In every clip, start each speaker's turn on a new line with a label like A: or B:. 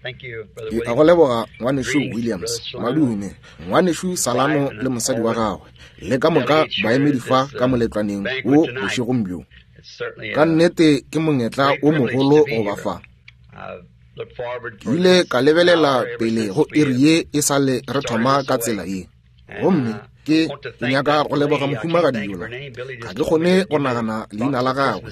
A: Ke a go leboga, Ngwanešu Williams. Madume, Ngwanešu Salano le mosadi wa gagwe, le ka moka baemedi fa ka moletlwaneng wo bošegong bjo. Ka nnete ke monyetla wo mogolo go ba fa. Ke ile ka lebelela pele go iri ye e sa le re thoma ka tsela ye. Gomme ke ke nyaka go leboga mohumagadi yola. Ga ke kgone go nagana leina la gagwe.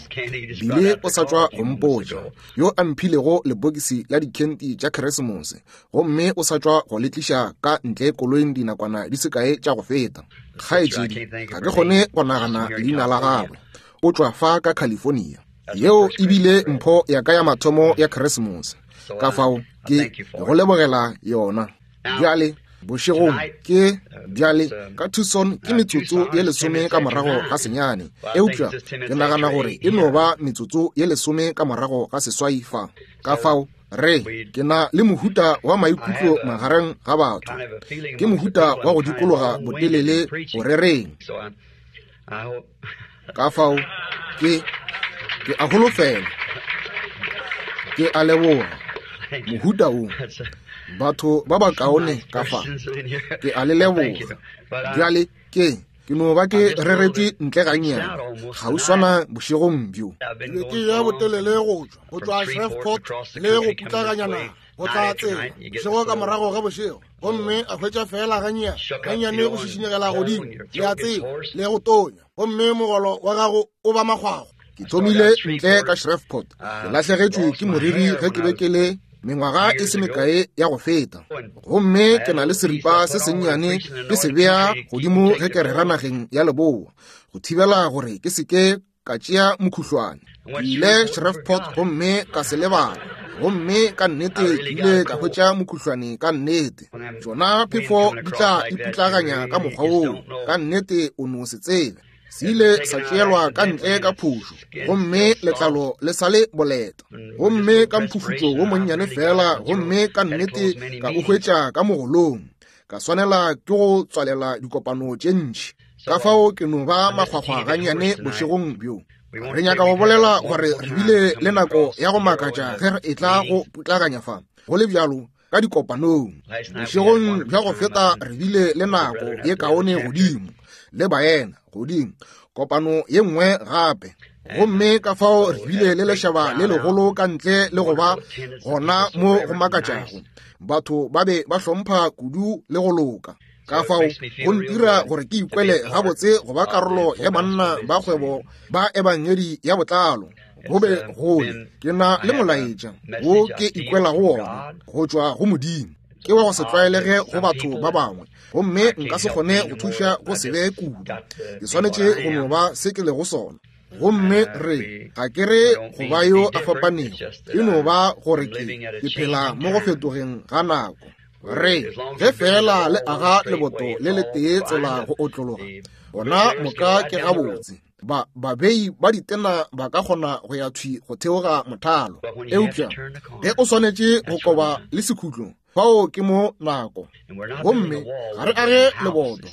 A: Bile o sa tšwa go mpotša, yo a mphilego lebokisi la dikhenti tša Keresemose, gomme o sa tšwa go le tliša ka ntle koloing dinakwana di se kae tša go feta. Kgaetšedi, ga ke kgone go nagana leina la gagwe. O tšwa fa ka California. Yeo e bile mpho ya ka ya mathomo ya Keresemose. Ka fao ke go lebogela yona. Bjale, bošegong ke bjale ka Tucson ke metsotso ye lesome ka morago ga senyane, eupša ke nagana gore e no ba metsotso ye lesome ka morago ga seswai fa. Ka fao re ke na le mohuta wa maikutlo magareng ga batho, ke mohuta wa go dikologa botelele go rereng. Ka fao ke ke a holofela, ke a leboga mohuta wo batho ba bakaone ka fa, ke a le leboga. Bjale ke ke no ba ke reretše ntle gannyane kgauswana bošegong bjo.
B: Ke be ke ya botelele go tšwa go tšwa Shreveport le go putlaganya naga go tla tsela bošego ka morago ga bošego, gomme a hwetša feela gannyane gannyane go šišinyegela godimo, le a tseba, le go tonya, gomme mogolo wa gago o ba makgwakgwa.
A: Ke thomile ntle ka Shreveport, ke lahlegetšwe ke moriri ge ke be ke le mengwaga e se mekae ya go feta, gomme ke na le seripa se sennyane ke se bea godimo ge ke rera nageng ya leboa, go thibela gore ke se ke ka tšea mokhuhlwane. Ke ile Shreveport gomme ka se lebala, gomme ka nnete ke ile ka hwetša mokhuhlwane ka nnete. Tšona phefo di tla iputlaganya ka mokgwa woo, ka nnete o no se tsebe. Se ile sa tšeelwa ka ntle ka phošo, gomme letlalo le sa le boleta, gomme ka mphufutšo wo monnyane fela, gomme ka nnete ka o hwetša ka mogolong. Ka swanela ke go tswalela dikopano tše ntši. Ka fao ke no ba makgwakgwa gannyane bošegong bjo. Re nyaka go bolela gore re bile le nako ya go makatša ge re etla go putlaganya fa, go le bjalo ka dikopanong. Bošegong bja go feta re bile le nako ye kaone godimo le baena godimo, kopano ye nngwe gape. Gomme ka fao re bile le lešaba le legolo ka ntle le go ba gona mo go makatšago. Batho ba be ba hlompha kudu le go loka. Ka fao go ntira gore ke ikwele gabotse go ba karolo ya banna ba kgwebo ba ebangedi ya botlalo. Go be gole ke na le molaetša wo ke ikwelago wona go tšwa go Modimo. Ke wa go se tlwaelege go batho ba bangwe, gomme nka se kgone go thuša go se be kudu. Ke swanetše go no ba se ke lego sona. Gomme re, ga ke re go ba yo a fapanego, e no ba gore ke, ke phela mo go fetogeng ga nako. Re, ge feela le aga leboto le letee tsela go otlologa, gona moka ke gabotse. Ba, babei ba ditena ba ka kgona go ya thwi go theoga mothalo. Eupša ge o swanetše go koba le sekhutlo, fao ke mo nako. Gomme ga re age leboto,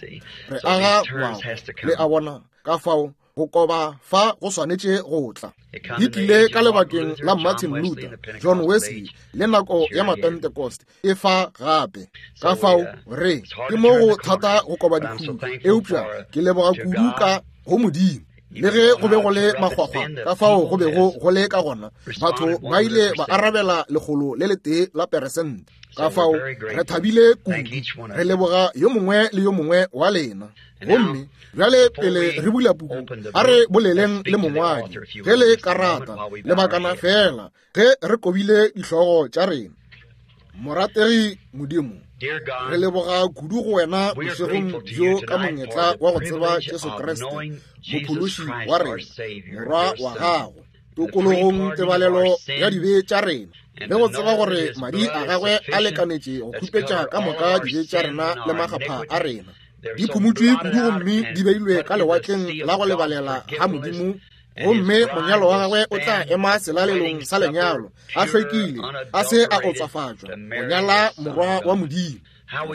A: re aga ngwako. Le a bona? Ka fao go koba fa go swanetše go tla. Di tlile ka lebakeng la Martin Luther, John Wesley, le nako ya Mapentecost e fa gape. Ka fao re ke mo go thata go koba dikhutlo, eupša ke leboga kudu ka go Modimo. Le ge go be go le makgwakgwa ka fao go bego go le ka gona, batho ba ile ba arabela 101%. Ka fao re thabile kudu, re leboga yo mongwe le yo mongwe wa lena. Gomme bjale pele re bula puku, a re boleleng le mongwadi ge le ka rata, lebakana fela ge re kobile dihlogo tša rena. Morategi Modimo, re leboga kudu go wena bošegong bjo ka monyetla wa go tseba Jesu Kriste, Mophološi wa rena, Morwa wa gago, tokologong tebalelo ya dibe tša rena, le go tseba gore madi a gagwe a lekanetše go khupetša ka moka dibe tša rena le makgapha a rena. Di phumutšwe kudu gomme di beilwe ka lewatleng la go lebalela ga Modimo, gomme monyalo wa gagwe o tla ema selalelong sa lenyalo, a hlwekile, a se a otswafatšwa, go nyala Morwa wa Modimo.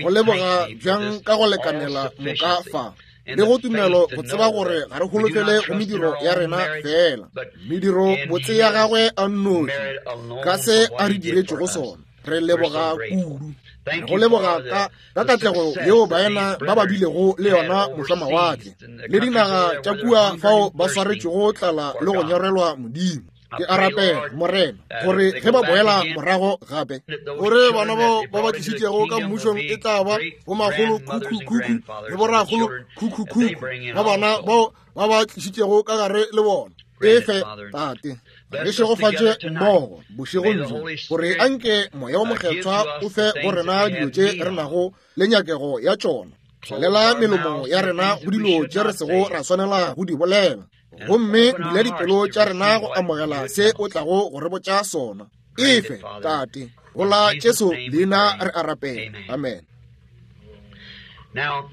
A: Go leboga bjang ka go lekanela moka fa, le go tumelo go tseba gore ga re holofele go mediro ya rena fela, mediro botse ya gagwe a nnoši, ka se a re diretšego sona. Re leboga kudu. Re go leboga ka ka katlego yeo baena ba ba bilego le yona mošwamawatle le dinaga tša kua fao ba swaretšego tlala le go nyorelwa Modimo. Ke a rapela, Morena, gore ge ba boela morago gape,
B: gore bana bao ba ba tlišitšego ka mmušong e tla ba bomakgolo khukhu-khukhu le borakgolo khukhu-khukhu ba bana bao ba ba tlišitšego ka gare le bona. Efe, Tate, re šegofatše mmogo bošegong bjo, gore anke Moya wo Mokgethwa o fe go rena dilo tše re nago le nyakego ya tšona. Tswalela melomo ya rena go dilo tše re sego ra swanela go di bolela, gomme bula dipelo tša rena go amogela se o tlago go re botša sona. Efe, Tate, go la Jesu leina re a rapela. Amen.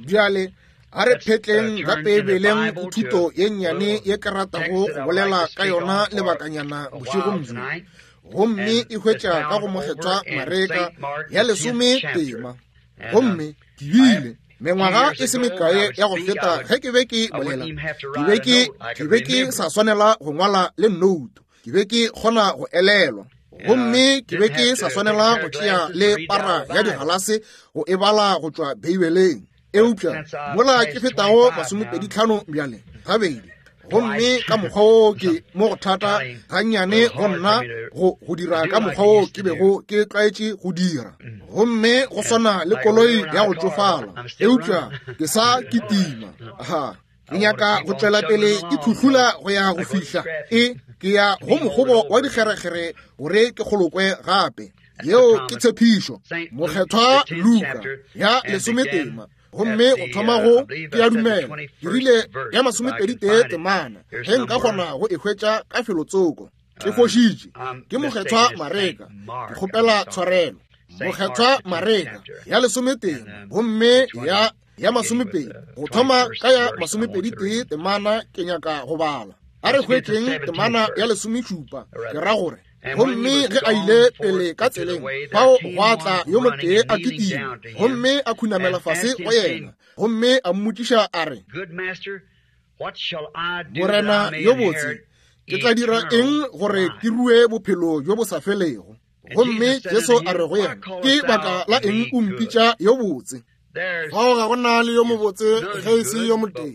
B: Bjale a re phetleng ka Beibeleng go thuto ye nnyane ye ke ratago go bolela ka yona lebakanyana bošegong bjo, gomme e hwetša ka go Mokgethwa Mareka ya lesome tema. Gomme ke bile mengwaga e se mekae ya go feta ge ke be ke bolela, ke be ke sa swanela go ngwala le nnoutu, ke be ke kgona go elelwa, gomme ke be ke sa swanela go tšea le para ya digalase go e bala go tšwa Beibeleng. Eupša mola ke fetago 25 bjale gabedi, gomme ka mokgwa wo ke mo go thata gannyane go nna go dira ka mokgwa wo ke bego ke tlwaetše go dira, gomme go swana le koloi ya go tšofala, eupša ke sa kitima. Ha, ke nyaka go tšwela pele ke thuhlula go ya go fihla e ke ya go mokgobo wa dikgerekgere gore ke kgolokwe gape. Yeo ke tshepišo. Mokgethwa Luka ya lesometema, gomme go thoma go ke a dumela ke rile ya 21 temana, ge nka kgona go e hwetša ka felotsoko. Ke fošitše, ke Mokgethwa Mareka, ke kgopela tshwarelo. Mokgethwa Mareka ya lesometema, gomme ya 20, go thoma ka ya 21 temana ke nyaka go bala. A re hwetšeng temana ya 17, ke ra gore, gomme ge a ile pele ka tseleng, fao gwa tla yo motee a kitima, gomme a khunamela fase go yena, gomme a mmotšiša a re, Morena yo botse, ke tla dira eng gore ke rue bophelo bjo bo sa felego? Gomme Jesu a re go yena, ke baka la eng o mpitša yo botse? Fao ga go na le yo mobotse ge e se yo motee,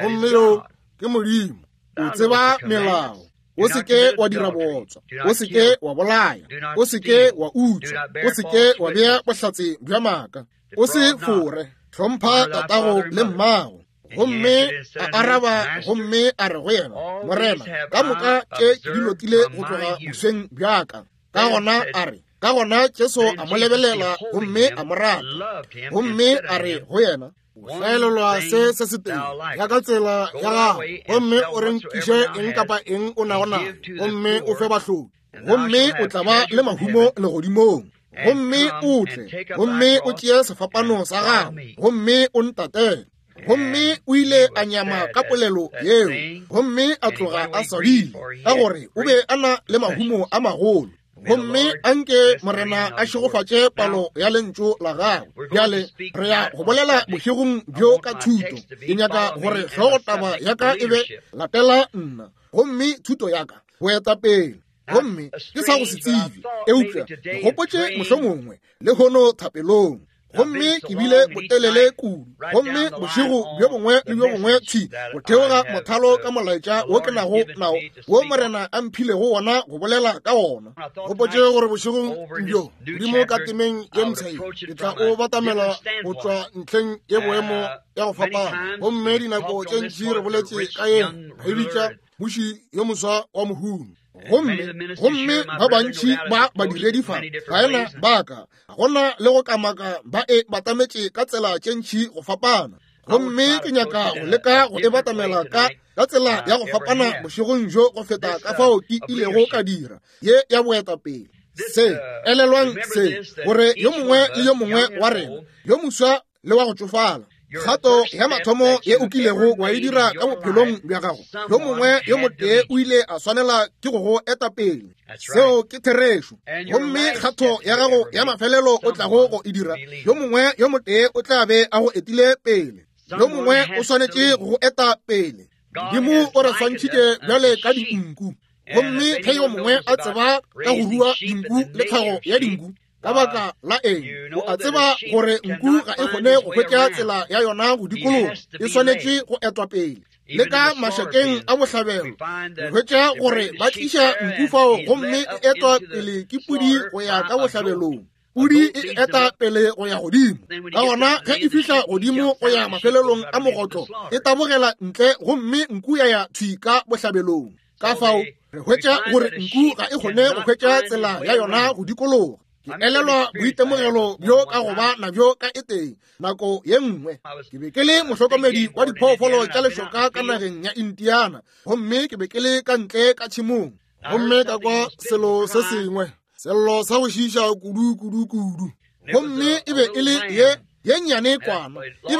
B: gomme yo ke Modimo.
A: O tseba melao. O se ke wa dira bootswa, o se ke wa bolaya, o se ke wa utswa, o se ke wa bea bohlatse bja maaka, o se fore, hlompha tatago le mmago. Gomme a araba gomme a re go yena, Morena, ka moka tše ke di lotile go tloga bosweng bja ka. Ka gona a re, ka gona Jesu a mo lebelela gomme a mo rata, gomme a re go yena,
B: O hlaelelwa se se se tee ya ka tsela ya gago, gomme o renkiše eng kapa eng o nago nayo, gomme o fe bahloki,
A: gomme o tla ba le mahumo legodimong. Gomme o tle, gomme o tšee sefapano sa gago, gomme o ntatele. Gomme o ile a nyama ka polelo yeo, gomme a tloga a swabile, ka gore o be a na le mahumo a magolo. Gomme anke Morena a šegofatše palo ya lentšu la gagwe. Bjale re ya go bolela bošegong bjo ka thuto. Ke nyaka gore hlogotaba ya ka e be latela nna, gomme thuto ya ka boetapele. Gomme ke sa go se tsebe, eupša ke gopotše mohlomongwe lehono thapelong. Gomme ke bile botelele kudu, gomme bošego bjo bongwe le bjo bongwe thwi go theoga mothalo ka molaetša wo ke nago nao, wo Morena a mphilego wona go bolela ka wona.
B: Gopotše gore bošegong bjo Modimo ka temeng ye mpsha ye, ke tla o batamela go tšwa ntlheng ye boemo ya go fapana. Gomme dinako tše ntši re boletše ka yena, re bitša mmuši yo moswa wa mohumi.
A: Gomme ba bantši ba badiredi fa baena ba ka gona le go kamaka ba e batametše ka tsela tše ntši go fapana. Gomme ke nyaka go leka go e batamela ka tsela ya go fapana bošegong bjo go feta ka fao ke ilego ka dira ye ya boetapele. Se elelwang se, gore yo mongwe le yo mongwe wa rena, yo moswa le wa go tšofala, kgato ya mathomo ye o kilego wa e dira ka bophelong bja gago, yo mongwe yo motee o ile a swanela ke go go eta pele. Seo ke therešo. Gomme kgato ya gago ya mafelelo o tlago go e dira, yo mongwe yo motee o tla be a go etile pele. Yo mongwe o swanetše go go eta pele. Modimo o re swantšhitše bjale ka dinku. Gomme ge yo mongwe a tseba ka go rua dinku le tlhago ya dinku, Ka baka la eng? O a tseba gore nku ga e kgone go hwetša tsela ya yona go dikologa, e swanetše go etwa pele. Le ka mašakeng a bohlabelo re hwetša gore ba tliša nku fao gomme e etwa pele ke pudi go ya ka bohlabelong. Pudi e eta pele go ya godimo. Ka gona ge e fihla godimo go ya mafelelong a mogotlo, e tabogela ntle gomme nku ya ya thwi ka bohlabelong. Ka fao re hwetša gore nku ga e kgone go hwetša tsela ya yona go dikologa. Ke elelwa boitemogelo bjo ka go ba nabjo ka e tee nako ye nngwe. Ke be ke le mohlokomedi wa diphoofolo tša lešoka ka nageng ya Indiana, gomme ke be ke le ka ntle ka tšhemong, gomme ka kwa selo se sengwe, sello sa go šiiša kudu kudu kudu. Gomme e be e le ye nnyane kwana, e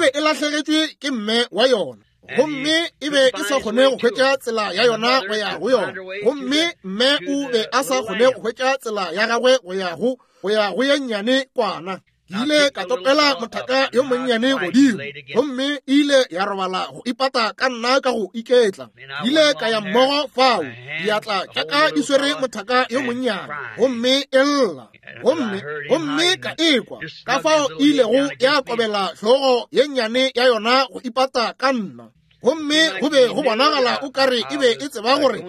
A: be e lahlegetšwe ke mme wa yona, gomme e be e sa kgone go hwetša tsela ya yona go ya go yona, gomme mme o be a sa kgone go hwetša tsela ya gagwe go ya go ye nnyane kwana. Ke ile ka topela mothaka yo monnyane godimo, gomme e ile ya robala go ipata ka nna ka go iketla. Ke ile ka ya mmogo fao, diatla tša ka di swere mothaka yo monnyane, gomme e lla, gomme ka ekwa ka fao e ilego ya kobela hlogo ye nnyane ya yona go ipata ka nna. Gomme go be go bonagala o kare e be e tseba gore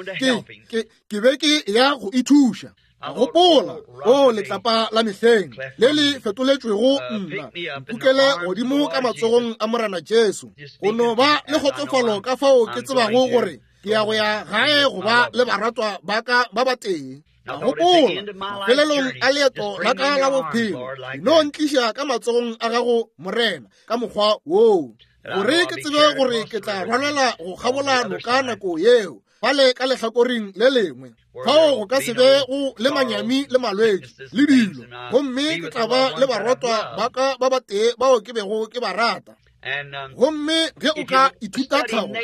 A: ke be ke ya go ithuša. Gopola, o letlapa la mehleng le le fetoletšwego nna, mpukele godimo ka matsogong a Morena Jesu. Go no ba le kgotsofalo ka fao ke tsebago gore ke ya go ya gae go ba le baratwa ba ka ba batee. Gopola, mafelelong a leeto la ka la bophelo, no ntliša ka matsogong a gago, Morena, ka mokgwa woo, gore ke tsebe gore ke tla rwalela go kgabola noka nako yeo, fale ka lehlakoreng le lengwe, fao go ka se be go le manyami le malwetši le dilo, gomme ke tla ba le barotwa ba ka ba batee bao ke bego ke ba rata. Gomme ge o ka ithuta tlhago,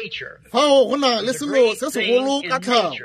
A: fao go na le selo se segolo ka tlhago,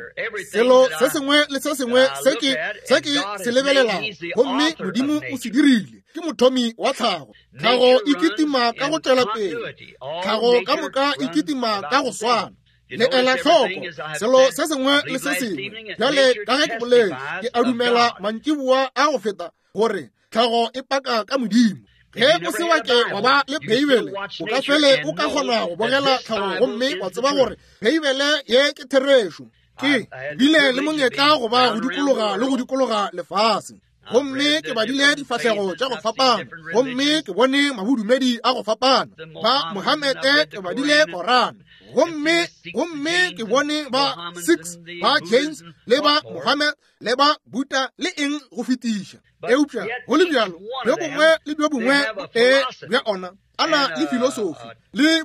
A: selo se sengwe le se sengwe se ke se lebelelago, gomme Modimo o se dirile, ke mothomi wa tlhago. Tlhago e kitima ka go tšwela pele, tlhago ka moka e kitima ka go swana. Le ela hloko selo se sengwe le se sengwe. Bjale ka ge ke boletše, ke a dumela mantšiboa a go feta gore tlhago e paka ka Modimo. Ge o se wa ke wa ba le Beibele, o ka fele o ka kgona go bogela tlhago gomme wa tseba gore Beibele ye ke therešo. Ke bile le monyetla go ba go dikologa le go dikologa lefase, gomme ke badile difahlego tša go fapana, gomme ke bone mabodumedi a go fapana, ba Mohamete ke badile Koran, gomme ke bone ba Sikhs, ba Jains, le ba Mohammed, le ba Buddha, le eng go fetiša. Eupša go le bjalo, bjo bongwe le bjo bongwe botee bja ona a na le filosofi le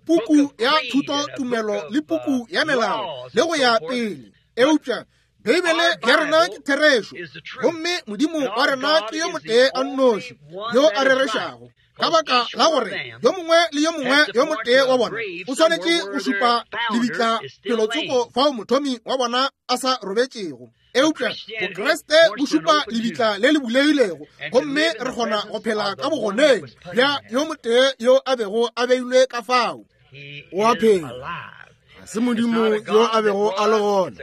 A: puku ya thuto tumelo le puku ya melao le go ya pele. Eupša Beibele ya rena ke therešo, gomme Modimo wa rena ke yo motee a nnoši yo a rerešago. Ka baka la gore yo mongwe le yo mongwe yo motee wa bona o swanetše go šupa lebitla felotsoko fao mothomi wa bona a sa robetšego. Eupša Bokriste bo šupa lebitla le le bulegilego, gomme re kgona go phela ka bogoneng bja yo motee yo a bego a beilwe ka fao.
B: O a phela. Ga se Modimo yo a bego a le gona,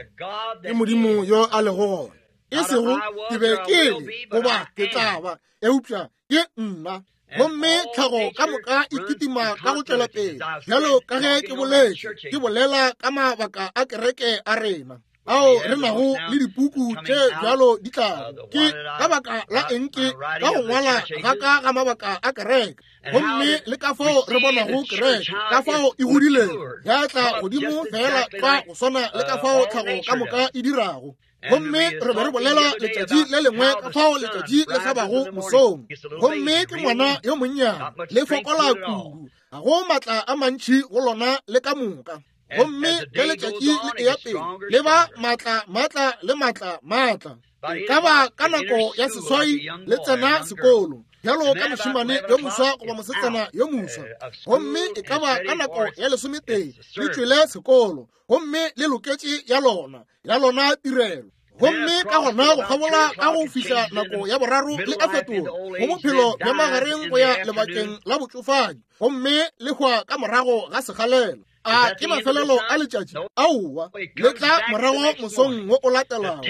B: ke Modimo yo a lego gona.
A: E sego ke be ke le goba ke tla ba, eupša ke nna. Gomme tlhago ka moka e kitima ka go tšwela pele, bjalo ka ge ke boletše, ke bolela ka mabaka a kereke a rena ao re nago le dipuku tše bjalo di tlago. Ke ka baka la eng ke ka go ngwala ga ka ga mabaka a kereke, gomme le ka fao re bonago kereke, ka fao e godilego ya tla godimo fela ka go swana le ka fao tlhago ka moka e dirago. Gomme re be re bolela letšatši le lengwe ka fao letšatši le hlabago mosong, gomme ke ngwana yo monnyane, le fokola kudu, ga go matla a mantši go lona le ka moka. Gomme ge letšatši le eya pele, le ba matla matla le matla matla. E ka ba ka nako ya seswai le tsena sekolo, bjalo ka mošemane yo moswa goba mosetsana yo moswa. Gomme e ka ba ka nako ya 11 le tšwele sekolo, gomme le loketše ya lona tirelo. Gomme ka gona go kgabola ka go fihla nako ya boraro le a fetola go bophelo bja magareng go ya lebakeng la botšofadi, gomme le hwa ka morago ga sekgalela. A ke mafelelo a letšatši? Aowa, le tla morago mosong wo o latelago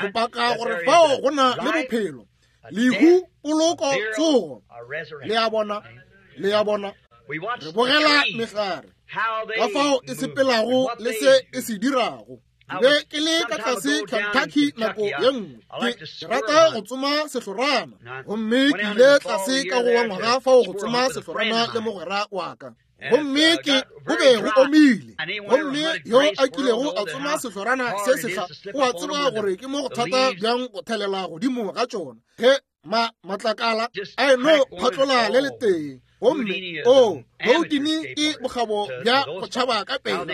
A: go paka gore fao go na le bophelo, lehu, poloko, tsogo. Le a bona, le a bona. Re bogela mehlare ka fao e sepelago le se e se dirago. Be ke le ka tlase Kentucky nako ye nngwe, ke rata go tsoma sehlorana, gomme ke ile tlase ka go wa ngwaga fao go tsoma sehlorana le mogwera wa ka. Gomme ke go be go omile, gomme yo a kilego a tsoma sehlorana se sehla o a tseba gore ke mo go thata bjang go thelela godimo ga tšona ge ma matlakala a eno phatlola le letee. Gomme o Houdini ke bokgabo bja go tšhaba ka pela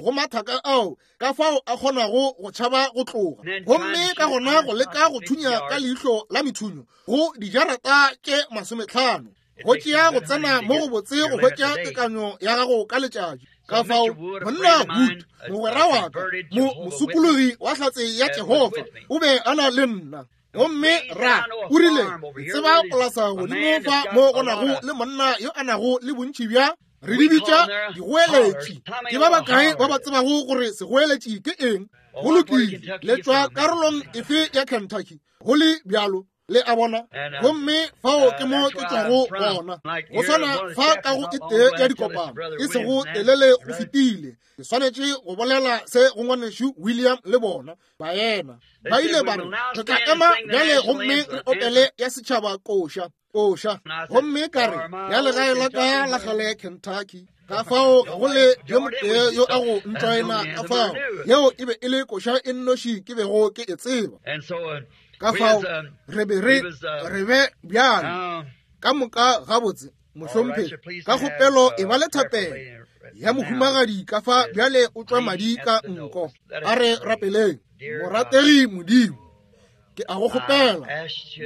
A: go mathaka ao ka fao a kgonago go tšhaba go tloga, gomme ka gona go leka go thunya ka leihlo la methunyo go dijarata tše 50. Go tšea go tsena mo go botse go hwetša tekanyo ya gago ka letšatši. Ka fao monna Wood, mogwera wa ka, mosokologi wa hlatse ya Jehofa, o be a na le nna. Gomme ra o rile, tseba polasa godimo fa mo go nago le monna yo a nago le bontši bja, re di bitša digoeletši. Ke ba bakae ba ba tsebago gore segoeletši ke eng? Go lokile, le tšwa karolong efe ya Kentucky? Go le bjalo, le a bona. Gomme fao ke mo ke tšwago gona. Go swana fa ka go e tee ya dikopano e sego telele go fetile, ke swanetše go bolela se go ngwanešu William le bona baena. Ba ile ba re, re tla ema bjale gomme re opele ya setšhaba koša, koša. Gomme ka re, ya legae la ka la kgale Kentucky. Ka fao ga go le yo motee yo a go ntšoena ka fao. Yeo e be e le koša e nnoši ke bego ke e tseba. Ka fao re be re re be bjalo ka moka gabotse. Mohlomphegi, ka kgopelo e ba le thapelo ya mohumagadi ka fa bjale o tšwa madi ka nko. A re rapeleng. Morategi Modimo, ke a go kgopela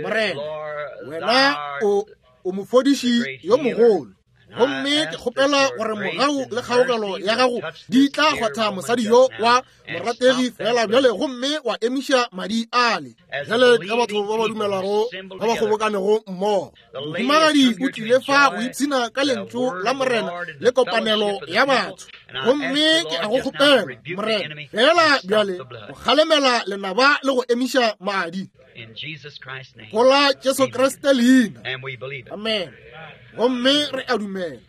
A: Morena, wena o mofodiši yo mogolo, gomme ke kgopela gore mogau le kgaogelo ya gago di tla kgwatha mosadi yo wa morategi fela bjale, gomme wa emiša madi ale. Bjale ka batho ba ba dumelago ba ba kgobokanego mmogo, mohumagadi o tlile fa go ipshina ka lentšu la Morena le kopanelo ya batho. Gomme ke a go kgopela Morena fela bjale go kgalemela lenaba le go emiša madi. Go la Jesu Kriste leina. Amen. Gomme re a dumela,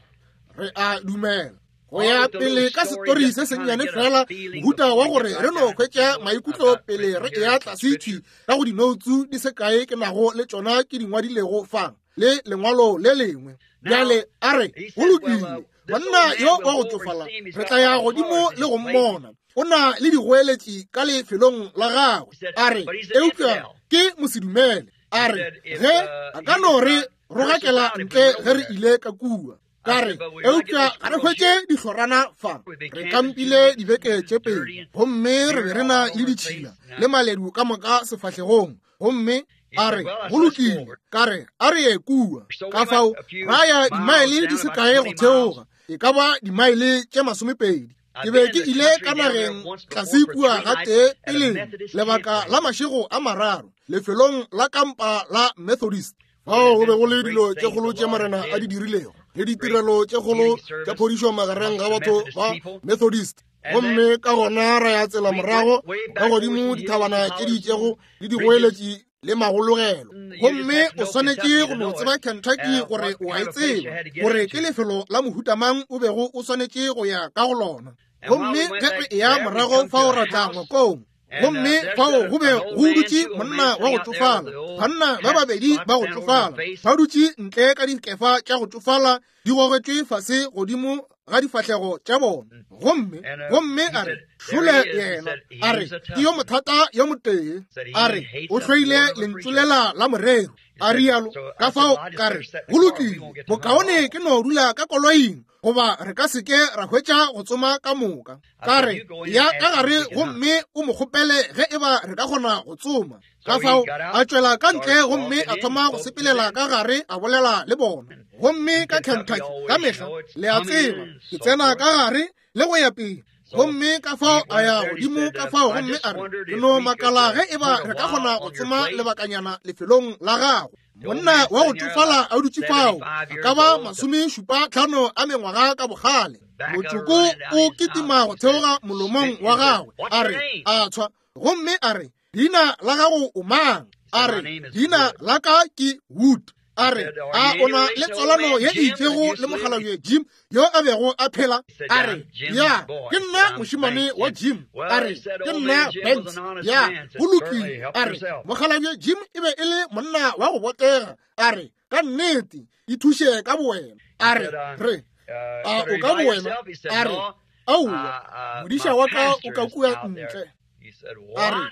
A: re a dumela. Go ya pele ka setori se sennyane fela, mohuta wa gore re no hwetša maikutlo pele re eya tlase thwi ka go dinoutsu di se kae ke nago le tšona ke di ngwadilego fa le lengwalo le lengwe. Bjale a re, go lokile, monna yo wa go tšofala re tla ya godimo le go mmona. O na le digoeletši ka lefelong la gagwe. A re, eupša ke mosedumele. A re, ge a ka no re rogakela ntle ge re ile ka kua. Ka re, eupša ga re hwetše dihlorana fa. Re kampile dibeke tše pedi, gomme re be re na le ditšhila le maledu ka moka sefahlegong. Gomme a re, go lokile. Ka re, a re ye kua. Ka fao ra ya dimaele di se kae go theoga, e ka ba dimaele tše 20. Ke be ke ile ka nageng tlase kua gatee peleng lebaka la mašego a mararo lefelong la kampa la Methodist. Fao go be go le dilo tše kgolo tše Morena a di dirilego le ditirelo tše kgolo tša phodišo magareng ga batho ba Methodist. Gomme ka gona ra ya tsela morago ka godimo dithabana tše di itšego le digoeletši le magologelo. Gomme o swanetše go no tseba Kentucky gore o a e tseba, gore ke lefelo la mohuta mang o bego o swanetše go ya ka go lona. Gomme ge re eya morago fao ra tla ngwakong, gomme fao go be go dutše monna wa go tšofala, banna ba babedi ba go tšofala ba dutše ntle ka dikefa tša go tšofala di gogetšwe fase godimo ga difahlego tša bona. Gomme gomme a re, šole yena. A re, ke yo mothata yo motee. A re, o hloile lentšu lela la morero. A rialo. Ka fao ka re, go lokile, bokaone ke no dula ka koloing, goba re ka se ke ra hwetša go tsoma ka moka. Ka re, ya ka gare gomme o mo kgopele ge eba re ka kgona go tsoma. Ka fao a tšwela ka ntle gomme a thoma go sepelela ka gare a bolela le bona. Gomme ka Kentucky ka mehla, le a tseba, ke tsena ka gare le go ya pele. Gomme ka fao a ya godimo ka fao gomme a re, ke no makala ge e ba re ka kgona go tsoma lebakanyana lefelong la gago. Monna wa go tšofala a dutše fao, a ka ba 75 a mengwaga ka bogale. Motsoko o kitima go theoga molomong wa gagwe, a re, a tshwa. Gomme a re, leina la gago o mang? A re, leina la ka ke Wood. A re, a o na le tswalano ye e itšego le mokgalabje Jim yo a bego a phela? A re, ya, ke nna mošemane wa Jim. A re, ke nna Banks. Ya, go lokile. A re, mokgalabje Jim e be e le monna wa go botega. A re, ka nnete, ithuše ka bowena. A re, re, a o ka bowena? A re, aowa, modiša wa ka o ka kua ntle. A re,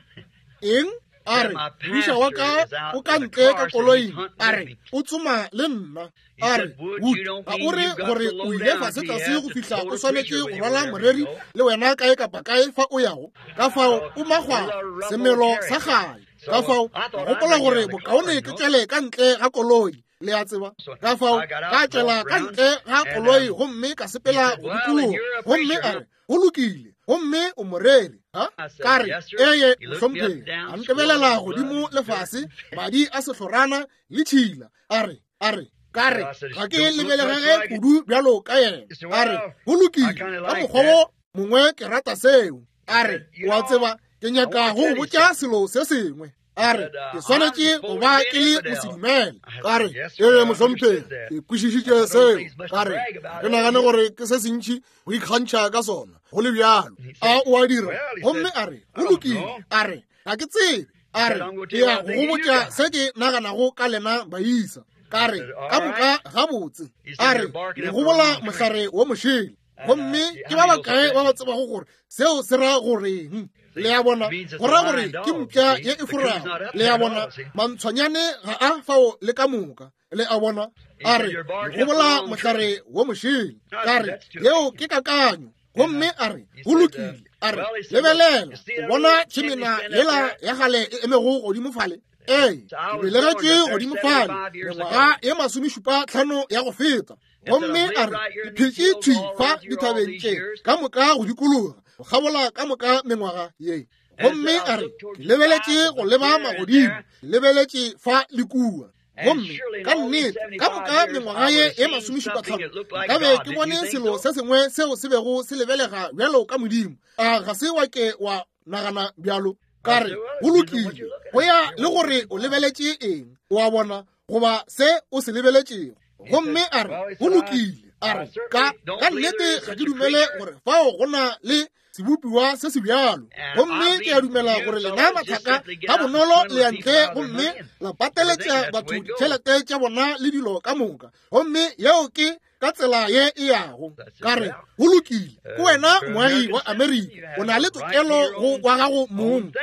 A: eng? A re, modiša wa ka o ka ntle ka koloing. A re, o tsoma le nna. A re, Wood, ga o re gore o ile fasetlase go fihla o swanetše go rwala moreri le wena kae kapa kae fa o yago? Ka fao o magwa semelo sa gae. Ka fao ka gopola gore bokaone ke tšwele ka ntle ga koloi, le a tseba. Ka fao ka tšwela ka ntle ga koloi gomme ka sepela go dikologa. Gomme a re, go lokile, gomme o moreri. Ha? Ka re, eye, mohlomphegi. A ntebelela godimo le fase, madi a sehlorana le tšhila. A re, a re, ka re, ga ke lebelegege kudu bjalo ka yena. A re, go lokile, ka mokgwa wo mongwe ke rata seo. A re, o a tseba, ke nyaka go go botša selo se sengwe. A re, ke swanetše go ba ke le mosedumele. Ka re, ee, mohlomphegi, ke kwešišitše seo. Ka re, ke nagane gore ke se sentši go ikgantšha ka sona, go le bjalo. A o a dira? Gomme a re, go lokile. A re, ga ke tsebe. A re, ke ya go go botša se ke naganago ka lena baisa. Ka re, ka moka gabotse. A re, le gobola mohlare wo mošele. Gomme ke ba bakae ba ba tsebago gore seo se ra goreng? Le a bona, go ra gore ke mpša ye e forago. Le a bona, mantshwanyane ga a fao le ka moka. Le a bona, a re, gobola mohlare wo mošele. Ka re, yeo ke kakanyo. Gomme a re, go lokile. A re, lebelela, o bona tšhemena yela ya gale e emego godimo fale? Ee, ke belegetše godimo fale mengwaga ye 75 ya go feta. Gomme a re, ke phetše thwi fa dithabeng tše ka moka go dikologa, go kgabola ka moka mengwaga ye. Gomme a re, ke lebeletše go leba magodimo, ke lebeletše fa le kua. Gomme ka nnete ka moka mengwaga ye e 75 nkabe ke bone selo se sengwe seo se bego se lebelega bjalo ka Modimo. A ga se wa ke wa nagana bjalo? Ka re, go lokile, go ya le gore o lebeletše eng, o a bona, goba se o se lebeletšego. Gomme a re, go lokile. A re, ka nnete ga ke dumele gore fao go na le sebopiwa se se bjalo. Gomme ke a dumela gore lena mathaka ka bonolo le ya ntle gomme la pateletša batho ditšhelete tša bona le dilo ka moka. Gomme yeo ke ka tsela ye e yago. Ka re, go lokile, ke wena moagi wa Amerika, o na le tokelo go wa gago mong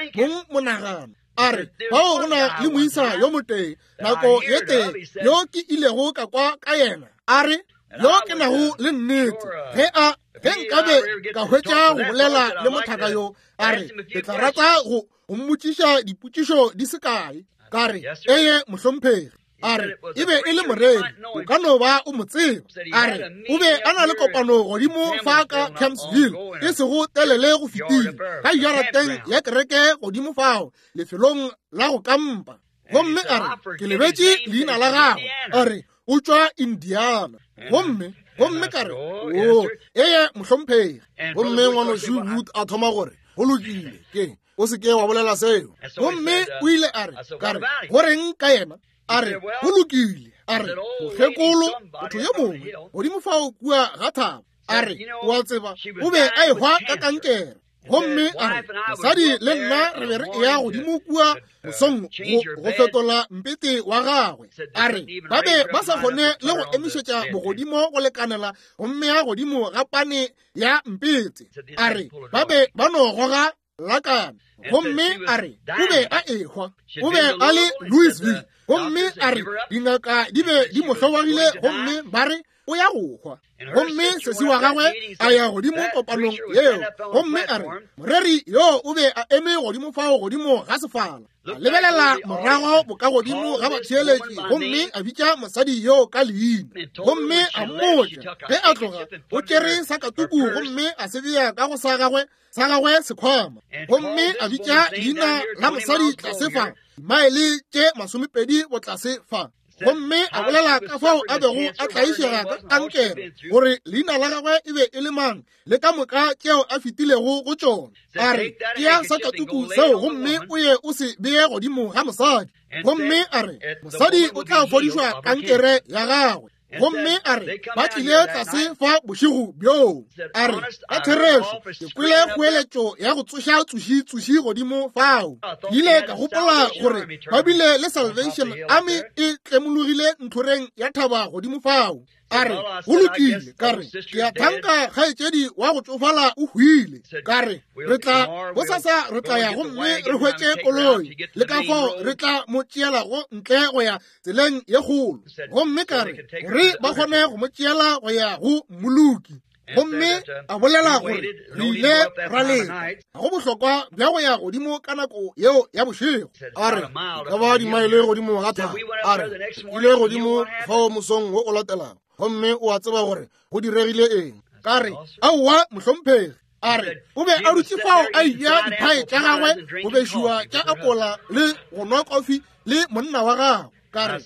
A: monagano. A re, fao go na le moisa yo motee nako ye tee yo ke ilego ka kwa ka yena. A re, yo ke nago le nnete ge a ge nkabe ka hwetša go bolela le mothaka yo, a re, ke tla rata go mmotšiša dipotšišo di se kae. Ka re, eye, mohlomphegi. A re, e be e le moreri, o ka no ba o mo tseba. A re, o be a na le kopano godimo fa ka Campsville, e sego telele go fetile, ka jarateng ya kereke godimo fao, lefelong la go kampa. Gomme a re, ke lebetše leina la gagwe. A re, o tšwa Indiana. Gomme ka re, o, eye, mohlomphegi. Gomme ngwanošu Wood a thoma gore, go lokile, ke o se ke wa bolela seo. Gomme o ile a re, ka re, go reng ka yena? A re, go lokile. A re, mokgekolo, motho yo mongwe godimo fao kua ga thaba. A re, o a tseba, o be a ehwa ka kankere. Gomme a re, mosadi le nna re be re eya godimo kua mosong go fetola mpete wa gagwe. A re, ba be ba sa kgone le go emišetša bogodimo go lekanela gomme ya godimo ga pane ya mpete. A re, ba be ba no goga lakana. Gomme a re, o be a ehwa, o be a le Louisville. Gomme a re, dingaka di be di mo hlobogile, gomme ba re o ya go hwa. Gomme sesi wa gagwe a ya godimo kopanong yeo. Gomme a re, moreri yo o be a eme godimo fao godimo ga sefala. A lebelela morago bokagodimo ga batheeletši gomme a bitša mosadi yoo ka leina, gomme a mmotša ge a tloga o tšere sakatuku gomme a se bea ka go sa gagwe sa gagwe sekhwama, gomme a bitša leina la mosadi tlase fa, dimaele tše 20 botlase fa. Gomme a bolela ka fao a bego a tlaišega ka kankere, gore leina la gagwe e be e le mang, le ka moka tšeo a fetilego go tšona. A re, Tšea sakatuku seo gomme o ye o se bee godimo ga mosadi. Gomme a re, Mosadi o tla fodišwa kankere ya gagwe. Gomme a re, Ba tlile tlase fa bošego bjoo. A re, Ka therešo, ke kwele kgoeletšo ya go tsoša tsoši-tsoši godimo fao. Ke ile ka gopola gore ba bile le Salvation Army e tlemologile ntlhoreng ya thaba godimo fao. A re, Go lokile. Ka re, Ke a thanka kgaetšedi wa go tšofala o hwile. Ka re, Re tla bosasa re tla ya gomme re hwetše koloi, le ka fao re tla mo tšeelago ntle go ya tseleng ye kgolo. Gomme ka re, gore ba kgone go mo tšeela go ya go mmoloki. Gomme a bolela gore re ile ra leta, ga go bohlokwa bja go ya godimo ka nako yeo ya bošego.
B: A re, ka ba dimaele godimo ga thaba. A re, ile godimo fao mosong wo o latelago, gomme o a tseba gore go diregile eng.
A: Ka re, Aowa, mohlomphegi. A re, o be a dutše fao a eja diphae tša gagwe go bešiwa tša apola le go nwa kofi le monna wa gagwe. Ka re,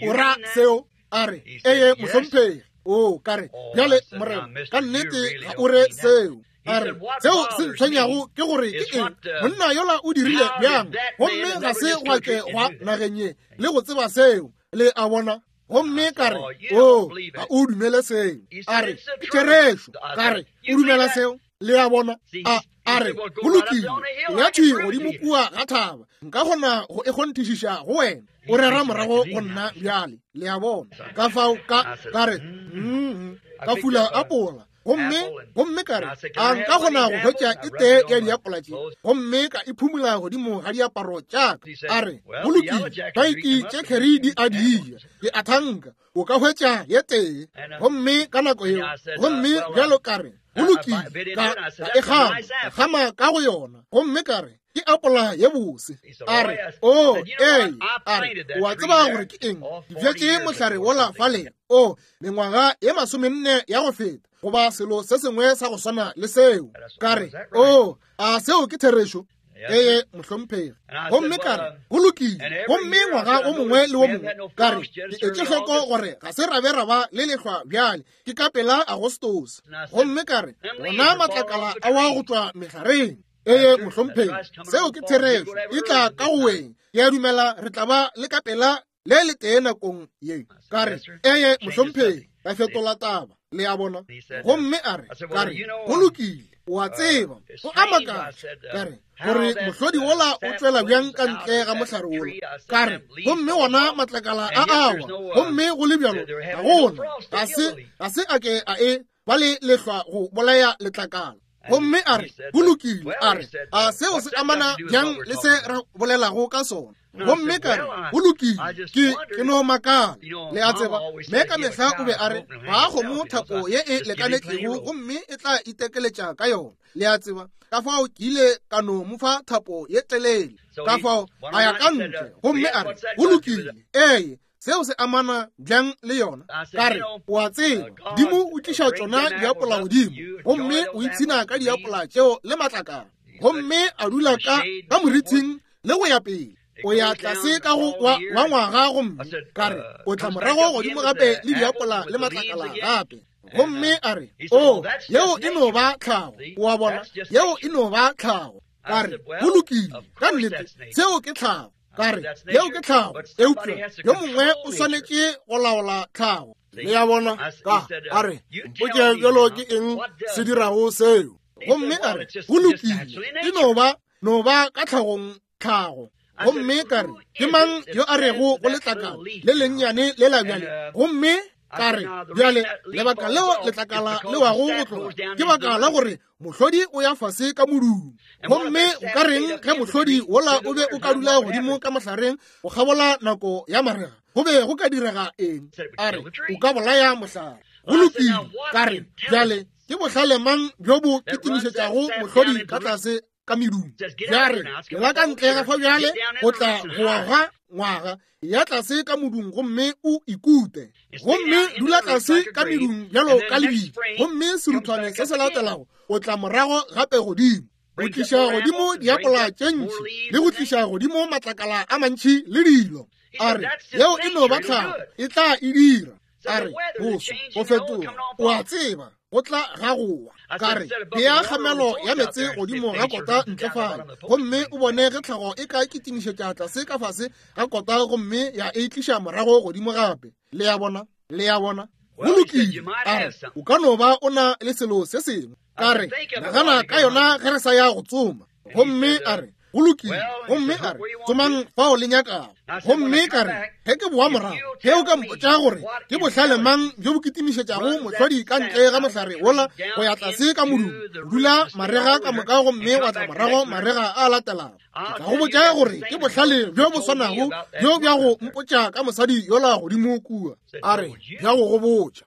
A: O ra seo? A re, Eye, mohlomphegi. O, ka re, bjale, morena, ka nnete ga o re seo. A re, seo se ntshwenyago ke gore ke eng monna yola o dirile bjang, gomme ga se gwa ke gwa nageng ye le go tseba seo. Le a bona? Gomme ka re, O, ga o dumele seo. A re, ke therešo. Ka re, o dumela seo? Le a bona? A re, go lokile, ya thwi godimo kua ga thaba, nka kgona go e kgonthišiša go wena. O rera morago go nna bjale. Le a bona? Ka fao ka, ka re, ka fula apola. Gomme, gomme ka re, a nka kgona go hwetša e tee ya diapola tše, gomme ka e phumula godimo ga diaparo tša ka. A re, go lokile, baiki tše kheri di a di ja, ke a thanka o ka hwetša ye tee. Gomme ka nako yeo, gomme bjalo ka re, go lokile, ka e gama, ka gama ka go yona, gomme ka re, ke apola ye bose. A re, o, ee. A re, o a tseba gore ke eng? Ke bjetše mohlare wola fale, o, mengwaga ye 40 ya go feta, goba selo se sengwe sa go swana le seo. Ka re, o, a seo ke therešo? Ee, mohlomphegi. Gomme ka re, go lokile. Gomme ngwaga o mongwe le o mongwe, ka re, ke etše hloko gore ga se ra be ra ba le lehlwa bjale, ke ka pela Agostose. Gomme ka re, gona matlakala a wa go tšwa mehlareng. Ee, mohlomphegi, seo ke therešo. E tla ka go weng. Ke a dumela re tla ba le ka pela le le tee nakong ye. Ka re, ee, mohlomphegi, ka fetola taba. Le a bona? Gomme a re, ka re, go lokile, o a tseba, go a makatša. Ka re, gore mohlodi wola o tšwela bjang ka ntle ga mohlare wola. Ka re, gomme wona matlakala a awa, gomme go le bjalo ga gona, ga se a ke a e ba le lehlwa go bolaya letlakala. Gomme a re, go lokile. A re, a seo se amana bjang le se re bolelago ka sona? Gomme ka re, go lokile, ke no makala. Le a tseba, mme ka mehla o be a re, ga kgomo thapo ye e lekanetšego gomme e tla itekeletša ka yona. Le a tseba, ka fao ke ile ka no mo fa thapo ye telele. Ka fao a ya ka ntle gomme a re, go lokile, ee, seo se amana bjang le yona? Ka re, o a tseba, Modimo o tliša tšona diapola godimo, gomme o ipshina ka diapola tšeo le matlakala, gomme a dula ka morithing le go ya pele. O ya tlase ka go wa ngwaga, gomme ka re, o tla morago godimo gape le diapola le matlakala gape. Gomme a re, o, yeo e no ba tlhago. O a bona, yeo e no ba tlhago. Ka re, go lokile, ka nnete, seo ke tlhago. Ka re, yeo ke tlhago, eupša yo mongwe o swanetše go laola tlhago.
B: Le a bona? Ka a re, mpotše bjalo ke eng se dirago seo.
A: Gomme a re, go lokile, e no ba, no ba ka tlhagong tlhago. Gomme ka re, ke mang yo a rego go letlakala le lennyane le la bjale? Gomme ka re, bjale lebaka leo letlakala le wago go tloga ke baka la gore mohlodi o ya fase ka modumo. Gomme o ka reng ge mohlodi wola o be o ka dula godimo ka mohlareng go kgabola nako ya marega? Go be go ka direga eng? A re, o ka bolaya mohlare. Go lokile. Ka re, bjale ke bohlale mang bjo bo kitimišetšago mohlodi ka tlase? ka medung. Ya re, la ka ntle ga fa bjale go tla go aga ngwaga, ya tlase ka modung gomme o ikute. Gomme dula tlase ka medung bjalo ka lebitla, gomme seruthwane se se latelago o tla morago gape godimo. Go tliša godimo diapola tše ntši le go tliša godimo matlakala a mantši le dilo. A re, yeo e no ba tlhago, e tla e dira. A re, boso, go fetoga, o a tseba, go tla ga gowa. Ka re, bea kgamelo ya meetse godimo ga kota ntle fale, gomme o bone ge tlhago e ka kitimišetša tlase ka fase ga kota gomme ya e tliša morago godimo gape. Le a bona? Le a bona? Go lokile. A re, o ka no ba o na le selo se sengwe. Ka re, nagana ka yona ge re sa ya go tsoma. Gomme a re, go lokile. Gomme a re, tsomang fao le nyakago. Gomme ka re, ge ke boa morago, ge o ka mpotša gore ke bohlale mang bjo bo kitimišetšago mohlodi ka ntle ga mohlare wola go ya tlase ka modung, dula marega ka moka gomme wa tla morago marega a latelago, ke tla go botša gore ke bohlale bjo bo swanago bjo bja go mpotša ka mosadi yola godimo kua. A re, bja go go botša.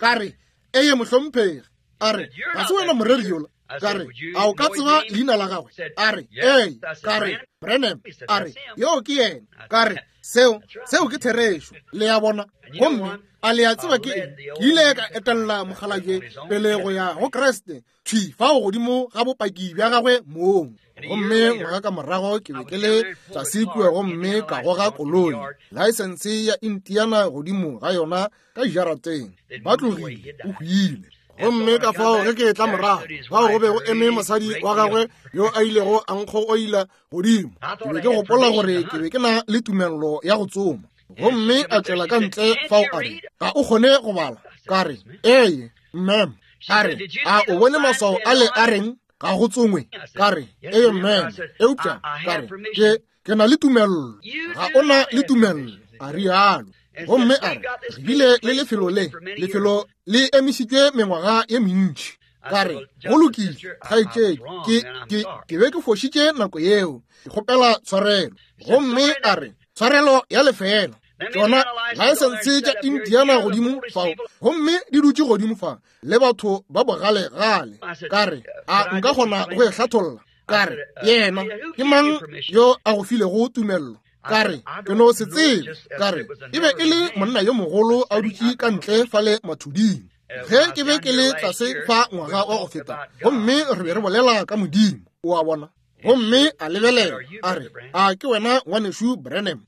A: Ka re, eye mohlomphegi. A re, ga se wena moreri yola? Ka re, a o ka tseba leina la gagwe? A re, ee. Ka re, Branham. A re, yoo ke yena. Ka re, seo, seo ke therešo. Le a bona? Gomme a le a tseba ke eng? Ke ile ka etella mokgalabje pele go ya go Kriste, thwi fao godimo ga bopaki bja gagwe mong. Gomme ngwaga ka morago ke be ke le tlase kua gomme ka goga koloi, laesense ya Indiana godimo ga yona ka jarateng. Ba tlogile, o hwile. Gomme ka fao ge ke etla morago, fao go be go eme mosadi wa gagwe yo a ilego a nkgogoila godimo. Ke be ke gopola gore ke be ke na le tumello ya go tsoma. Gomme a tšwela ka ntle fao a re, ga o kgone go bala? Ka re, ee, ma'am. A re, a o bone maswao ale a reng ga go tsongwe? Ka re, ee, ma'am. Eupša ka re, ke na le tumello. Ga o na le tumello, a rialo. Gomme a re, re bile le lefelo le, lefelo le emišitšwe mengwaga ye mentši. Ka re, go lokile, kgaetšedi, ke be ke fošitše nako yeo, ke kgopela tshwarelo. Gomme a re, tshwarelo ya lefela. Tšona laesense tša Indiana godimo fao, gomme di dutše godimo fa le batho ba bogalegale. Ka re, a nka kgona go e hlatholla? Ka re, yena ke mang yo a go filego tumello? Ka re, ke no se tsebe. Ka re, e be e le monna yo mogolo a dutše ka ntle fale mathuding. Ge ke be ke le tlase fa ngwaga wa go feta, gomme re be re bolela ka Modimo, o a bona. Gomme a lebelela, a re, a ke wena ngwanešu Branham?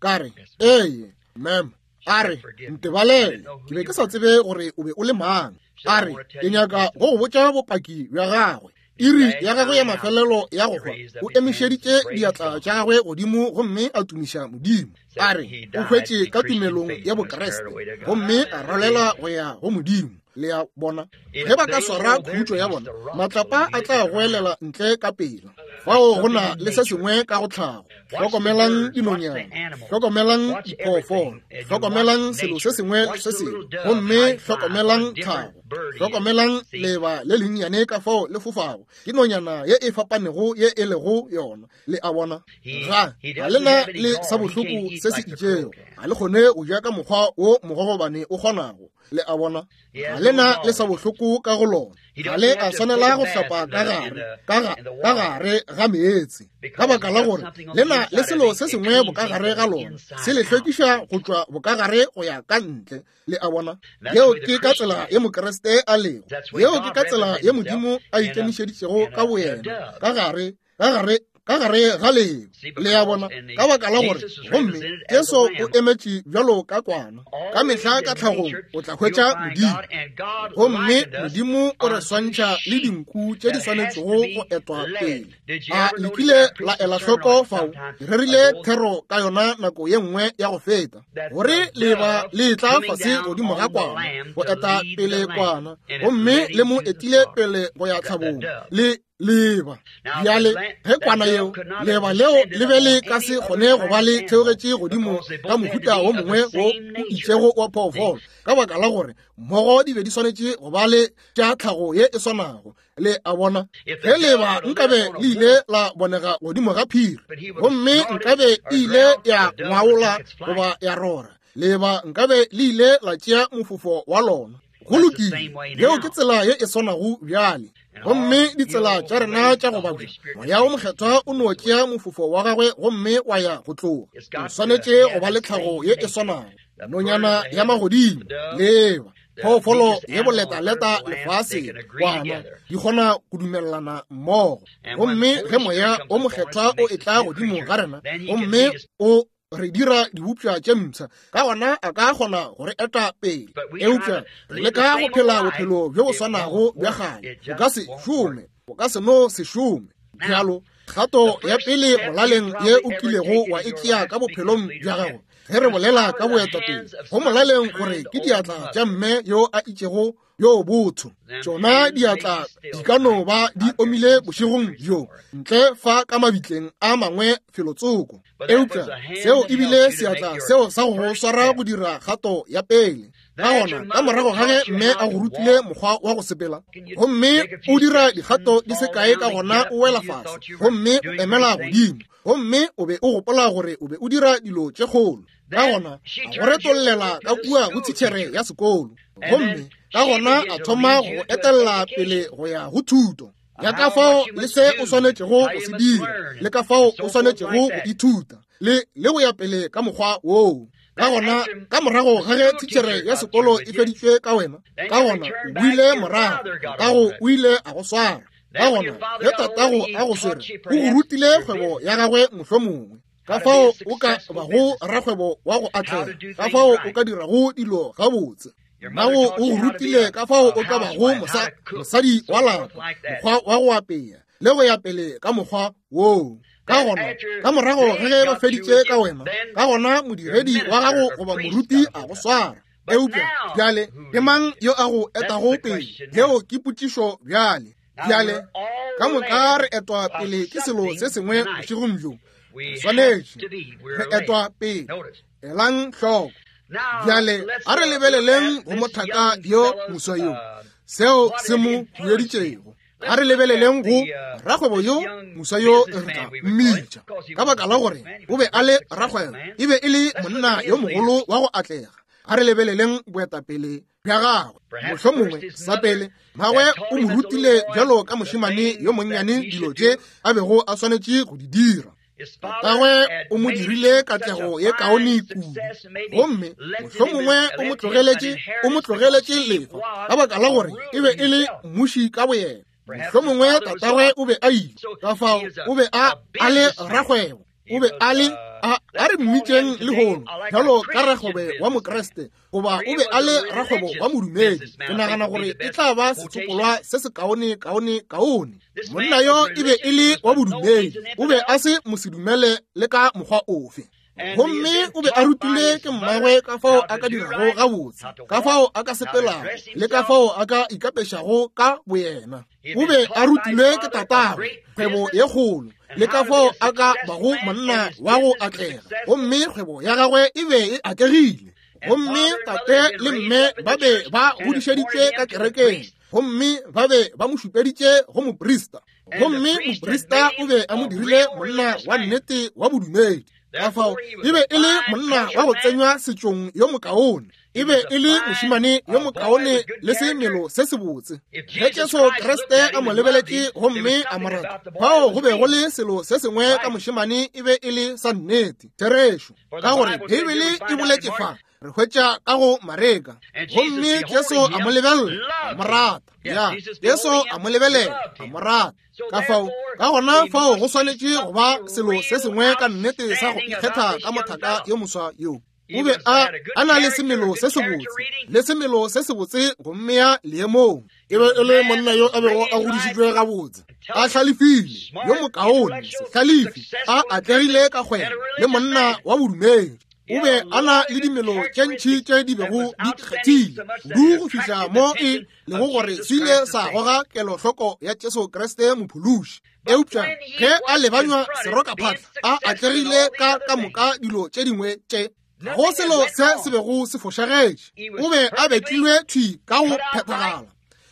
A: Ka re, ee, ma'am. A re, ntebalele, ke be ke sa tsebe gore o be o le mang. A re, ke nyaka go go botša bopaki bja gagwe. Iri ya gagwe ya mafelelo ya go hwa, o emišeditše diatla tša gagwe godimo gomme a tumiša Modimo. A re, o hwetše ka tumelong ya Bokriste gomme a rwalela go ya go Modimo. Le a bona? Ge ba ka swara khutšo ya bona, matlapa a tla goelela ntle ka pela. Fao go na le se sengwe ka go tlhago. Hlokomelang dinonyana, hlokomelang diphoofolo, hlokomelang selo se sengwe le se sengwe, gomme hlokomelang tlhago. Hlokomelang leba le lennyane ka fao le fofago, ke nonyana ye e fapanego ye e lego yona. Le a bona? Ga le na le sa bohloko se se itšego, ga le kgone go ja ka mokgwa wo mogogobane o kgonago. Le a bona? Ga le na le sa bohloko ka go lona. Ga le a swanela go hlapa ka gare ga meetse, ka baka la gore le na le selo se sengwe bokagare ga lona, se le hlwekiša go tšwa bokagare go ya ka ntle. Le a bona? Yeo ke ka tsela ye Mokriste a lego. Yeo ke ka tsela ye Modimo a ikemišeditšego ka boyena, ka gare ga leo. Le a bona? Ka baka la gore, gomme Jesu o emetše bjalo ka kwana. Ka mehla ka tlhagong o tla hwetša Modimo, gomme Modimo o re swantšha le dinku tše di swanetšego go etwa pele. A le kile la ela hloko fao? Ke rerile thero ka yona nako ye nngwe ya go feta, gore leba le tla fase godimo ga kwana go eta pele kwana, gomme le mo etile pele go ya tlhabong le leba. Bjale ge kwana yeo, leba leo le be le ka se kgone go ba le theogetše godimo ka mohuta wo mongwe wo o itšego wa phoofolo, ka baka la gore mmogo di be di swanetše go ba le tša tlhago ye e swanago. Le a bona? Ge leba nkabe le ile la bonega godimo ga phiri, gomme nkabe e ile ya ngwaola goba ya rora, leba nkabe le ile la tšea mofofo wa lona. Go lokile, yeo ke tsela ye e swanago bjale. Gomme ditsela tša rena tša go babja, Moya wo Mokgethwa o no tšea mofofo wa gagwe gomme wa ya go tloga. O swanetše go ba le tlhago ye e swanago, nonyana ya magodimo, leeba, phoofolo ye boletaleta lefaseng, kwana, di kgona go dumelelana mmogo. Gomme ge Moya wo Mokgethwa o etla godimo ga rena gomme o re dira dibopša tše mpsha, ka gona a ka kgona go re eta pele. Eupša re leka go phela bophelo bjo bo swanago bja kgale, bo ka se šome, bo ka se no se šome. Bjalo, kgato ya pele molaleng ye o kilego wa e tšea ka bophelong bja gago, ge re bolela ka boetapele, go molaleng gore ke diatla tša mme yo a itšego yo botho. Tšona diatla di ka no ba di omile bošegong bjo, ntle fa ka mabitleng a mangwe felotsoko, eupša seo e bile seatla seo sa go swara go dira kgato ya pele. Ka gona, ka morago ga ge mme a go rutile mokgwa wa go sepela, gomme o dira dikgato di se kae, ka gona o wela fase gomme o emela godimo, gomme o be o gopola gore o be o dira dilo tše kgolo. Ka gona a go retollela ka kua go titšhere ya sekolo, gomme ka gona a thoma go etelela pele go ya go thuto ya ka fao le se o swanetšego go se dira, le ka fao o swanetšego go ithuta, le go ya pele ka mokgwa woo. Ka gona ka morago ga ge titšhere ya sekolo e feditšwe ka wena, ka gona o boile morago, tatago o ile a go swara. Ka gona ge tatago a go swere, o go rutile kgwebo ya gagwe mohlomongwe, ka fao o ka bago rakgwebo wa go atlega, ka fao o ka dirago dilo gabotse. Mmago o go rutile ka fao o ka bago mosadi wa lapa, mokgwa wa go apea, le go ya pele ka mokgwa woo. Ka gona ka morago ga ge ba feditše ka wena, ka gona modiredi wa gago goba moruti a go swara. Eupša bjale ke mang yo a go etago pele? Yeo ke potšišo bjale. Bjale ka moka re etwa pele ke selo se sengwe bošegong bjo. Re swanetše re etwa pele. Elang hloko. Bjale a re lebeleleng go mothaka yo moswa yo, seo se mo hueditšego. A re lebeleleng go rakgwebo yo moswa yo re tla mmitša, ka baka la gore o be a le rakgwebo, e be e le monna yo mogolo wa go atlega. A re lebeleleng boetapele bja gagwe. Mohlomongwe sa pele mmagwe o mo rutile bjalo ka mošemane yo monnyane dilo tše a bego a swanetše go di dira. Tatagwe o mo dirile katlego ye kaone kudu, gomme mohlomongwe o mo tlogeletše lefa ka baka la gore e be e le mmuši ka boyena. Mohlomongwe tatagwe o be a ile, ka fao o be a le rakgwebo, o be a le a re mmitšeng lehono bjalo ka rakgwebo wa Mokriste, goba o be a le rakgwebo wa modumedi. Ke nagana gore e tla ba setsopolwa se se kaone kaone kaone. Monna yo e be e le wa bodumedi, o be a se mosedumele le ka mokgwa ofe. Gomme o be a rutile ke mmagwe ka fao a ka dirago gabotse, ka fao a ka sepelago, le ka fao a ka ikapešago ka boyena. O be a rutilwe ke tatagwe kgwebo ye kgolo, le ka fao a ka bago monna wa go atlega, gomme kgwebo ya gagwe e be e atlegile. Gomme tate le mme ba be ba godišeditšwe ka kerekeng, gomme ba be ba mo šupeditše go moprista, gomme moprista o be a mo dirile monna wa nnete wa bodumedi. Ka fao e be e le monna wa go tsenywa setšong yo mokaone, e be e le mošemane yo mokaone le semelo se sebotse. Ge Jesu Kriste a mo lebeletše gomme a mo rata, fao go be go le selo se sengwe ka mošemane e be e le sa nnete, therešo, ka gore Beibele e boletše fa, re hwetša ka go Mareka, gomme Jesu a mo lebelela, a mo rata. Ya, Jesu a mo lebelela, a mo rata. Ka fao, ka gona fao go swanetše go ba selo se sengwe ka nnete sa go ikgetha ka mothaka yo moswa yo. O be a na le semelo se sebotse, le semelo se sebotse go mmea leemong. E be e le monna yo a bego a godišitšwe gabotse, a hlalefile, yo mokaone, sehlalefi, a atlegile ka kgwebo, le monna wa bodumedi. O be a na le dimelo tše ntši tše di bego di ikgethile kudu go fihla mo e lego gore se ile sa goga kelohloko ya Jesu Kriste Mophološi. Eupša ge a lebanywa serokaphatla, a atlegile ka ka moka dilo tše dingwe tše, go selo se se bego se fošagetše. O be a betlilwe thwi ka go phethagala,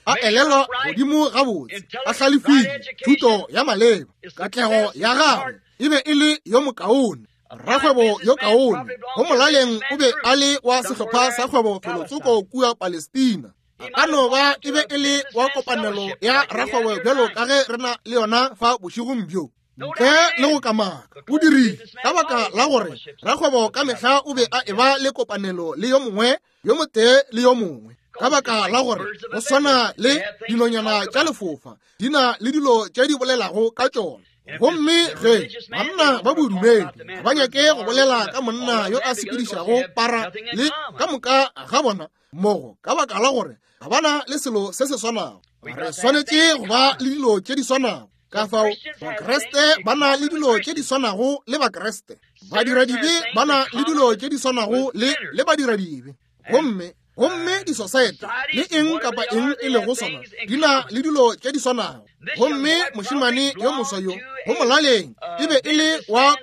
A: a elelwa godimo gabotse, a hlalefile, thuto ya maleba, katlego ya gagwe e be e le yo mokaone, rakgwebo yo kaone. Go molaleng o be a le wa sehlopha sa kgwebo felotsoko kua Palestina. A ka no ba e be e le wa kopanelo ya rakgwebo bjalo ka ge re na le yona fa bošegong bjo. Ntle le go kamaka, o dirile ka baka la gore rakgwebo ka mehla o be a eba le kopanelo le yo mongwe yo motee le yo mongwe, ka baka la gore go swana le dinonyana tša lefofa di na le dilo tše di bolelago ka tšona. Gomme ge banna ba bodumedi ga ba nyake go bolela ka monna yo a sepedišago para le ka moka ga bona mmogo, ka baka la gore ga ba na le selo se se swanago. Re swanetše go ba le dilo tše di swanago. Ka fao Bakriste ba na le dilo tše di swanago le Bakriste, badiradibe ba na le dilo tše di swanago le badiradibe, gomme disosaete le eng kapa eng e lego sona di na le dilo tše di swanago. Gomme mošemane yo moswa yo go molaleng e be e le wa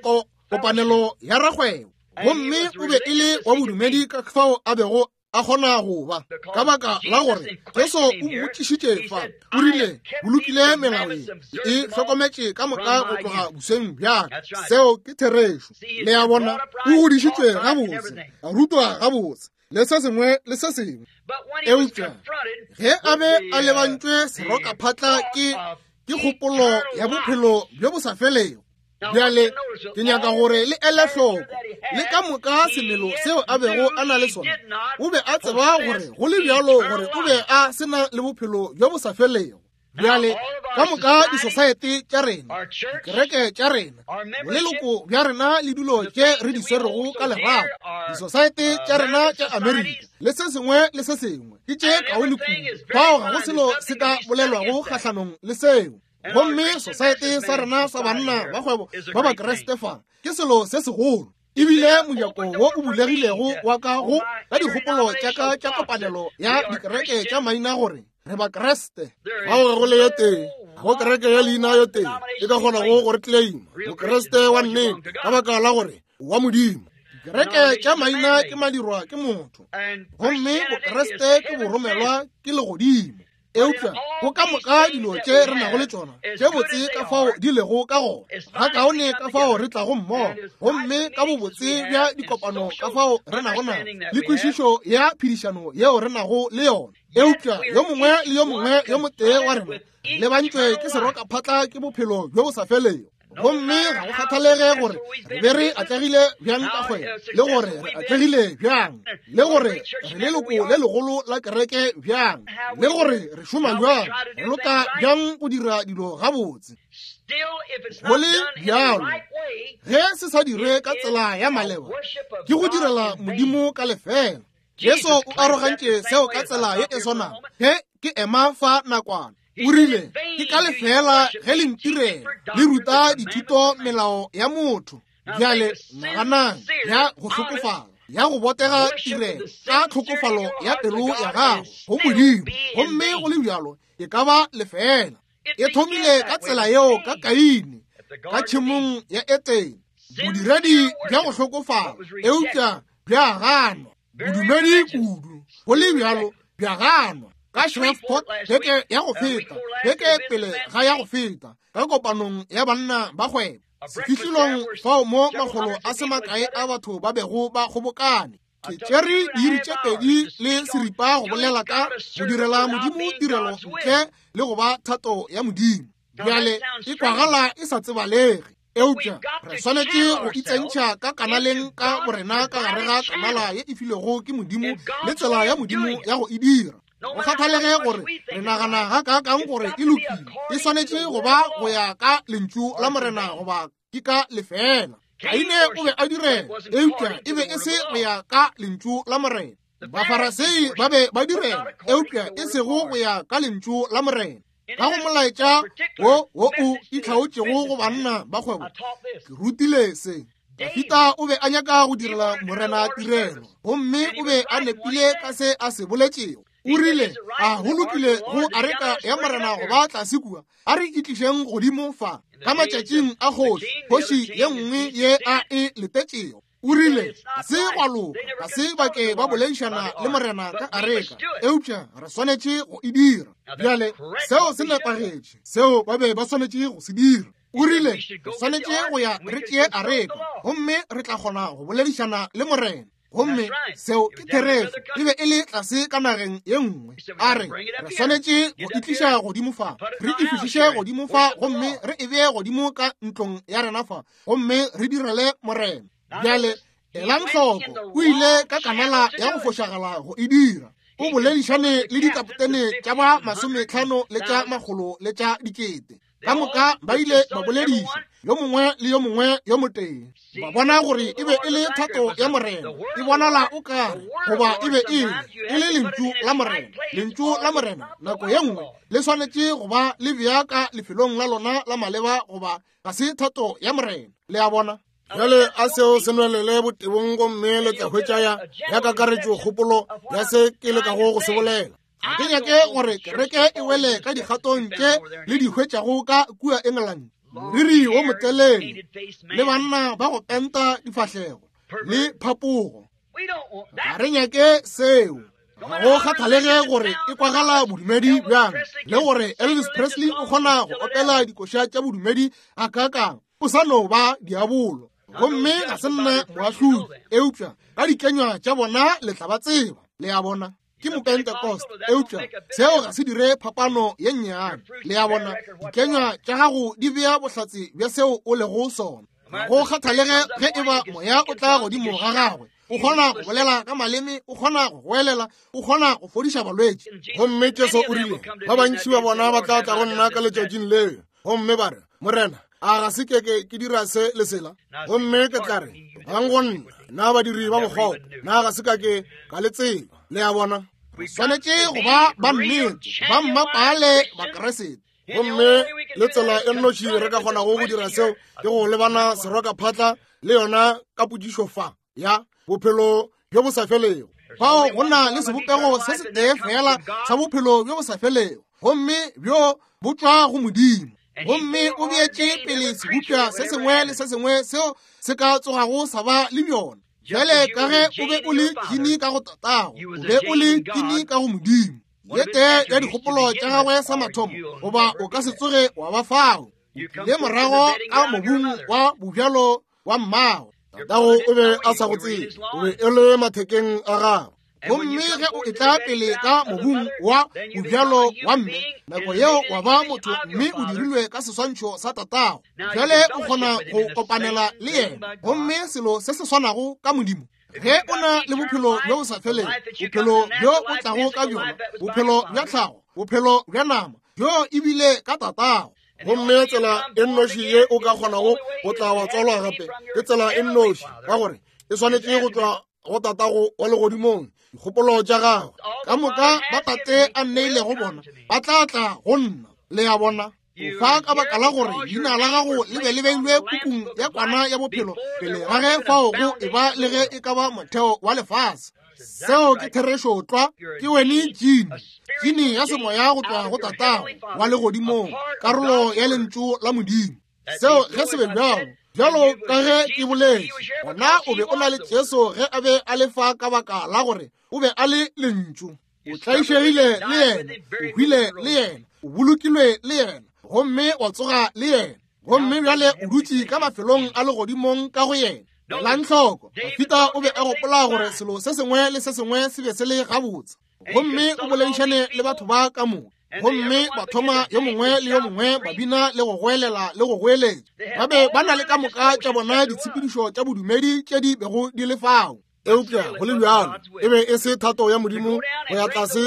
A: kopanelo ya rakgwebo, gomme o be e le wa bodumedi ka fao a bego a kgona go ba, ka baka la gore Jesu o mmotšišitše fa, o rile, bolokile melao ye, e hlokometše ka moka go tloga bosweng bjaka. Seo ke therešo. Le a bona, o godišitšwe gabotse, a rutwa gabotse, le se sengwe le se sengwe. Eupša ge a be a lebantšwe serokaphatla ke kgopolo ya bophelo bjo bo sa felego. Bjale ke nyaka gore le ele hloko le ka moka semelo seo a bego a na le sona. O be a tseba gore go le bjalo gore o be a se na le bophelo bjo bo sa felego. Bjale ka moka disosaete tša rena, dikereke tša rena, boleloko bja rena le dilo tše re di swerego ka lerato, disosaete tša rena tša Amerika le se sengwe le se sengwe ke tše kaone kudu. Fao ga go selo se ka bolelwago kgahlanong le seo. Gomme sosaete sa rena sa banna ba kgwebo ba Bakriste fa ke selo se segolo, ebile mojako wo o bulegilego wa ka go ka dikgopolo tša ka tša kopanelo ya dikereke tša maina gore re Bakriste. Fao ga go le ye tee, ga go kereke ya leina yo tee e ka kgonago go re claima Mokriste wa nnete, ka baka la gore wa Modimo. Dikereke tša maina ke madirwa ke motho, gomme Bokriste ke boromelwa ke legodimo. Eupša go ka moka dilo tše re nago le tšona tše botse ka fao di lego ka gona, ga kaone ka fao re tlago mmogo, gomme ka bobotse bja dikopano ka fao re nago nago le kwešišo ya phedišano yeo re nago le yona, eupša yo mongwe le yo mongwe yo motee wa rena lebantšwe ke serokaphatla ke bophelo bjo bo sa felego. Gomme ga go kgathalege gore re be re atlegile bjang ka kgwebo, le gore re atlegile bjang, le gore re leloko le legolo la kereke bjang, le gore re šoma bjang, re loka bjang go dira dilo gabotse. Go le bjalo, ge se sa dirwe ka tsela ya maleba, ke go direla Modimo ka lefela. Jesu o arogantše seo ka tsela ye e swanago. Ge ke ema fa nakwana, o rile, ke ka lefela ge le ntirela, le ruta dithuto melao ya motho. Bjale naganang ya go hlokofala, ya go botega tirelo ka tlhokofalo ya pelo ya gago go Modimo, gomme go le bjalo e ka ba lefela. E thomile ka tsela yeo ka Kaine ka tšhemong ya Etene, bodiredi bja go hlokofala, eupša bja ganwa, bodumedi kudu, go le bjalo bja ganwa. Ka Shreveport beke ya go feta, beke pele ga ya go feta, ka kopanong ya banna ba kgwebo, sefihlilong fao mo makgolo a se makae a batho ba bego ba kgobokane, ke tšere diiri tše 2 le seripa go bolela ka go direla Modimo tirelo ntle le go ba thato ya Modimo. Bjale e kwagala e sa tsebalege, eupša re swanetše go itsentšha ka kanaleng ka borena ka gare ga kanala ye e filwego ke Modimo le tsela ya Modimo ya go e dira. Go kgathalege gore re nagana ga kaakang gore e lokile, e swanetše go ba go ya ka lentšu la Morena goba ke ka lefela. Kaine o be a direla, eupša e be e se go ya ka lentšu la Morena. Bafarasei ba be ba direla, eupša e sego go ya ka lentšu la Morena. Ka go molaetša wo wo o itlhaotšego go banna ba kgwebo, ke rutile se. Dafita o be a nyaka go direla Morena tirelo, gomme o be a nepile ka se a se boletšego. O rile, a go lokile go areka ya Morena go ba tlase kua, a re itlišeng godimo fa ka matšatšing a kgoši, kgoši ye nngwe ye a e letetšego. O rile, ga se gwa loka, ga se ba ke ba boledišana le Morena ka areka, eupša re swanetše go e dira. Bjale, seo se nepagetše, seo ba be ba swanetše go se dira. O rile, re swanetše go ya re tšee areka, gomme re tla kgona go boledišana le Morena. Gomme seo ke therešo, e be e le tlase ka nageng ye nngwe. A re, re swanetše go e tliša godimo fa, re e fihliše godimo fa, gomme re e bee godimo ka ntlong ya rena fa, gomme re direle Morena. Bjale elang hloko, o ile ka kanala ya go fošagala go e dira. O boledišane le dikapotene tša ba 50 le tša 100 le tša 1000. Ka moka ba ile ba bolediša yo mongwe le yo mongwe yo motee, ba bona gore e be e le thato ya Morena. E bonala o kare goba e be e le lentšu la Morena. Lentšu la Morena nako ye nngwe le swanetše go ba le bea ka lefelong la lona la maleba, goba ga se thato ya Morena. Le a bona?
B: Bjale a seo se nwelele botebong, gomme le tla hwetša ya kakaretšo kgopolo ya se ke lekago go se bolela.
A: Ga ke nyake gore kereke e wele ka dikgatong tše le di hwetšago ka kua England, moriri wo motelele le banna ba go penta difahlego le phapogo. Ga re nyake seo. Ga go kgathalege gore e kwagala bodumedi bjang, le gore Elvis Presley o kgona go opela dikoša tša bodumedi ga kakang, o sa no ba diabolo. Gomme ga se nna moahlodi, eupša ka dikenywa tša bona le tla ba tseba. Le a bona? Ke Mopentecost, eupša seo ga se dire phapano ye nnyane. Le a bona? Dikenywa tša gago di bea bohlatse bja seo o lego sona. Ga go kgathalege ge e ba moya o tla godimo ga gagwe, o kgona go bolela ka maleme, o kgona go goelela, o kgona go fodiša balwetši.
B: Gomme Jesu o rile, ba bantši ba bona ba tla tla go nna ka letšatšing leo, gomme ba re, Morena, a ga se ke ke dira se le sela? Gomme ke tla re, bang go nna, na badiri ba bokgopo, na ga se ka ke ka le tseba. Le a bona?
A: Swanetše go ba ba nnete, ba mmapaale Bakeresete.
B: Gomme le tsela e nnoši re ka kgonago go dira seo ke go lebana serokaphatla le yona ka potšišo fa ya bophelo bjo bo sa felego.
A: Fao go na le sebopego se setee fela sa bophelo bjo bo sa felego, gomme bjo bo tšwa go Modimo. Gomme o beetše pele sebopša se sengwe le se sengwe seo se ka tsogago sa ba le bjona. Bjale ka ge o be o le kini ka go tatago, o be o le kini ka go Modimo. Ye tee ya dikgopolo tša gagwe sa mathomo, goba o ka se tsoge wa ba fao. O tlile morago ka mobung wa bobjalo wa mmago.
B: Tatago o be a sa go tsebe, o be e le mathekeng a gagwe.
A: Gomme ge o etla pele ka mobung wa bobjalo wa mme, nako yeo wa ba motho mme o dirilwe ka seswantšho sa tatago. Bjale o kgona go kopanela le yena. Gomme selo se se swanago ka Modimo. Ge o na le bophelo bjo bo sa felego, bophelo bjo o tlago ka bjona, bophelo bja tlhago, bophelo bja nama, bjo ebile ka tatago.
B: Gomme tsela e nnoši ye o ka kgonago go tla wa tswalwa gape ke tsela e nnoši, ka gore e swanetše go tšwa go tatago wa legodimong, dikgopolo tša gagwe
A: ka moka ba tate a nneilego bona ba tla tla go nna. Le a bona? O fa ka baka la gore leina la gago le be le beilwe pukung ya kwana ya bophelo pele ga ge fao go e ba le ge e ka ba motheo wa lefase. Seo ke therešo tlwa. Ke wene jini, jini ya semoya go tšwa go tatago wa legodimong, karolo ya lentšu la Modimo. Seo ge se be bjalo, bjalo ka ge ke boletše, gona o be o na le Jesu ge a be a le fa ka baka la gore o be a le lentšu. O tlaišegile le yena, o hwile le yena, o bolokilwe le yena, gomme wa tsoga le yena. Gomme bjale o dutše ka mafelong a legodimong ka go yena. Elang hloko, Dafida o be a gopola gore selo se sengwe le se sengwe se be se le gabotse. Gomme o boledišane le batho ba ka moka. Gomme ba thoma yo mongwe le yo mongwe ba bina le go goelela le go goeletša. Ba be ba na le ka moka tša bona ditshepedišo tša bodumedi tše di bego di le fao.
B: Eupša go le bjalo e be e se thato ya Modimo go ya tlase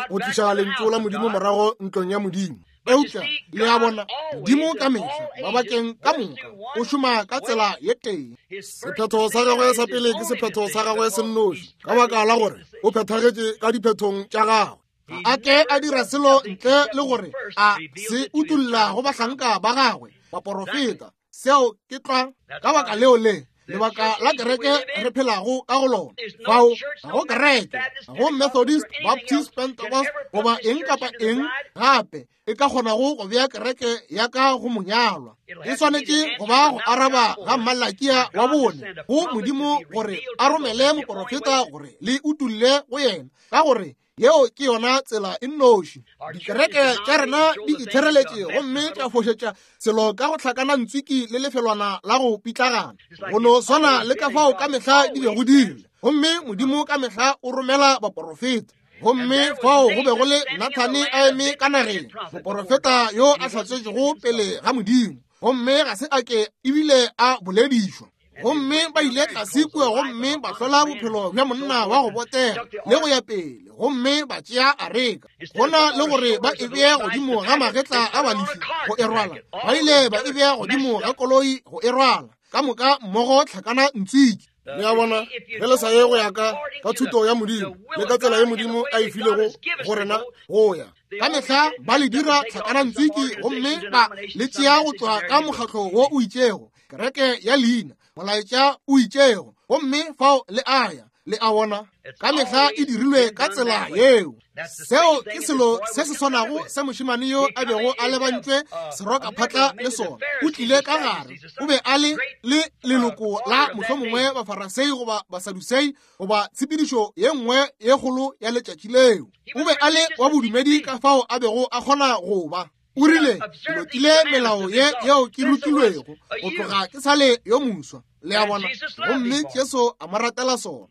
B: go tliša lentšu la Modimo morago ntlong ya Modimo.
A: Eupša le a bona, Modimo ka mehla mabakeng ka moka o šoma ka tsela ye tee.
B: Sephetho sa gagwe sa pele ke sephetho sa gagwe se nnoši, ka baka la gore o phethagetše ka diphethong tša gagwe.
A: A ke a dira selo ntle le gore a se utulla go bahlanka ba gagwe baporofeta. Seo ke tlwa ka baka leo le lebaka la kereke re phelago ka go lona. Fao ga go kereke, ga go Methodist, Baptist, Pentecost goba eng kapa eng gape e ka kgonago go bea kereke ya ka go monyalwa. E swanetše go ba go araba ga Mmalakia wa bone go Modimo gore a romele moporofeta gore le utulle go yena, ka gore yeo ke yona tsela e nnoši. Dikereke tša rena di ithereletše gomme tša fošetša selo ka go hlakana ntswiki le lefelwana la go pitlagana, go no swana le ka fao ka mehla di bego di ile. Gomme Modimo ka mehla o romela baporofeta. Gomme fao go be go le Nathane a eme ka nageng, moporofeta yo a hlatsetšego pele ga Modimo, gomme ga se a ke ebile a boledišwa. Gomme ba ile tlase kua gomme ba hlola bophelo bja monna wa go botega le go ya pele, gomme ba tšea areka. Go na le gore ba e bee godimo ga magetla a Balefi go e rwala, ba ile ba e bea godimo ga koloi go e rwala, ka moka mmogo hlakana ntswiki.
B: Le a bona, ge le sa ye go ya ka ka thuto ya Modimo le ka tsela ye Modimo a e filego go rena go ya.
A: Ka mehla ba le dira hlakana ntswiki gomme ba le tšea go tšwa ka mokgatlo wo o itšego, kereke ya leina, molaetša o itšego, gomme fao le a ya. Le a bona, ka mehla e dirilwe ka tsela yeo. Seo ke selo se se swanago se mošemane yo a bego a lebantšwe serokaphatla le sona. O tlile ka gare, o be a le le leloko la mohlomongwe Bafarasei goba Basadusei goba tshepedišo ye nngwe ye kgolo ya letšatši leo. O be a le wa bodumedi ka fao a bego a kgona go ba. O rile, ke lokile melao ye yeo ke rutilwego go tloga ke sa le yo moswa. Le a bona? Gomme Jesu a mo ratela sona.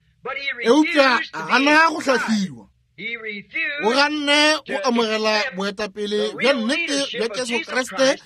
A: Eupša a gana go hlahliwa. O ganne go amogela boetapele bja nnete bja Jesu Kriste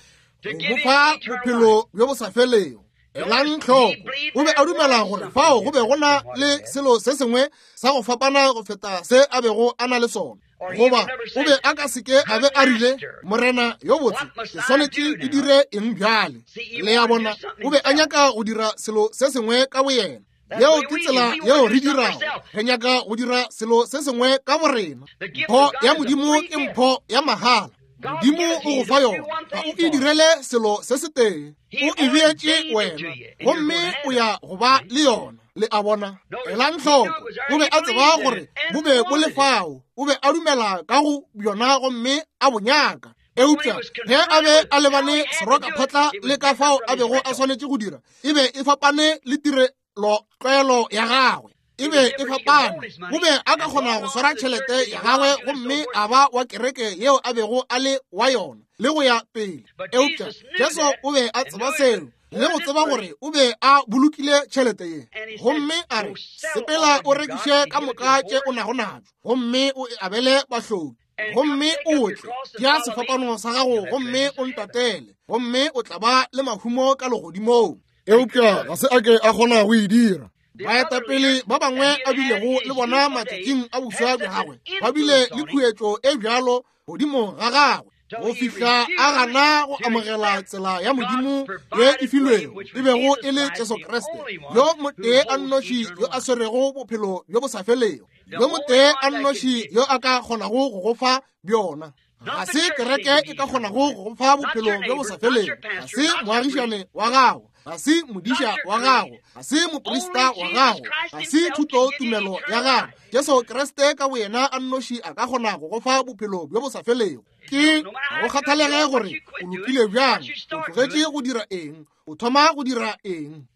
A: go mo fa bophelo bjo bo sa felego. Elang hloko, o be a dumela gore fao go be go na le selo se sengwe sa go fapana go feta se a bego a na le sona. Goba o be a ka seke a be a rile, Morena yo botse, ke swanetše ke dire eng bjale? Le a bona, o be a nyaka go dira selo se sengwe ka boyena. Yeo ke tsela yeo re dirago. Re nyaka go dira selo se sengwe ka borena. Mpho ya Modimo ke mpho ya mahala. Modimo o go fa yona, ga o e direle selo se setee. O e beetše wena, gomme o ya go ba le yona. Le a bona? Elang hloko, o be a tseba gore bo be bo le fao. O be a dumela ka go bjona gomme a bo nyaka. Eupša ge a be a lebane serokaphatla le ka fao a bego a swanetše go dira, e be e fapane le tirelotlwaelo ya gagwe. E be e fapane. O be a ka kgona go swara tšhelete ya gagwe gomme a ba wa kereke yeo a bego a le wa yona le go ya pele. Eupša Jesu o be a tseba seo le go tseba gore o be a bolokile tšhelete ye, gomme a re, sepela o rekiše ka moka tše o nago natšo gomme o e abele bahloki, gomme o tle, tšea sefapano sa gago gomme o ntatele, gomme o tla ba le mahumo ka legodimong.
B: Eupša ga se a ke a kgona go e dira.
A: Baetapele ba bangwe a bilego le bona matšatšing a boswa bja gagwe ba bile le khuetšo e bjalo godimo ga gagwe go fihla a gana go amogela tsela ya Modimo ye e filwego, e bego e le Jesu Kriste, yo motee a nnoši yo a swerego bophelo bjo bo sa felego, yo motee a nnoši yo a ka kgonago go go fa bjona. Ga se kereke e ka kgonago go go fa bophelo bjo bo sa felego, ga se moagišane wa gago, ga se modiša wa gago, ga se moprista wa gago, ga se thuto tumelo ya gago. Jesu Kriste ka boyena a nnoši a ka kgona go go fa bophelo bjo bo sa felego. Ke ga go kgathalege gore o lokile bjang, o tlogetše go dira eng, o thoma go dira eng.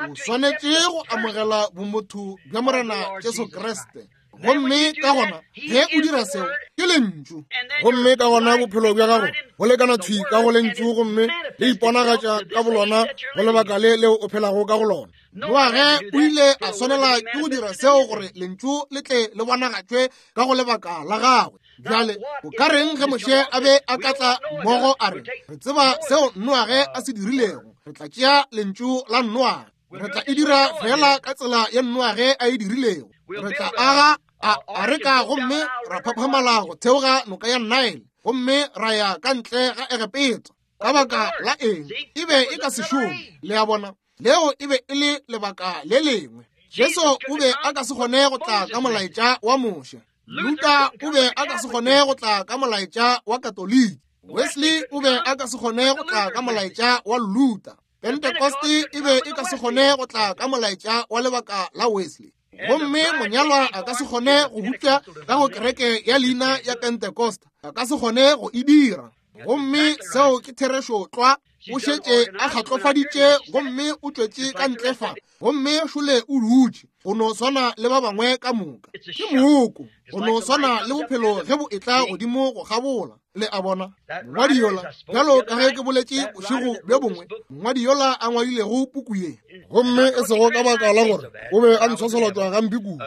A: O swanetše go amogela bomotho bja Morena Jesu Kriste. Gomme ka gona ge o dira seo, ke lentšu.
B: Gomme ka gona bophelo bja gago bo lekana thwi ka go lentšu, gomme le iponagatša ka bolona go lebaka le leo o phelago ka go lona.
A: Noage o ile a swanela ke go dira seo gore lentšu le tle le bonagatšwe ka go lebaka la gagwe. Bjale o ka reng ge Moshe a be a ka tla mmogo a re, re tseba seo Noage a se dirilego, re tla tšea lentšu la Noage, re tla e dira fela ka tsela ye Noage a e dirilego, re tla aga a areka gomme ra phaphamala go theoga noka ya Nile gomme ra ya ka ntle ga Egepeta. Ka baka la eng? E be e ka se šome. Le a bona? Leo e be e le lebaka le lengwe. Jesu o be a ka se kgone go tla ka molaetša wa Moshe. Luther o be a ka se kgone go tla ka molaetša wa Katoliki. Wesley o be a ka se kgone go tla ka molaetša wa Luther. Pentecost e be e ka se kgone go tla ka molaetša wa lebaka la Wesley. Gomme monyalwa a ka se kgone go bupša ka go kereke ya leina ya Pentecost. A ka se kgone go e dira. Gomme seo ke therešo tlwa. O šetše a kgatlofaditše gomme o tšwetše ka ntle fa, gomme šole o dutše go no swana le ba bangwe ka moka. Ke mooko, go no swana le bophelo ge bo etla godimo go kgabola. Le a bona, mongwadi yola, bjalo ka ge ke boletše bošego bjo bongwe, mongwadi yola a ngwadilego puku ye,
B: gomme e sego ka baka la gore o be a ntshwaswalatšwa gampe kudu,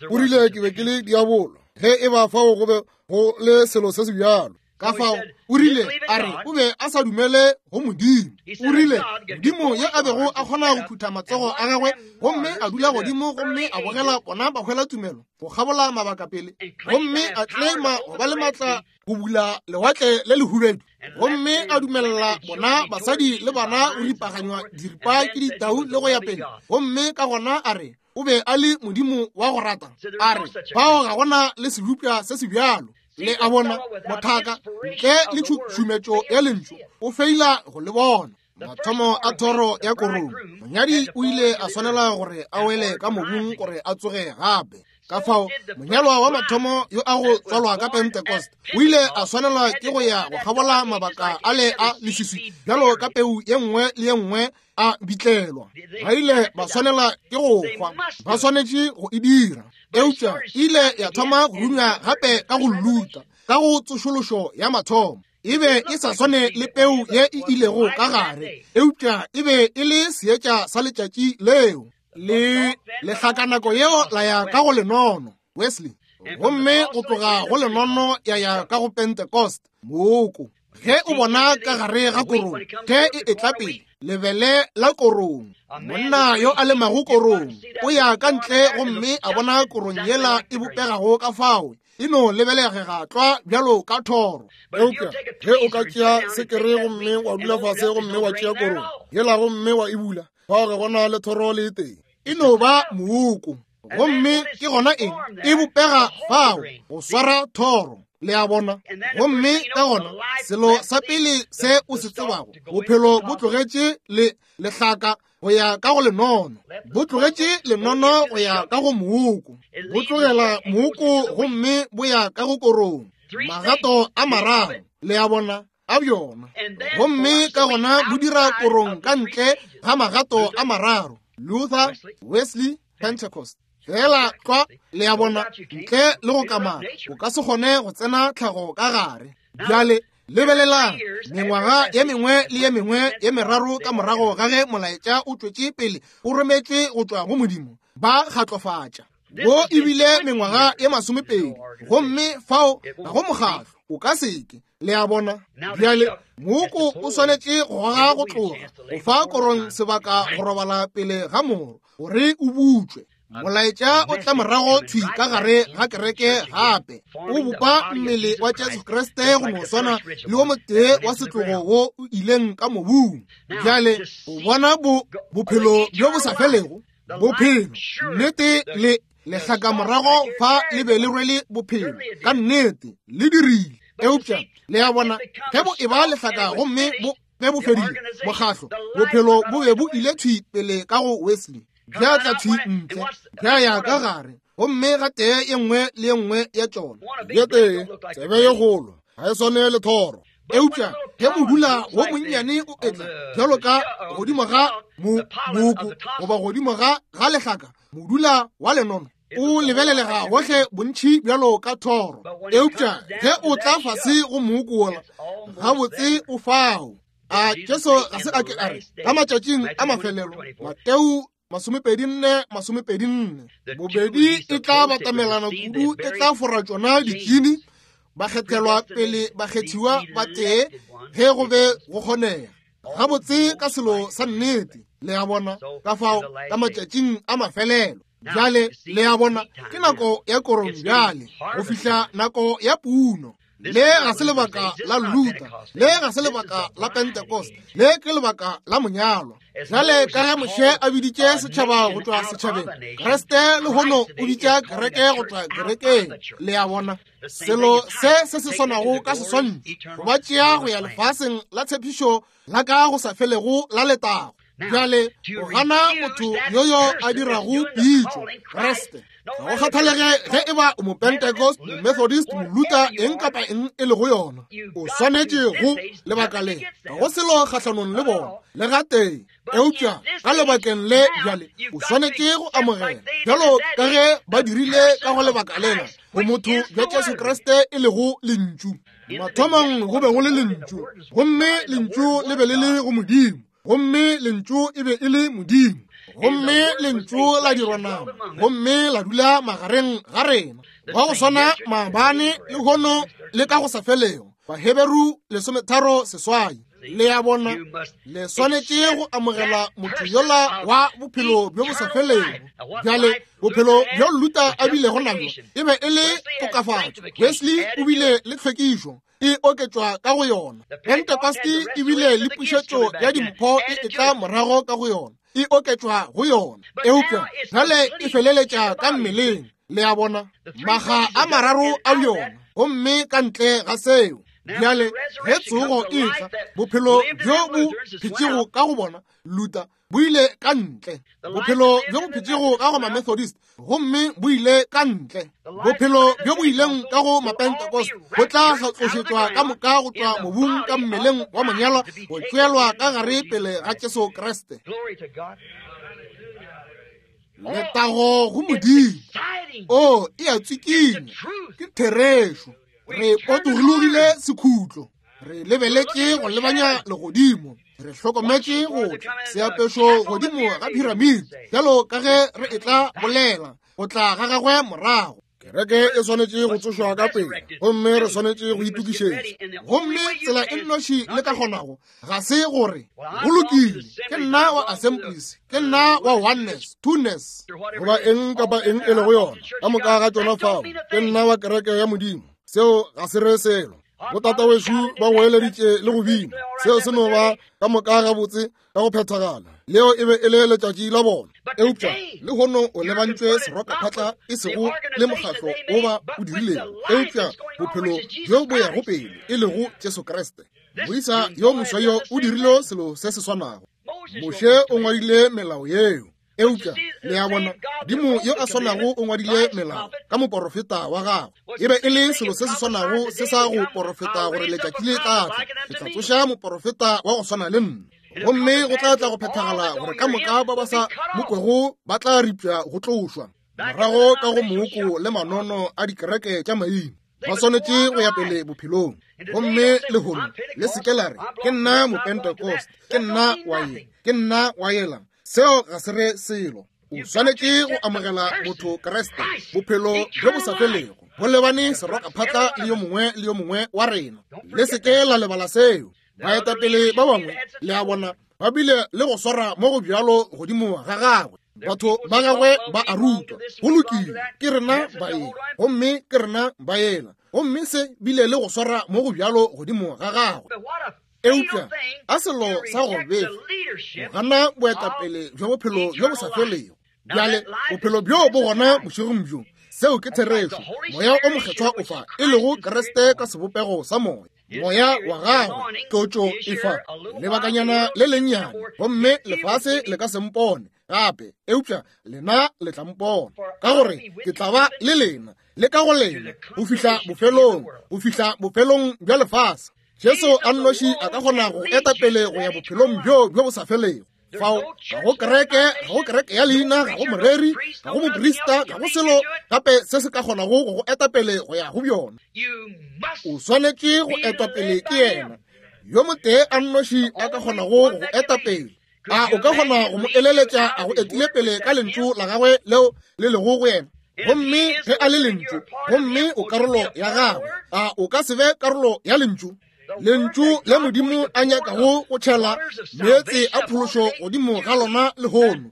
B: o rile ke be ke le diabolo, ge e ba fao go be go le selo se se bjalo.
A: Ka fao o rile, a re o be a sa dumele go Modimo. O rile Modimo ye a bego a kgona go phutha matsogo a gagwe gomme a dula godimo gomme a bogela bona ba hwela tumelo go kgabola mabaka pele, gomme a claima go ba le maatla go bula lewatle le lehubedu, gomme a dumelela bona basadi le bana go ripaganywa diripa ke ditau le go ya pele, gomme ka gona a re o be a le Modimo wa go rata. A re bao ga gona le sebopša se se bjalo. Le a bona, mothaka ntle le tšhušumetšo ya lentšu o feila go le bona. Mathomo a thoro ya korong, monyadi o ile a swanela gore a wele ka mobung gore a tsoge gape. Ka fao monyalwa wa mathomo yo a go tswalwa ka Pentecost o ile a swanelwa ke go ya go kgabola mabaka a le a leswiswi bjalo ka peu ye nngwe le ye nngwe a bitlelwa. Ba ile ba swanela ke go hwa, ba swanetše go e dira. Eupša ile ya thoma go runya gape ka go Luther, ka go tsošološo ya mathomo. E be e sa swane le peu ye e ilego ka gare, eupša e be e le seetša sa letšatši leo. Le lehlaka nako yeo la ya ka go lenono, Wesley, gomme go tloga go lenono ya ya ka go Pentecost, mooko. Ge o bona ka gare ga korong, ge e etla pele, lebele la korong, monna yo a lemago korong o ya ka ntle gomme a bona korong yela e bopegago ka fao, e no lebelegega tlwa bjalo ka thoro.
B: Eupša ge o ka tšea sekere gomme wa dula fase gomme wa tšea korong yela gomme wa e bula, fao ga gona le thoro le e tee.
A: E no ba mooko. Gomme ke gona eng e bopega fao go swara thoro. Le a bona? Gomme ka gona selo sa pele se o se tsebago, bophelo bo tlogetše le lehlaka go ya ka go lenono, bo tlogetše lenono go ya ka go mooko, bo tlogela mooko gomme bo ya ka go korong. Magato a mararo, le a bona, a bjona. Gomme ka gona bo dira korong ka ntle ga magato a mararo, Luther, Wesley, Pentecost. Fela tlwa, le a bona, ntle le go kamaka, o ka se kgone go tsena tlhago ka gare. Bjale lebelelang, mengwaga ye mengwe le ye mengwe ye meraro ka morago ga ge molaetša o tšwetše pele o rometšwe go tšwa go Modimo, ba kgatlofatša. Wo ebile mengwaga ye 20, gomme fao ga go mokgatlo, o ka seke. Le a bona? Bjale mooko o swanetše go goga go tloga, go fa korong sebaka go robala pele ga moro gore o butšwe. Molaetša o tla morago thwi ka gare ga kereke gape, o bopa mmele wa Jesu Kriste go no swana le wo motee wa setlogo wo o ileng ka mobung. Bjale o bona bophelo bjo bo sa felego, bophelo nnete le lehlaka morago fa le be le rwele bophelo ka nnete le dirile. Eupša le a bona, ge bo e ba lehlaka gomme bo ge bo fedile mokgahlo, bophelo bo be bo ile thwi pele ka go Wesley, bja tla thwi ntle, bja ya ka gare, gomme ga tee ye nngwe le ye nngwe ya tšona.
B: Ye tee tsebe ye kgolo ga e swane le thoro.
A: Eupša ge modula wo monnyane o etla bjalo ka godimo ga mooko goba godimo ga lehlaka, modula wa lenono o lebelelega gohle bontši bjalo ka thoro. Eupša ge o tla fase go mooko wola, gabotse o fao. A Jesu ga se a ke a re ka matšatšing a mafelelo, Mateo 24:24, bobedi e tla batamelana kudu, e tla fora tšona ditšini, bakgethelwa pele bakgethiwa ba tee ge go be go kgonega. Gabotse ka selo sa nnete, le a bona, ka fao ka matšatšing a mafelelo. Bjale le a bona, ke nako ya korong bjale, go fihla nako ya puno. Le ga se lebaka la Luther, le ga se lebaka la Pentecost, le ke lebaka la monyalwa. Bjale ka ge Moshe a biditše setšhaba go tšwa setšhabeng, Kriste lehono o bitša kereke go tšwa kerekeng. Le a bona, selo se se se swanago ka seswantšho, go ba tšea go ya lefaseng la tshepišo la ka go sa felego la letago.
B: Bjale o gana motho yoyo a dirago pitšo, Kriste. Ga go kgathalege ge e ba o Mopentecost, Momethodist, Moluther, eng kapa eng e lego yona, o swanetše go lebaka le. Ga go selo kgahlanong le bona le gatee, eupša ka lebakeng le bjale o swanetše go amogela bjalo ka ge ba dirile ka go lebaka lena go motho bja Jesu Kriste e lego Lentšu. Mathomong go be go le Lentšu, gomme Lentšu le be le le go Modimo, gomme Lentšu e be e le Modimo, gomme Lentšu la dirwa nama gomme la dula magareng ga rena, wa go swana maabane, lehono le ka go sa felego. Baheberu 13:8. Le a bona, le swanetše go amogela motho yola wa bophelo bjo bo sa felego. Bjale, bophelo bjo Luther a bilego nabjo e be e le tokafatšo. Wesley o bile le tlhwekišo e oketšwa ka go yona. Pentecost e bile le pušetšo ya dimpho e etla morago ka go yona, e oketšwa go yona. Eupša bjale e feleletša ka mmeleng. Le a bona, maga a mararo a yona, gomme ka ntle ga seo. Bjale ge tsogo e tla, bophelo bjo bo phetšego ka go bona Luther bo ile ka ntle, bophelo bjo bo phetšego ka go Mamethodist gomme bo ile ka ntle, bophelo bjo bo ileng ka go Mapentecost bo tla tlošetšwa ka moka go tšwa mobung ka mmeleng wa monyalwa go tšeelwa ka gare pele ga Jesu Kriste. Letago go Modimo. O e a tsikinya, ke therešo. Re potologile sekhutlo, re lebeletše go lebanya legodimo, re hlokometše go tla seapešo godimo ga phiramiti, bjalo ka ge re etla bolela go tla ga gagwe morago. Kereke e swanetše go tsošwa ka pela, gomme re swanetše go itokišetša. Gomme tsela e nnoši le ka kgonago ga se gore go lokile, ke nna wa Assemblies, ke nna wa Oneness, Twoness, goba eng kapa eng e lego yona, ka moka ga tšona fao, ke nna wa kereke ya Modimo. Seo ga se re selo. Botatawešu ba goeleditše le go bina, seo se no ba ka moka gabotse ka go phethagala. Leo e be e le letšatši la bona. Eupša lehono o lebantšwe serokaphatla e sego le mokgatlo o ba o dirilego, eupša bophelo bjo bo yago pele e lego Jesu Kriste. Moisa yo moswa yo o dirile selo se se swanago. Moshe o ngwadile melao yeo, eupša le a bona, Modimo yo a swanago o ngwadile melao ka moporofeta wa gagwe. E be e le selo se se swanago se sa go porofeta gore letšatši le tla tla, ke tla tsoša moporofeta wa go swana le nna, gomme go tla tla go phethagala gore ka moka ba ba sa mo kwego ba tla ripša go tlošwa morago ka go mooko le manono a dikereke tša maina. Ba swanetše go ya pele bophelong. Gomme lehono le se ke la re, ke nna Mopentecost, ke nna wa ye, ke nna wa yela. Seo ga se re selo. O swanetše go amogela motho Kriste, bophelo bjo bo sa felego, bo lebane serokaphatla le yo mongwe le yo mongwe wa rena. Le se ke la lebala seo. Baetapele ba bangwe, le a bona, ba bile le go swara mo go bjalo godimo ga gagwe. Batho ba gagwe ba a rutwa, go lokile, ke rena ba ye, gomme ke rena ba yela, gomme se bile le go swara mo go bjalo godimo ga gagwe. Eupša a selo sa go befa go gana boetapele bja bophelo bjo bo sa felego. Bjale bophelo bjo bo gona bošegong bjo, seo ke therešo. Moya o Mokgethwa o fa, e lego Kriste ka sebopego sa moya. Moya wa gagwe, tlotšo e fa lebakanyana le lennyane, gomme lefase le ka se mpone gape, eupša lena le tla mpona, ka gore ke tla ba le lena le ka go lena go fihla bofelong, go fihla bofelong bja lefase. Jesu a nnoši a ka kgona go eta pele go ya bophelong bjo bjo bo sa felego. Fao ga go kereke, ga go kereke ya leina, ga go moreri, ga go moprista, ga go selo gape se se ka kgonago go go eta pele go ya go bjona. O swanetše go etwa pele ke yena yo motee a nnoši a ka kgonago go go eta pele. A o ka kgona go mo eleletša a go etile pele ka lentšu la gagwe leo le lego go yena? Gomme ge a le lentšu, gomme o karolo ya gagwe, a o ka se be karolo ya lentšu? Lentšu le Modimo a nyakago go tšhela meetse a phološo godimo ga lona lehono,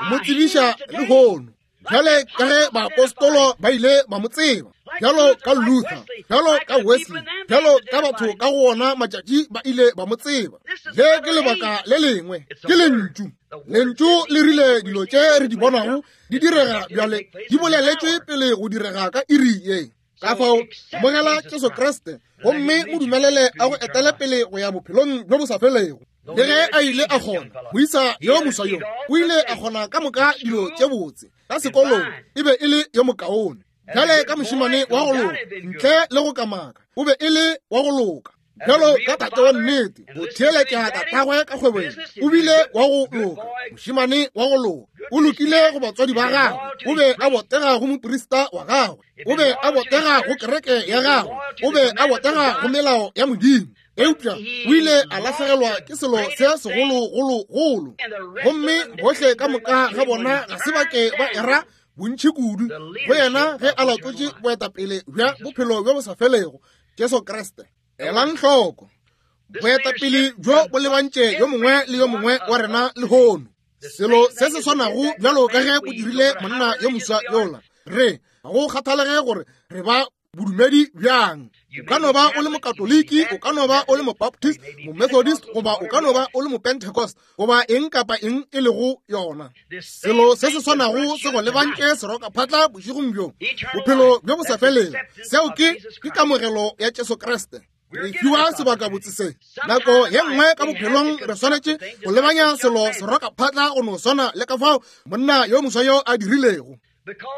B: mo tsebiša lehono, bjale ka ge baapostolo ba ile ba mo tseba, bjalo ka Luther, bjalo ka Wesley, bjalo ka batho ka go ona matšatši ba ile ba mo tseba. Le ke lebaka le lengwe, ke lentšu. Lentšu le rile dilo tše re di bonago di direga bjale di boleletšwe pele go direga ka iri ye. Ka fao, amogela Jesu Kriste gomme mo dumelele a go etele pele go ya bophelong bjo bo sa felego.
A: Le ge a ile a kgona, moisa yo moswa yo o ile a kgona ka moka dilo tše botse ka sekolong, e be e le yo mokaone. Bjale ka mošemane wa go loka, ntle le go kamaka, o be e le wa go loka. Bjalo ka tate wa nnete, go theeletša tatagwe ka kgwebong, o bile wa go loka, mošemane wa go loka. O lokile go batswadi ba gagwe, o be a botega go moprista wa gagwe, o be a botega go kereke ya gagwe, o be a botega go melao ya Modimo. Eupša o ile a lahlegelwa ke selo se segologologolo, gomme bohle ka moka ga bona ga se ba ke ba era bontši kudu go yena ge a latotše boetapele bja bophelo bjo bo sa felego, Jesu Kriste. Elang hloko, boetapele bjo bo lebantše yo mongwe le yo mongwe wa rena lehono. Selo se se swanago bjalo ka ge bo dirile monna yo moswa yola. Re ga go kgathalege gore re ba bodumedi bjang. O ka no ba o le Mokatoliki, o ka no ba o le Mobaptist, Momethodist, goba o ka no ba o le Mopentecost, goba eng kapa eng e lego yona. Selo se se swanago se go lebantše serokaphatla bošegong bjo, bophelo bjo bo sa felego. Seo ke ke kamogelo ya Jesu Kriste. Re fiwa sebakabotse se. Nako ye nngwe ka bophelong re swanetše go lebanya selo serokaphatla go no swana le ka fao monna yo moswa yo a dirilego.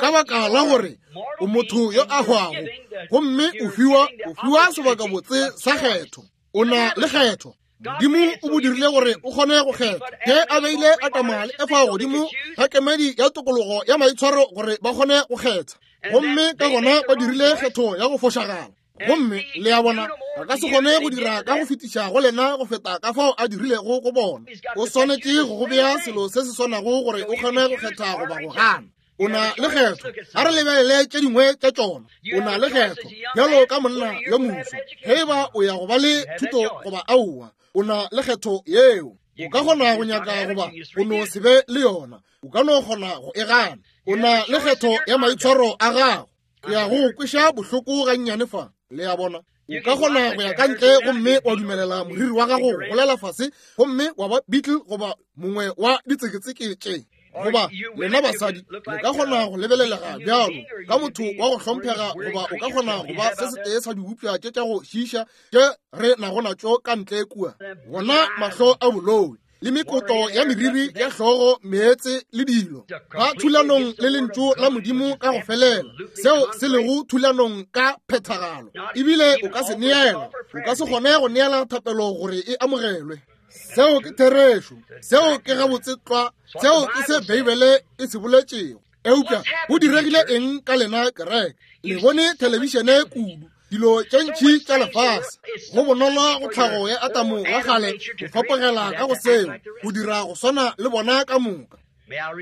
A: Ka baka la gore o motho yo a hwago, gomme o fiwa o fiwa sebakabotse sa kgetho. O na le kgetho. Modimo o bo dirile gore o kgone go kgetha. Ge a beile Adama le Efa godimo ga kemedi ya tokologo ya maitshwaro gore ba kgone go kgetha, gomme ka gona ba dirile kgetho ya go fošagala. Gomme le a bona, a ka se kgone go dira ka go fetiša go lena go feta ka fao a dirilego go bona. O swanetše go go bea selo se se swanago gore o kgone go kgetha goba go gana. O na le kgetho. A re lebelele tše dingwe tša tšona. O na le kgetho bjalo ka monna yo moswa, ge e ba o ya go ba le thuto goba aowa. O na le kgetho yeo. O ka kgona go nyaka goba o no se be le yona. O ka no kgona go e gana. O na le kgetho ya maitshwaro a gago. Ke ya go kweša bohloko gannyane fa. Le a bona? O ka kgona go ya ka ntle gomme wa dumelela moriri wa gago go golela fase gomme wa ba beetle goba mongwe wa ditseketseke tše. Goba lena basadi le ka kgona go lebelelega bjalo ka motho wa go hlomphega, goba o ka kgona go ba se setee sa dibopša tše tša go šiiša tše re nago natšo ka ntle kua. Bona mahlo a boloi le mekoto ya meriri ya hlogo, meetse le dilo, ba thulanong le lentšu la Modimo ka go felela, seo se lego thulanong ka phethagalo. Ebile o ka se neela, o ka se kgone go neela thapelo gore e amogelwe. Seo ke therešo, seo ke gabotse tlwa, seo ke se Beibele e se boletšego. Eupša go diregile eng ka lena kereke? Le bone thelebišene kudu, dilo tše ntši tša lefase. Go bonolo go tlhago ya Adamo wa kgale go fapogela ka go seo, go dira go swana le bona ka moka.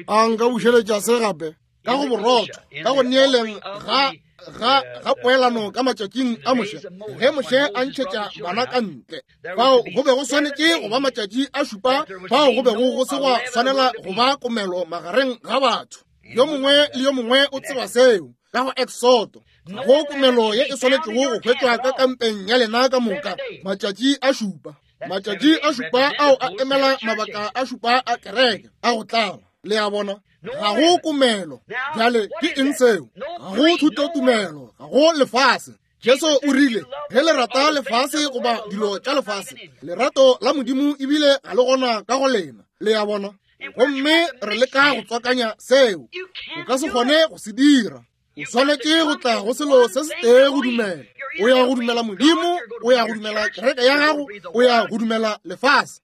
A: A nka bušeletša se gape ka go borotho, ka go neeleng ga ga ga poelano ka matšatšing a Moshe, ge Moshe a ntšhetša bana ka ntle. Fao go be go swanetše go ba matšatši a šupa fao go bego go se gwa swanela go ba komelo magareng ga batho. Yo mongwe le yo mongwe o tseba seo ka go Exodo. Ga go komelo ye e swanetšego go hwetšwa ka kampeng ya lena ka moka matšatši a šupa. Matšatši a šupa ao a emela mabaka a šupa a kereke a go tlala. Le a bona? Ga go komelo. Bjale ke eng seo? Ga go thutotumelo, ga go lefase. Jesu o rile, ge le rata lefase goba dilo tša lefase, lerato la Modimo ebile ga le gona ka go lena. Le a bona? Gomme re leka go tswakanya seo. O ka se kgone go se dira. O swanetše go tla go selo se setee go dumela. O ya go dumela Modimo, o ya go dumela kereke ya gago, o ya go dumela lefase.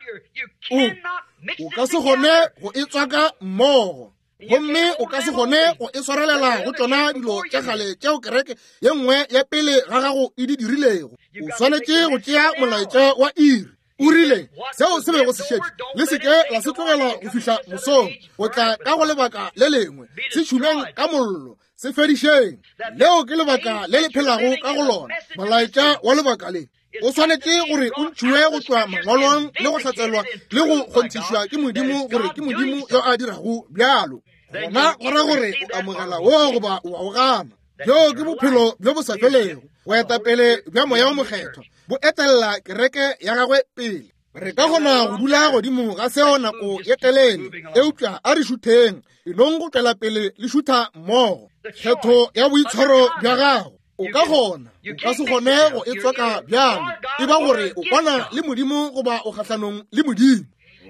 A: O ka se kgone go e tswaka mmogo. Gomme o ka se kgone go e swarelela go tšona dilo tša kgale tšeo kereke ye nngwe ya pele ga gago e di dirilego. O swanetše go tšea molaetša wa iri. O rile, seo se bego se šetše, le se ke la se tlogela go fihla mosong, go tla ka go lebaka le lengwe, se tšhumeng ka mollo, se fedišeng. Leo ke lebaka le le phelago ka go lona, molaetša wa lebaka le. O swanetše gore o ntšhiwe go tšwa mangwalong le go hlatselwa le go kgonthišwa ke Modimo gore ke Modimo yo a dirago bjalo. Gona go ra gore o amogela wo goba o a o gana. Bjo ke bophelo bjo bo sa felego, boetapele bja Moya wo Mokgethwa bo etelela kereke ya gagwe pele. Re ka kgona go dula godimo ga seo nako ye telele, eupša a re šutheng, enong go tšwela pele le šutha mmogo. Kgetho ya boitshwaro bja gago. O ka kgona, o ka se kgone go e tswaka bjalo. E ba gore o kwana le Modimo goba o kgahlanong le Modimo.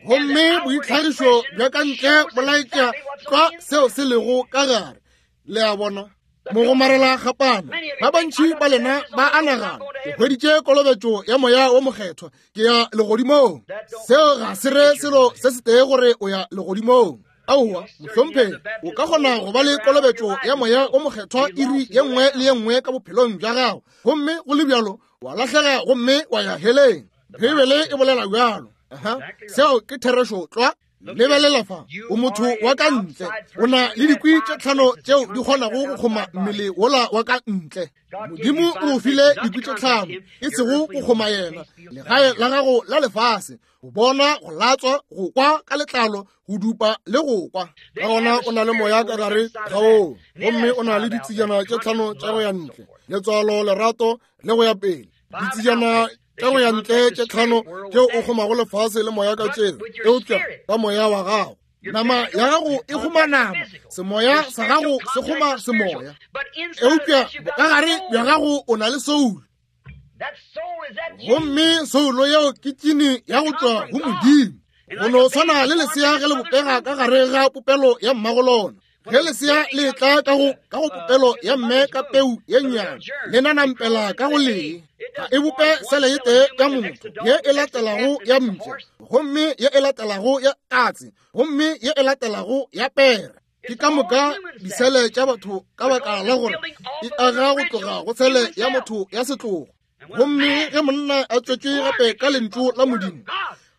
A: Gomme boitlhagišo bja ka ntle bo laetša tlwa seo se lego ka gare. Le a bona? Mogomarela kgapana, ba bantši ba lena ba a nagana, ke hweditše kolobetšo ya Moya wo Mokgethwa, ke ya legodimong. Seo ga se re selo se setee gore o ya legodimong. Aowa, mohlomphegi, o ka kgona go ba le kolobetšo ya Moya wo Mokgethwa iri ye nngwe le ye nngwe ka bophelong bja gago, gomme go le bjalo wa lahlega gomme wa ya heleng. Beibele e bolela bjalo. Aha, seo ke therešo tlwa. Lebelela fa, o motho wa ka ntle, o na le dikwi tše tlhano tšeo di kgonago go kgoma mmele wola wa ka ntle. Modimo o go file dikwi tše tlhano, e sego go kgoma yena, legae la gago la lefase, go bona, go latswa, go kwa ka letlalo, go dupa le go kwa.
B: Ka gona o na le moya ka gare ga oo, gomme o na le ditsejana tše tlhano tša go ya ntle, letswalo, lerato le go ya pele. Ditsejana tša go ya ntle tše tlhano tšeo o kgomago lefase le moya ka tšeo, eupša ka moya wa gago. Nama ya gago e kgoma nama, semoya sa gago se kgoma semoya, eupša bokagare bja gago o na le soulo. Gomme soulo yeo ke tšini ya go tšwa go Modimo. Go no swana le lesea ge le bopega ka gare ga popelo ya mmago lona. Ge lesea le etla ka go popelo ya mme ka peu ye nnyane, le nanampela ka go lee. Ga e bope sele e tee ya motho, ye e latelago ya mpša, gomme ye e latelago ya katse, gomme ye e latelago ya pere. Ke ka moka disele tša batho ka baka la gore e aga go tloga go sele ya motho ya setlogo. Gomme ge monna a tswetšwe gape ka lentšu la Modimo,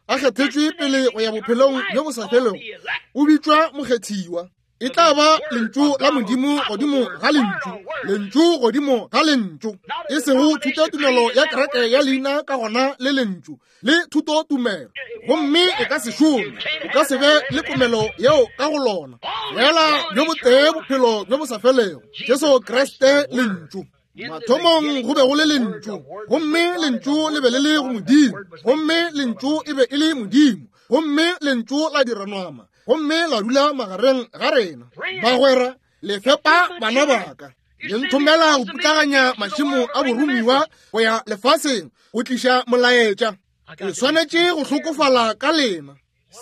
B: a kgethetšwe pele go ya bophelong bjo bo sa felego, o bitšwa mokgethiwa. E tla ba lentšu la Modimo godimo ga lentšu, lentšu godimo ga lentšu, e sego thutotumelo ya kereke ya leina ka gona le lentšu le thutotumelo, gomme e ka se šome, o ka se be le komelo yeo ka go lona. Fela bjo botee bophelo bjo bo sa felego, Jesu Kriste lentšu. Mathomong go be go le lentšu, gomme lentšu le be le le go Modimo, gomme lentšu e be e le Modimo, gomme lentšu la dira nama, gomme la dula magareng ga rena. Bagwera, le fepa bana baka, le nthomela go putlaganya mašemo a boromiwa go ya lefaseng go tliša molaetša. Ke swanetše go hlokofala ka lena.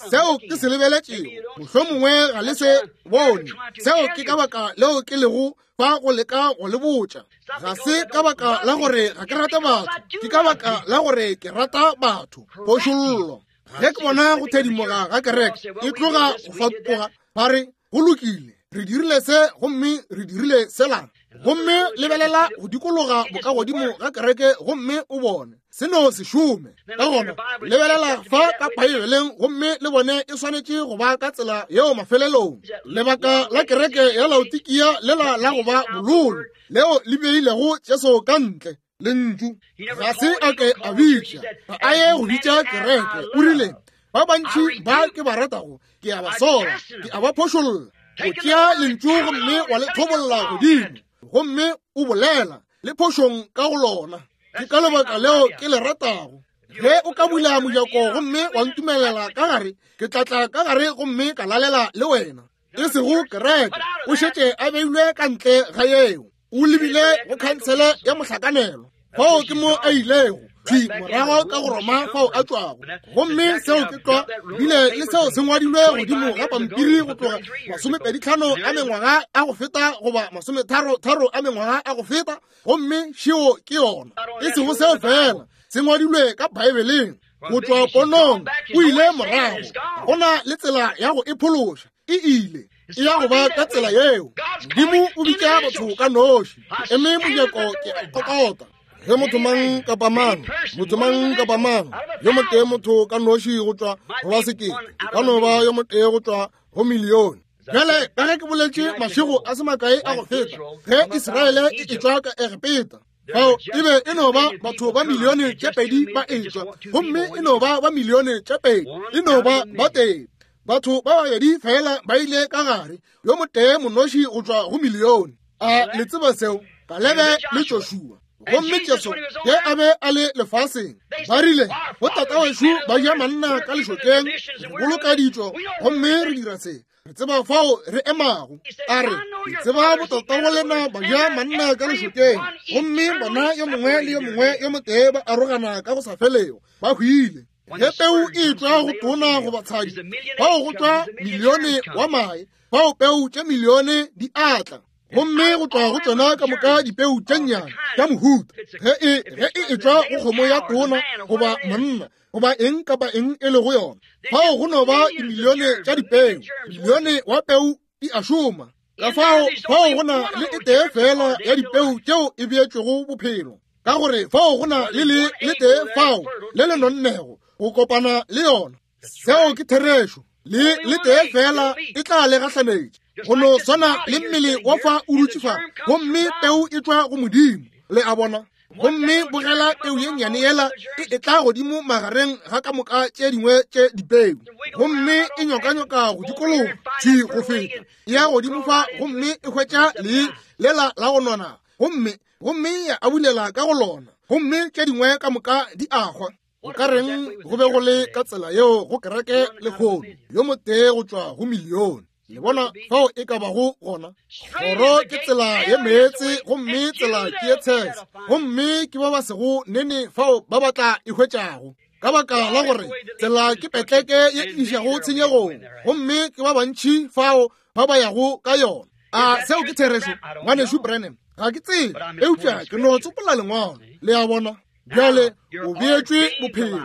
B: Seo ke se lebeletšego, mohlomongwe ga le se bone. Seo ke ka baka leo ke lego fa go leka go le botša. Ga se ka baka la gore ga ke rate batho, ke ka baka la gore ke rata batho. Phošollo. Ge ke bona go thedimoga ga kereke e tloga go fatoga, ba re, go lokile, re dirile se gomme re dirile sela. Gomme lebelela go dikologa bokagodimo ga kereke gomme o bone se no se šome. Ka gona lebelela fa ka Beibeleng gomme le bone e swanetše go ba ka tsela yeo mafelelong. Lebaka la kereke ya Laodikia lela la go ba bololo leo le beilego Jesu ka ntle, lentšu ga se a ke a bitša, ga a ye go bitša kereke. O rile, ba bantši ba ke ba ratago ke a ba sola, ke a ba phošolla. O tšea lentšu gomme wa le thobolla godimo, gomme o bolela le phošong ka go lona. Ke ka lebaka leo ke le ratago. Ge o ka bula mojako gomme wa ntumelela ka gare, ke tla tla ka gare gomme ka lalela le wena. E sego kereke, o šetše a beilwe ka ntle ga yeo. O lebile go khansele ya mohlakanelo, fao ke mo a ilego thwi morago ka go Roma fao a tšwago. Gomme seo ke tlwa bile le seo se ngwadilwe godimo ga pampiri go tloga 25 a mengwaga a go feta goba 33 a mengwaga a go feta, gomme šeo ke yona. E sego seo fela, se ngwadilwe ka Beibeleng go tšwa ponong, o ile morago. Ga go na le tsela ya go e phološa, e ile. E ya go ba ka tsela yeo. Modimo o bitša batho ka noši. Ke eme mojako ke a kokota. Ge motho mang kapa mang, motho mang kapa mang, yo motee motho ka noši go tšwa go ba sekete, e ka no ba yo motee go tšwa go milione. Bjale ka ge ke boletše mašego a se makae a go feta, ge Israele e etšwa ka Egepeta, fao e be e no ba batho ba milione tše pedi ba etšwa, gomme e no ba ba milione tše pedi, e no ba ba tee. Batho ba babedi fela ba ile ka gare, yo motee monoši go tšwa go milione. A le tseba seo? Kalebe le Joshua. Gomme Jesu ge a be a le lefaseng, ba rile, bo tatawešu ba ja manna ka lešokeng, re boloka ditšo, gomme re dira se.
A: Re tseba fao re emago. A re, Ke tseba botatago lena ba ja manna ka lešokeng, gomme bona yo mongwe le yo mongwe yo motee ba arogana ka go sa felego, ba hwile. Ge peu e etšwa go tona goba tshadi, fao go tšwa milione wa mae, fao peu tše milione di atla. Gomme go tšwa go tšona ka moka dipeu tše nnyane tša mohuta, ge e ge e etšwa go kgomo ya tona goba monna goba eng kapa eng e lego yona, fao go no ba dimilione tša dipeu, milione wa peu di a šoma. Ka fao fao go na le e tee fela ya dipeu tšeo e beetšwego bophelo, ka gore fao go na le le le tee fao le le nonnego go kopana le yona. Seo ke therešo. Le le tee fela e tla le gahlanetša, go no swana le mmele wa fa o dutše fa, gomme peu e tšwa go Modimo. Le a bona? Gomme bogela peu ye nnyane yela e etla godimo magareng ga ka moka tše dingwe tše dipeu, gomme e nyokanyoka go dikologa thwi go feta, e ya godimo fa gomme e hwetša lee lela la go nona, gomme gomme ya abulela ka go lona, gomme tše dingwe ka moka di a hwa. O ka reng go be go le ka tsela yeo go kereke lehono, yo motee go tšwa go milione? Le bona fao e ka bago gona? Kgoro ke tsela ye meetse, gomme tsela ke ye tshese, gomme ke ba ba sego nene fao ba ba tla e hwetšago. Ka baka la gore tsela ke petleke ye e išago tshenyegong, gomme ke ba bantši fao ba ba yago ka yona. A seo ke therešo, Ngwanešu Branham? Ga ke tsebe, eupša ke no tsopola Lengwalo. Le a bona? Bjale o beetšwe bophelo,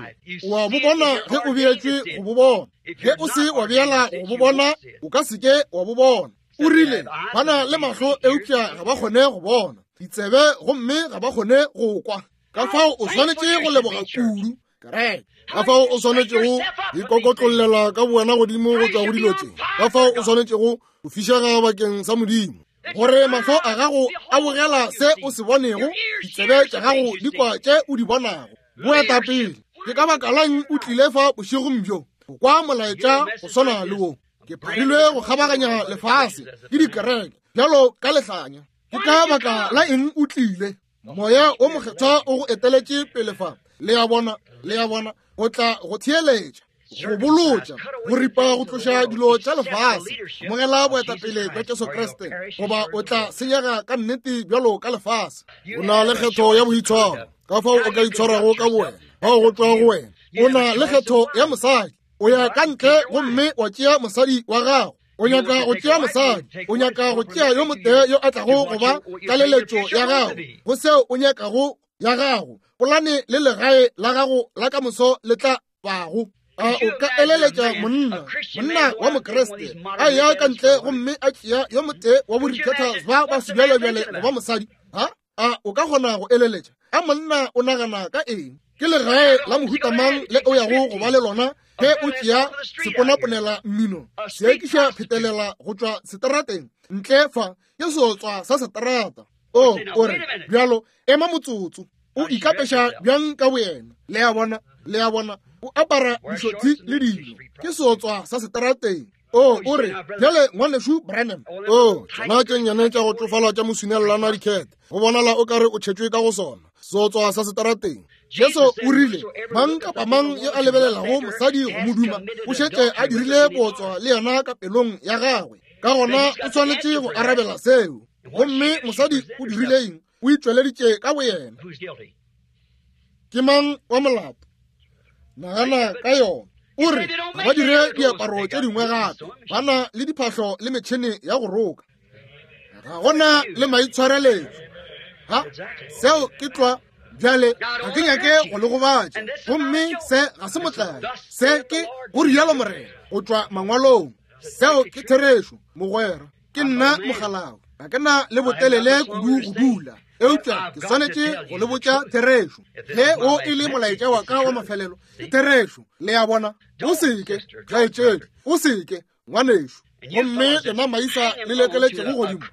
A: o a bo bona ge o beetšwe go bo bona. Ge o se wa beela go bo bona, o ka se ke wa bo bona. O rile, ba na le mahlo eupša ga ba kgone go bona, ditsebe gomme ga ba kgone go kwa. Ka fao o swanetše go leboga kudu kereke, ka fao o swanetšego ikokotlollela ka bowena godimo go tšwa go dilo tše, ka fao o swanetšego go fišega bakeng sa Modimo, gore mahlo a gago a bogela se o se bonego, ditsebe tša gago di kwa tše o di bonago. Boetapele, ke ka baka lang o tlile fa bošegong bjo go kwa molaetša go swana le wo? Ke pharilwe go kgabaganya lefase ke dikereke bjalo ka lehlanya. Ke ka baka la eng o tlile? Moya o Mokgethwa o go eteletše pele fa. Le a bona, le a bona, go tla go theeletša, go bolotša, go ripa go tloša dilo tša lefase. Amogela boetapele bja Jesu Kriste, goba o tla senyega ka nnete bjalo ka lefase. O na le kgetho ya boitshwaro, ka fao o ka itshwarago ka bowena, fao go tšwa go wena. O na le kgetho ya mosadi, o ya ka ntle gomme wa tšea mosadi wa gago. O nyaka go tšea mosadi, o nyaka go tšea yo motee yo a tlago go ba tlaleletšo ya gago go seo o nyakago ya gago, polane le legae la gago la ka moso le tla bago. A o ka eleletša monna, monna wa Mokriste, a ya ka ntle gomme a tšea yo motee wa borikhetha ba ba sebjalebjale go ba mosadi? Ha? A o ka kgona go eleletša? A monna o nagana ka eng? Ke legae la mohuta mang le o yago go ba le lona ge o tšea seponaponela mmino seekiša phetelela go tšwa seterateng ntle fa? Ke seotswa sa seterata. O, o re, bjalo, ema motsotso. O ikapeša bjang ka boyena? Le a bona, le a bona, o apara dišothi le dilo. Ke seotswa sa seterateng. O, o re, bjale, Ngwanešu Branham, o, tšona tše nnyane tša go tšofala tša mosunelelana dikete, go bonala o ka re o tšhetšwe ka go sona, seotswa sa seterateng. Jesu o rile, mang kapa mang yo a lebelelago mosadi go mo duma, o šetše a dirile bootswa le yena ka pelong ya gagwe. Ka gona o swanetše go arabela seo. Gomme mosadi o dirile eng? O itšweleditše ka boyena. Ke mang wa molato? Nagana ka yona. O re ga ba dire diaparo tše dingwe gape, ba na le diphahlo le metšhene ya go roka, ga gona le maitshwareletšo. Ha, seo ke tlwa. Bjale ga ke nyake go le gobatša, gomme se ga se motlae, se ke go rialo Morena go tšwa mangwalong. Seo ke therešo, mogwera. Ke nna mogalawe, ga ke na le botelele kudu go dula, eupša ke swanetše go le botša therešo. Ge o e le molaetša wa ka wa mafelelo, ke therešo. Le a bona? O seke, kgaetšedi, o seke, ngwanešu. Gomme lena maisa le lekeletšego godimo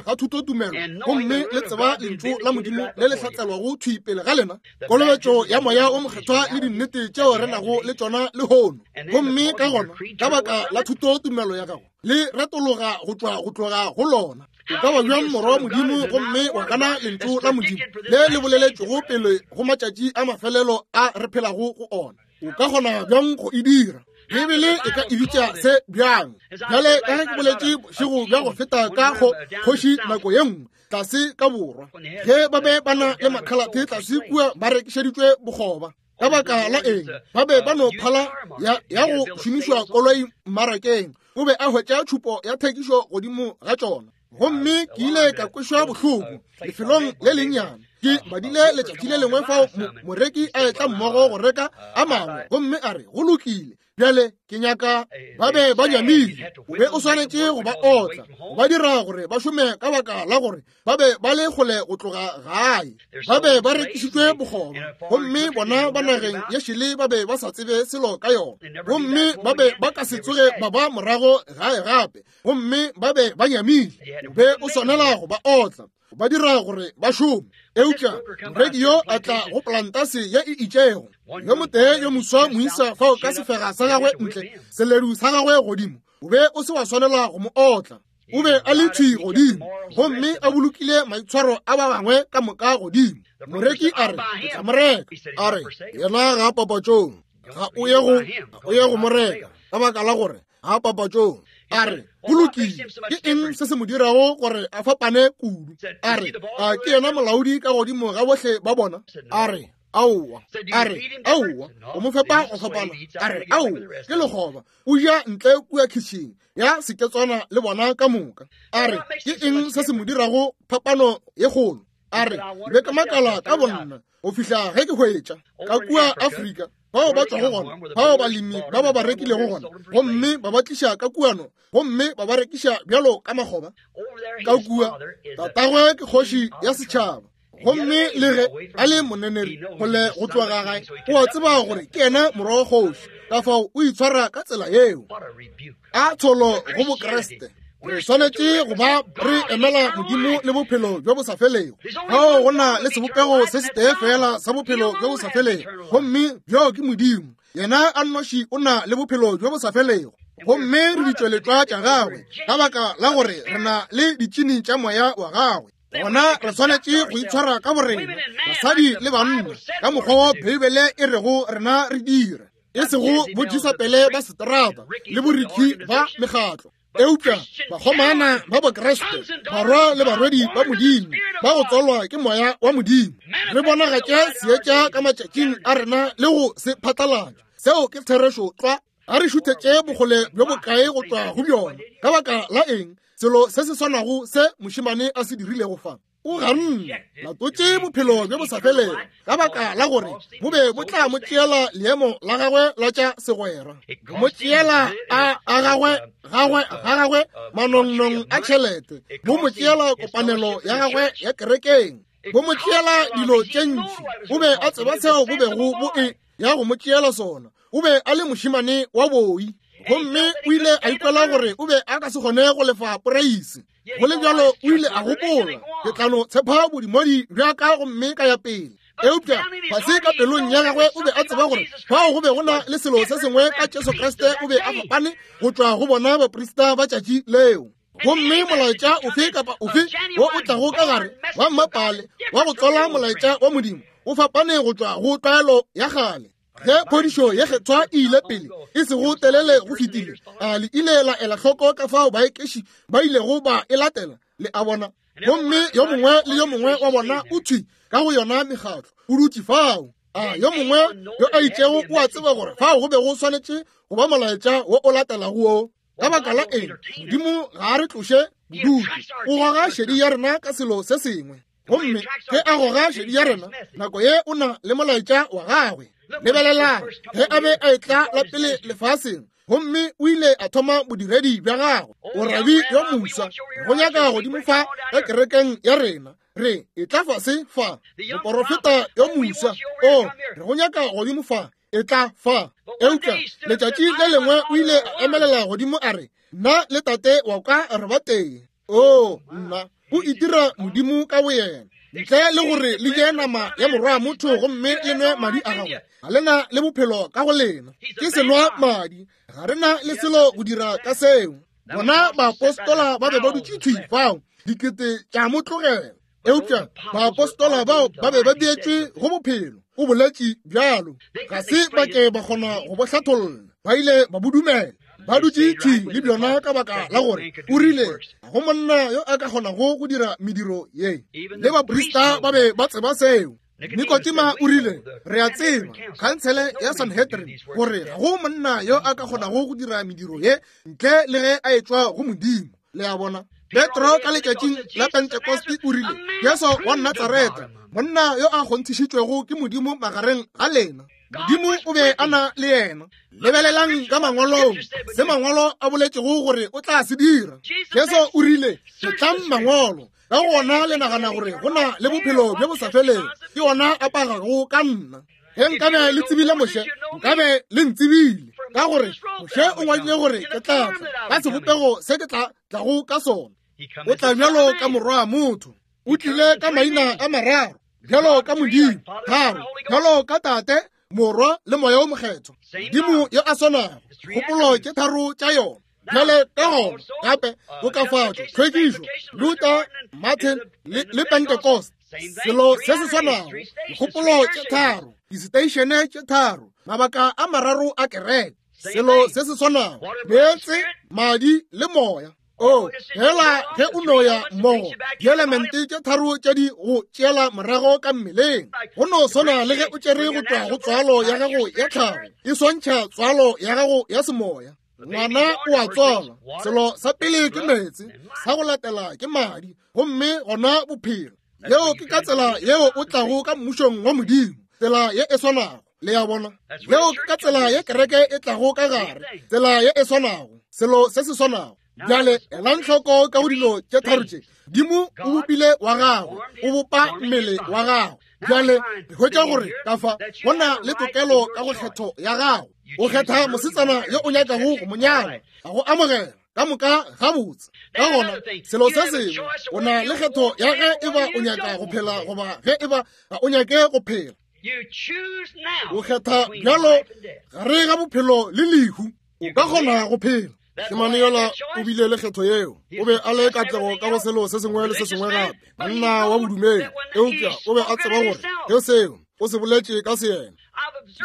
A: ga thutotumelo, gomme le tseba lentšu la Modimo le le hlatselwago thwi pele ga lena, kolobetšo ya Moya o Mokgethwa le dinnete tšeo re nago le tšona lehono, gomme ka gona ka baka la thutotumelo ya gago le retologa go tšwa go tloga go lona. O ka ba bjang morwa wa Modimo gomme wa gana lentšu la Modimo le le boleletšwego pele go matšatši a mafelelo a re phelago go ona? O ka kgona bjang go e dira? Beibele e ka e bitša se bjang? Bjale ka ge ke boletše bošego bja go feta ka go kgoši nako ye nngwe tlase ka borwa, ge ba be ba na le makhalathe tlase kua ba rekišeditšwe bokgoba. Ka baka la eng ba be ba no phala ya go šomišwa koloi mmarakeng? O be a hwetša tšhupo ya thekišo godimo ga tšona. Gomme ke ile ka kwešwa bohloko lefelong le lennyane. Ke badile letšatši le lengwe fao moreki a etla mmogo go reka a mangwe, gomme a re, go lokile, bjale ke nyaka. Ba be ba nyamile. O be o swanetše go ba otla, go ba dira gore ba šome ka baka la gore ba be ba le kgole go tloga gae. Ba be ba rekišitšwe bokgoba, gomme bona ba nageng ye šele ba be ba sa tsebe selo ka yona, gomme ba be ba ka se tsoge ba ba morago gae gape, gomme ba be ba nyamile. O be o swanela go ba otla, ba dira gore ba šome. Eupša moreki yo a tla go plantase ye e itšego, yo motee yo moswa moisa fao ka sefega sa gagwe ntle, seledu sa gagwe godimo, o be o se wa swanela go mo otla. O be a le thwi godimo, gomme a bolokile maitshwaro a ba bangwe ka moka godimo. Moreki a re, ke tla mo reka. A re, yena ga a papatšong, ga o ye go mo reka, ka baka la gore ga papatšong. A re, go lokile, ke eng se se mo dirago gore a fapane kudu? A re, a ke yena molaodi ka godimo ga bohle ba bona? A re, aowa. A re, aowa, o mo fepa go fapana. A re, aowa, ke lekgoba, o ja ntle kua kitšhing ya seketswana le bona ka moka. A re, ke eng se se mo dirago phapano ye kgolo? A re, be ke makala ka bonna go fihla ge ke hwetša ka kua Afrika bao ba tšwago gona, bao balemi ba ba ba rekilego gona, gomme ba ba tliša ka kuano, gomme ba ba rekiša bjalo ka makgoba ka kua. Tatagwe ke kgoši ya setšhaba, gomme le ge a le moneneri kgole go tloga gae, o a tseba gore ke yena morwa wa kgoši, ka fao o itshwara ka tsela yeo. A tsholo go Bokriste. Re swanetše go ba re emela Modimo le bophelo bjo bo sa felego. Fao go na le sebopego se setee fela sa bophelo bjo bo sa felego, gomme bjoo ke Modimo. Yena a nnoši o na le bophelo bjo bo sa felego, gomme re ditšweletšwa tša gagwe ka baka la gore re na le ditšini tša moya wa gagwe. Gona re swanetše go itshwara ka borena, basadi le banna, ka mokgwa wo Beibele e rego rena re dire, e sego bojesapele ba seterata le borikhi ba mekgatlo, eupša bakgomana ba Bokriste, barwa le barwedi ba Modimo, ba go tswalwa ke moya wa Modimo. Re bonagatše seetša ka matšatšing a rena le go se phatlalatša. Seo ke therešo tlwa. A re šuthetše bokgole bjo bokae go tšwa go bjona? Ka baka la eng? Selo se se swanago se mošemane a se dirilego fa. O ganne, latotše bophelo bjo bo sa felego, ka baka la gore bo be bo tla mo tšeela leemo la gagwe la tša segwera, mo tšeela a gagwe gagwe ga gagwe manongnong a tšhelete, bo mo tšeela kopanelo ya gagwe ya kerekeng, bo mo tšeela dilo tše ntši. O be a tseba seo bo bego bo e ya go mo tšeela sona. O be a le mošemane wa boi, gomme o ile a ikwela gore o be a ka se kgone go lefa poreisi. Go le bjalo o ile a gopola, ke tla no tshepa bodimodi bja ka gomme ka ya pele. Eupša fase ka pelong ya gagwe o be a tseba gore fao go be go na le selo se sengwe ka Jesu Kriste. O be a fapane go tšwa go bona baprista ba tšatši leo. Gomme molaetša ofe kapa ofe wo o tlago ka gare wa mmapale wa go tswala molaetša wa Modimo o fapane go tšwa go tlwaelo ya kgale. Ge phodišo ye kgethwa e ile pele e sego telele go fetile, a le ile la ela hloko ka fao baekeši ba ilego ba e latela? Le a bona? Gomme yo mongwe le yo mongwe wa bona o thwi ka go yona mekgatlo, o dutše fao. A yo mongwe yo a itšego o a tseba gore fao go be go swanetše go ba molaetša wo o latelago wo. Ka baka la eng? Modimo ga a re tloše bodutu, o goga šedi ya rena ka selo se sengwe. Gomme ge a goga šedi ya rena, nako ye o na le molaetša wa gagwe. Lebelelang, ge a be a etla la pele lefaseng, gomme o ile a thoma bodiredi bja gagwe. O rabi yo moswa, go nyaka godimo fa ka kerekeng ya rena. Re etla fase fa. Moporofeta yo moswa, o re go nyaka godimo fa, etla fa. Eupša letšatši le lengwe o ile a emelela godimo a re, nna le tate wa ka re ba tee. Oo, nna, o itira Modimo ka boyena. Ntle le gore le je nama ya morwa motho gomme le nwe madi a gagwe, ga le na le bophelo ka go lena. Ke senwa madi, ga re na le selo go dira ka seo. Bona baapostola ba be ba dutše thwi fao, dikete tša mo tlogela. Eupša baapostola bao ba be ba beetšwe go bophelo, o boletše bjalo. Ga se ba ke ba kgona go bo hlatholla. Ba ile ba bo dumela. Ba dutše thwi le bjona ka baka la gore o rile go monna yo a ka kgonago go dira mediro ye. Le baprista ba be ba tseba seo. Nikodima o rile, re a tseba, khansele ya Sanhedrin, gore ga go monna yo a ka kgonago go dira mediro ye ntle le ge a etšwa go Modimo. Le a bona? Petro ka letšatšing la Pentekoste o rile, Jesu wa Natsareta, monna yo a kgonthišitšwego ke Modimo magareng ga lena. Modimo o be a na le yena. Lebelelang ka mangwalong se mangwalo a boletšego gore o tla se dira. Jesu o rile, Tlang mangwalo, ka gona le nagana gore go na le bophelo bjo bo sa felego, ke ona a pagago ka nna. Ge nkabe le tsebile Moshe, nkabe le ntsebile, ka gore Moshe o ngwadile gore ke tla tla ka sebopego se ke tla tlago ka sona. O tla bjalo ka morwa wa motho. O tlile ka maina a mararo, bjalo ka Modimo, tharo, bjalo ka Tate, Morwa le Moya o Mokgethwa. Modimo yo a swanago, kgopolo tše tharo tša yona. Bjale ka gona gape bokafatšo, tlhwekišo, Luther, Martin le Pentecost, selo se se swanago, dikgopolo tše tharo, diseteišene tše tharo, mabaka a mararo a kereke, selo se se swanago, meetse, madi le moya. O fela ge o no ya mmogo, dielemente tše tharo tše di go tšeela morago ka mmeleng, go no swana le ge o tšere go tšwa go tswalo ya gago ya tlhago, e swantšha tswalo ya gago ya semoya. Ngwana o a tswalwa, selo sa pele ke meetse, sa go latela ke madi, gomme gona bophelo. Yeo ke ka tsela yeo o tlago ka mmušong wa Modimo, tsela ye e swanago. Le a bona? Yeo ke ka tsela ye kereke e tlago ka gare, tsela ye e swanago, selo se se swanago. Bjale elang hloko ka go dilo tše tharo tše. Modimo o bopile wa gagwe, o bopa mmele wa gagwe. Bjale re hwetša gore ka fa go na le tokelo ka go kgetho ya gago. O kgetha mosetsana yo o nyakago go mo nyala, a go amogela ka moka gabotse. Ka gona selo se sengwe, o na le kgetho ya ge e ba o nyaka go phela goba ge e ba ga o nyake go phela. O kgetha bjalo gare ga bophelo le lehu. O ka kgona go phela. Mošemane yola o bile le kgetho yeo. O be a le katlego ka go selo se sengwe le se sengwe gape, monna wa bodumedi, eupša o be a tseba gore ge seo o se boletše ka seyena,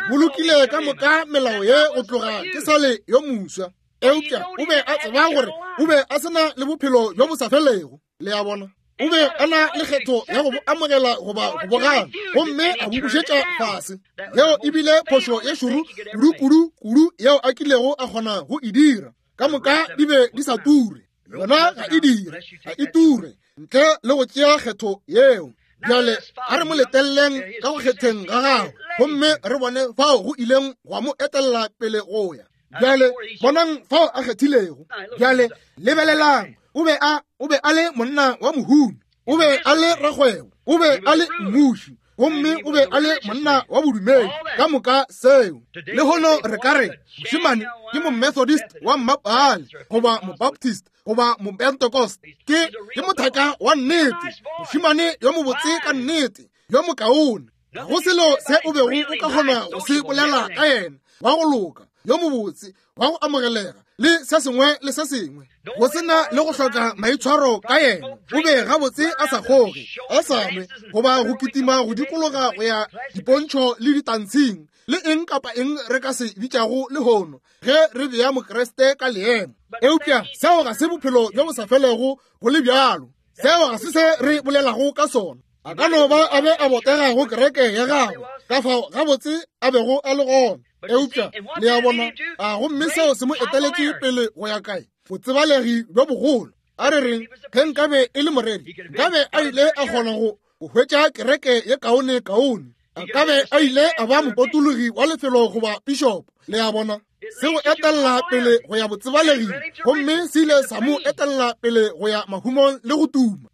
A: bolokile ka moka melao ye go tloga ke sa le yo moswa. Eupša o be a tseba gore o be a se na le bophelo bjo bo sa felego. Le a bona? O be a na le kgetho ya go bo amogela goba go bo gana, gomme a bo bušetša fase. Yeo e bile phošo ye šoro kudu-kudu kudu yeo a kilego a kgona go e dira. Ka moka di be di sa ture. Yona ga e dire, ga e ture ntle le go tšea kgetho yeo. Bjale a re mo leteleleng ka go kgetheng ga gagwe, gomme re bone fao go ileng gwa mo etelela pele go ya. Bjale bonang fao a kgethilego. Bjale lebelelang, o be a o be a le monna wa mohumi, o be a le rakgwebo, o be a le mmuši, gomme o be a le monna wa bodumedi, ka moka seo. Lehono re ka re mošemane ke mo-Methodist wa mmapaale, goba mo-Baptist, goba mo-Pentecost. Ke ke mothaka wa nnete, mošemane yo mobotse ka nnete, yo mokaone. Ga go selo se o bego o ka kgona go se bolela ka yena, wa go loka, yo mobotse, wa go amogelega, le se sengwe le se sengwe, go se na le go hloka maitshwaro ka yena. O be gabotse a sa kgoge, a sa nwe, goba go kitima go dikologa go ya dipontšho le ditantshing, le eng kapa eng re ka se bitšago lehono ge re bea Mokriste ka leemo. Eupša seo ga se bophelo bjo bo sa felego go le bjalo. Seo ga se se re bolelago ka sona. A ka no ba a be a botega go kereke ya gagwe, ka fao gabotse a bego a le gona. Eupša le a bona, a gomme seo se mo eteletše pele go ya kae? Botsebalegi bjo bogolo. A re reng ge nkabe e le moreri, nkabe a ile a kgona go hwetša kereke ye kaone kaone. A ka be a ile a ba mopotologi wa lefelo goba pišopo. Le a bona, se go etelela pele go ya botsebaleging, gomme se ile sa mo etelela pele go ya mahumong le go tuma.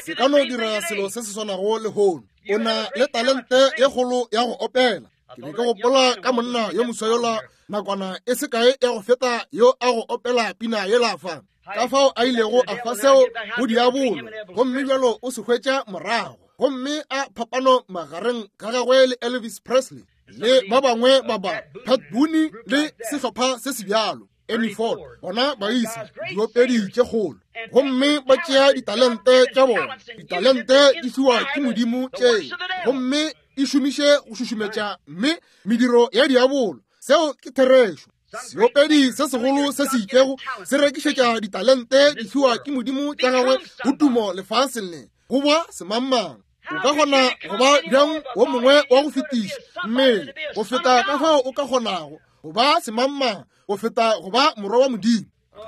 A: Se ka no dira selo se se swanago lehono. O na le talente ye kgolo ya go opela. Ke be ke gopola ka monna yo moswa yola nakwana e se kae ya go feta yo a go opela pina yela fa, ka fao a ilego a fa seo go diabolo, gomme bjalo o se hwetša morago. Gomme a phapano magareng ga gagwe le Elvis Presley le ba bangwe ba ba Pat Boone le sehlopha se se bjalo, Ernie Ford, bona baisa diopedi tše kgolo, gomme ba tšea ditalente tša bona. Ditalente di fiwa ke Modimo tše, gomme e šomiše go šušumetša mme mediro ya diabolo. Seo ke therešo. Seopedi se segolo se se itšego se rekišetša ditalente di fiwa ke Modimo tša gagwe go tumo lefaseng le, go ba semangmang. O ka kgona go ba bjang wo mongwe wa go fetiša mmele go feta ka fao o ka kgonago go ba semangmang go feta go ba morwa wa Modimo?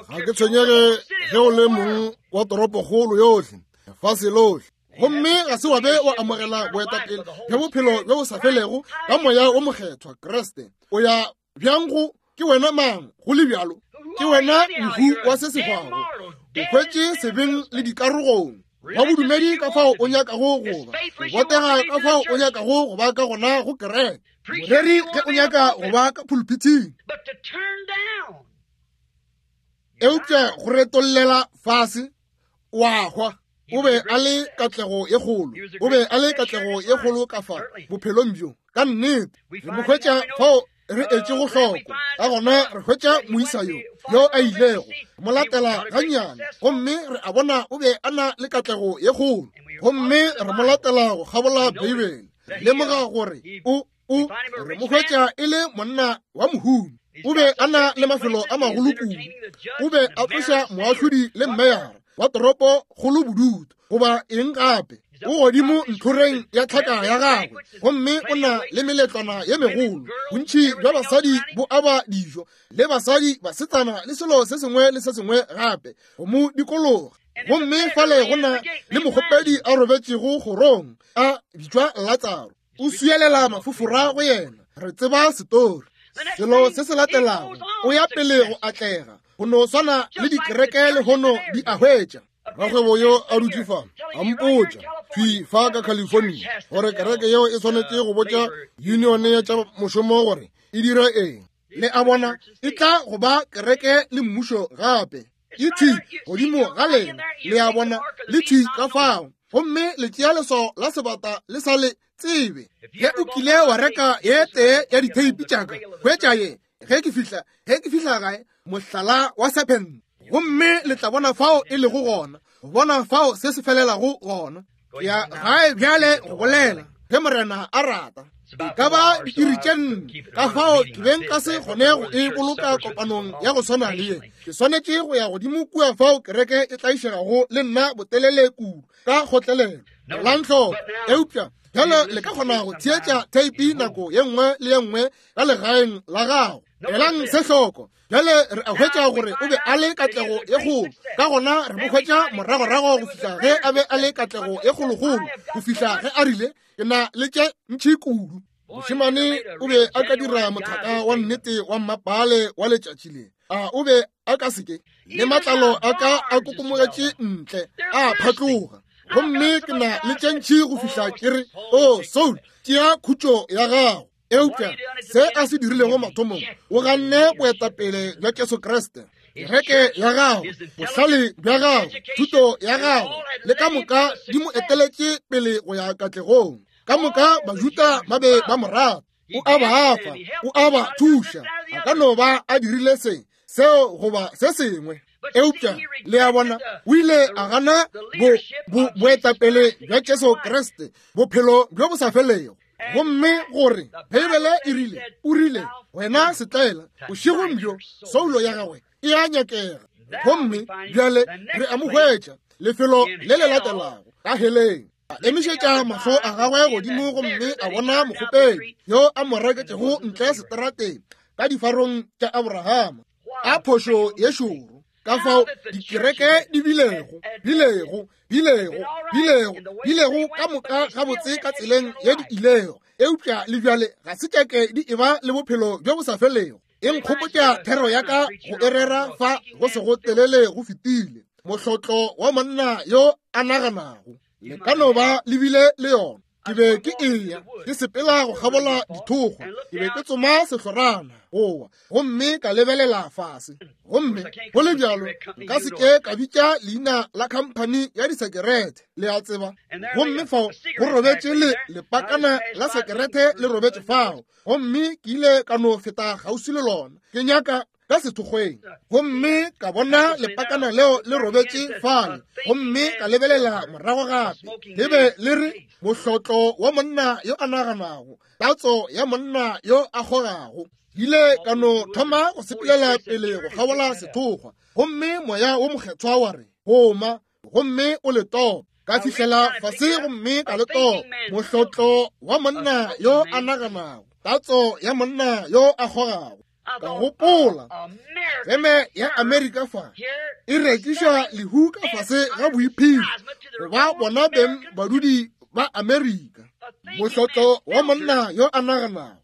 A: Ga ke tshwenyege ge o le mong wa toropokgolo yohle, lefase lohle, gomme ga se wa be wa amogela boetapele bja bophelo bjo bo sa felego ka Moya wo Mokgethwa Kriste. O ya bjang go ke wena mang go le bjalo? Ke wena mohu wa se se hwago, o hwetše sebeng le dikarogong. Wa bodumedi ka fao o nyakago go ba, o botega ka fao o nyakago go ba ka gona go kereke, moreri ge o nyaka go ba ka pulpithing, eupša go retollela fase wa hwa. O be a le katlego ye kgolo, o be a le katlego ye kgolo ka fa bophelong bjo. Ka nnete re mo hwetša fao re etšego hloko. Ka gona re hwetša moisa yo yo a ilego mo latela gannyane, gomme re a bona o be a na le katlego ye kgolo, gomme re mo latela go kgabola Beibele. Lemoga gore o o re mo hwetša e le monna wa mohumi. O be a na le mafelo a magolo kudu. O be a tloša moahlodi le mmeyara wa toropo kgolo bodutu goba eng gape. O godimo ntlhoreng ya tlhaka ya gagwe, gomme o na le meletlwana ye megolo. Bontši bja basadi bo aba dijo, le basadi, basetsana, le selo se sengwe le se sengwe gape go mo dikologa. Gomme fale go na le mokgopedi a robetšego kgorong, a bitšwa Latsaro. O swielela mafofora go yena. Re tseba setori. Selo se se latelago, o ya pele go atlega, go no swana le dikereke lehono di a hwetša. Rakgwebo yo a dutše fa a mpotša thwi fa ka California gore kereke yeo e swanetše go botša unione ya tša mošomo gore e dire eng. Le a bona, e tla go ba kereke le mmušo gape. E thwi godimo ga lena, le a bona, le thwi ka fao. Gomme le tšea leswao la sebata le sa le tsebe. Ge o kile wa reka ye tee ya ditheipi tša ka, hwetša ye ge ke fihla, ge ke fihla gae, mohlala wa serpent. Gomme le tla bona fao e lego gona, go bona fao se se felelago gona. Ya gae bjale go bolela, ge Morena a rata. E ka ba diiri tše nne, ka fao ke be nka se kgone go e boloka kopanong ya go swana le ye. Ke swanetše go ya godimo kua fao kereke e tlaišegago le nna botelele kudu ka kgotlelelo. Elang hloko. Eupša bjale le ka kgona go theetša theipi nako ye nngwe le ye nngwe ka legaeng la gago. Elang se hloko. Bjale re a hwetša gore o be a le katlego ye kgolo. Ka gona re mo hwetša moragorago go fihla ge a be a le katlego ye kgolokgolo, go fihla ge a rile, Ke na le tše ntši kudu. Mošemane o be a ka dira mothaka wa nnete wa mmapale wa letšatši le. A o be a ka seke? Le matlalo a ka a kokomogetše ntle, a phatloga. Gomme ke na le tše ntši go fihla ke re, O Saul, tšea khutšo ya gago. Eupša se a se dirilego mathomong, o ganne boetapele bja Jesu Kriste, kereke ya gagwe, bohlale bja gagwe, thuto ya gagwe, le ka moka di mo eteletše pele go ya katlegong. Ka moka Bajuda ba be ba mo rata. O a ba fa, o a ba thuša. A ka no ba a dirile se, seo goba se sengwe. Eupša le a bona, o ile a gana boetapele bja Jesu Kriste, bophelo bjo bo sa felego. Gomme gore Beibele e rile, o rile, wena setlaela, bošegong bjo soulo ya gagwe e a nyakega. Gomme bjale re a mo hwetša lefelo le le latelago ka heleng. A emišetša mahlo a gagwe godimo gomme a bona mokgopedi yo a mo reketšego ntle seterateng ka difarong tša Abrahama. A phošo ye šoro ka fao dikereke di bilego, bilego, bilego, bilego, bilego ka moka gabotse ka tseleng ye di ilego, eupša le bjale ga se tšeke di eba le bophelo bjo bo sa felego. E nkgopotša thero ya ka go e rera fa go sego telele go fetile, mohlotlo wa monna yo a naganago. Le ka no ba le bile le yona. Ke be ke eya ke sepela go kgabola dithokgwa, ke be ke tsoma sehlorana gowa, gomme ka lebelela fase. Gomme go le bjalo nka se ke ka bitša leina la khamphani ya disekerete, le a tseba. Gomme fao go robetše le lepakana la sekerete le robetše fao, gomme ke ile ka no feta kgauswi le lona. Ke nyaka. ka sethokgweng, gomme ka bona lepakana leo le robetše fale, gomme ka lebelela morago gape, le be le re, Mohlotlo wa monna yo a naganago, tatso ya monna yo a kgogago. Ile ka no thoma go sepelela pele go kgabola sethokgwa, gomme Moya wo Mokgethwa wa re, Goma, gomme o le tope. Ka fihlela fase gomme ka le topa. Mohlotlo wa monna yo a naganago, tatso ya monna yo a kgogago. Ka gopola, feme ya Amerika fa e rekiša lehu ka fase ga boiphedi go ba bona beng badudi ba Amerika. Mohlotlo wa monna yo a naganago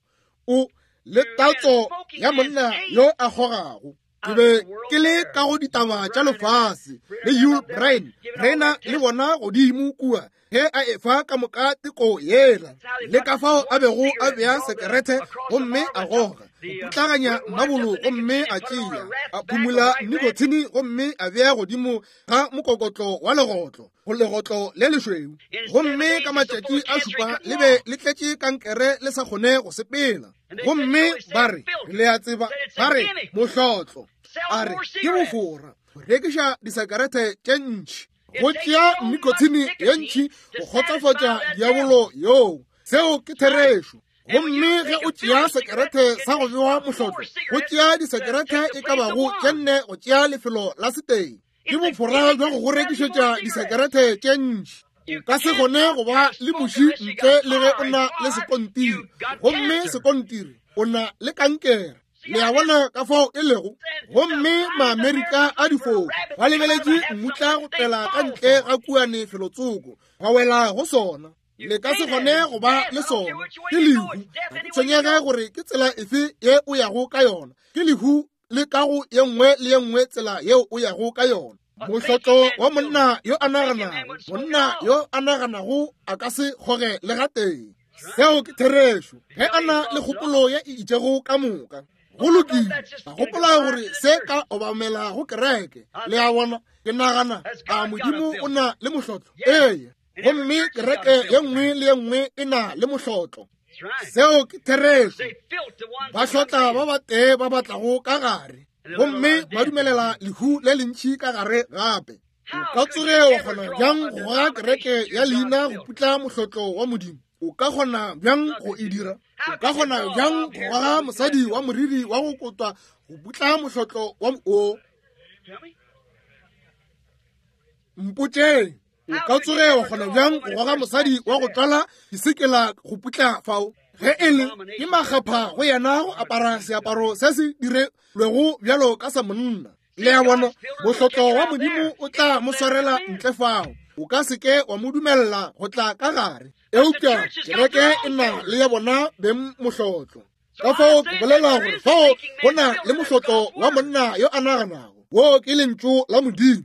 A: o le tatso ya monna yo a kgogago. Ke be ke le ka go ditaba tša lefase le Yul Brynner, rena le bona godimo kua ge a efa ka moka teko yela, le ka fao a bego a bea sekerete gomme a goga, go putlaganya mmabolo gomme a tšea, a phumula nikotine gomme a bea godimo ga mokokotlo wa legotlo, go legotlo le lešweu, gomme ka matšatši a šupa le be le tletše kankere le sa kgone go sepela. Gomme ba re, le a tseba, ba re, mohlotlo, a re, ke bofora go rekiša disekerete tše ntši, go tšea nikotine ye ntši go kgotsofatša diabolo yoo. Seo ke therešo. Gomme ge o tšea sekerete sa go bewa mohlotlo, go tšea disekerete e ka bago tše nne go tšea lefelo la setee. Ke bofora bja go go rekišetša disekerete tše ntši. O ka se kgone go ba le muši ntle le ge o na le sekontiri, gomme sekontiri o na le kankere. Le a bona ka fao e lego? Gomme Maamerika a difofu ba lebeletše mmutla go tlela ka ntle ga kuane felotsoko, ba wela go sona. Le ka se kgone go ba le sona. Ke lehu. Ga ke tshwenyege gore ke tsela efe ye o yago ka yona. Ke lehu le ka go ye nngwe le ye nngwe tsela yeo o yago ka yona. Mohlotlo wa monna yo a naganago, monna yo a naganago a ka se kgoge le gatee. Seo ke therešo. Ge a na le kgopolo ye e itšego ka moka, go lokile, a gopola gore se ka obamela go kereke. Le a bona, ke nagana, a Modimo o na le mohlotlo? Ee. Gomme kereke ye nngwe le ye nngwe e na le mohlotlo. Seo ke therešo. Ba hlotla ba batee ba ba tlago ka gare, gomme ba dumelela lehu le lentši ka gare gape. O ka tsoge wa kgona bjang go goga kereke ya leina go putla mohlotlo wa Modimo? O ka kgona bjang go e dira? O ka kgona bjang go goga mosadi wa moriri wa go kotwa go putla mohlotlo wa o? Mpotšeng. O ka tsoge wa kgona bjang go goga mosadi wa go tlwala disekela go putla fao? Ge e le ke makgapha go yena go apara seaparo se se dirilwego bjalo ka sa monna. Le a bona, mohlotlo wa Modimo o tla mo swarela ntle fao. O ka se ke wa mo dumelela go tla ka gare. Eupša kereke e na le ya bona beng mohlotlo. Ka fao ke bolela gore fao go na le mohlotlo wa monna yo a naganago. Wo ke lentšu la Modimo.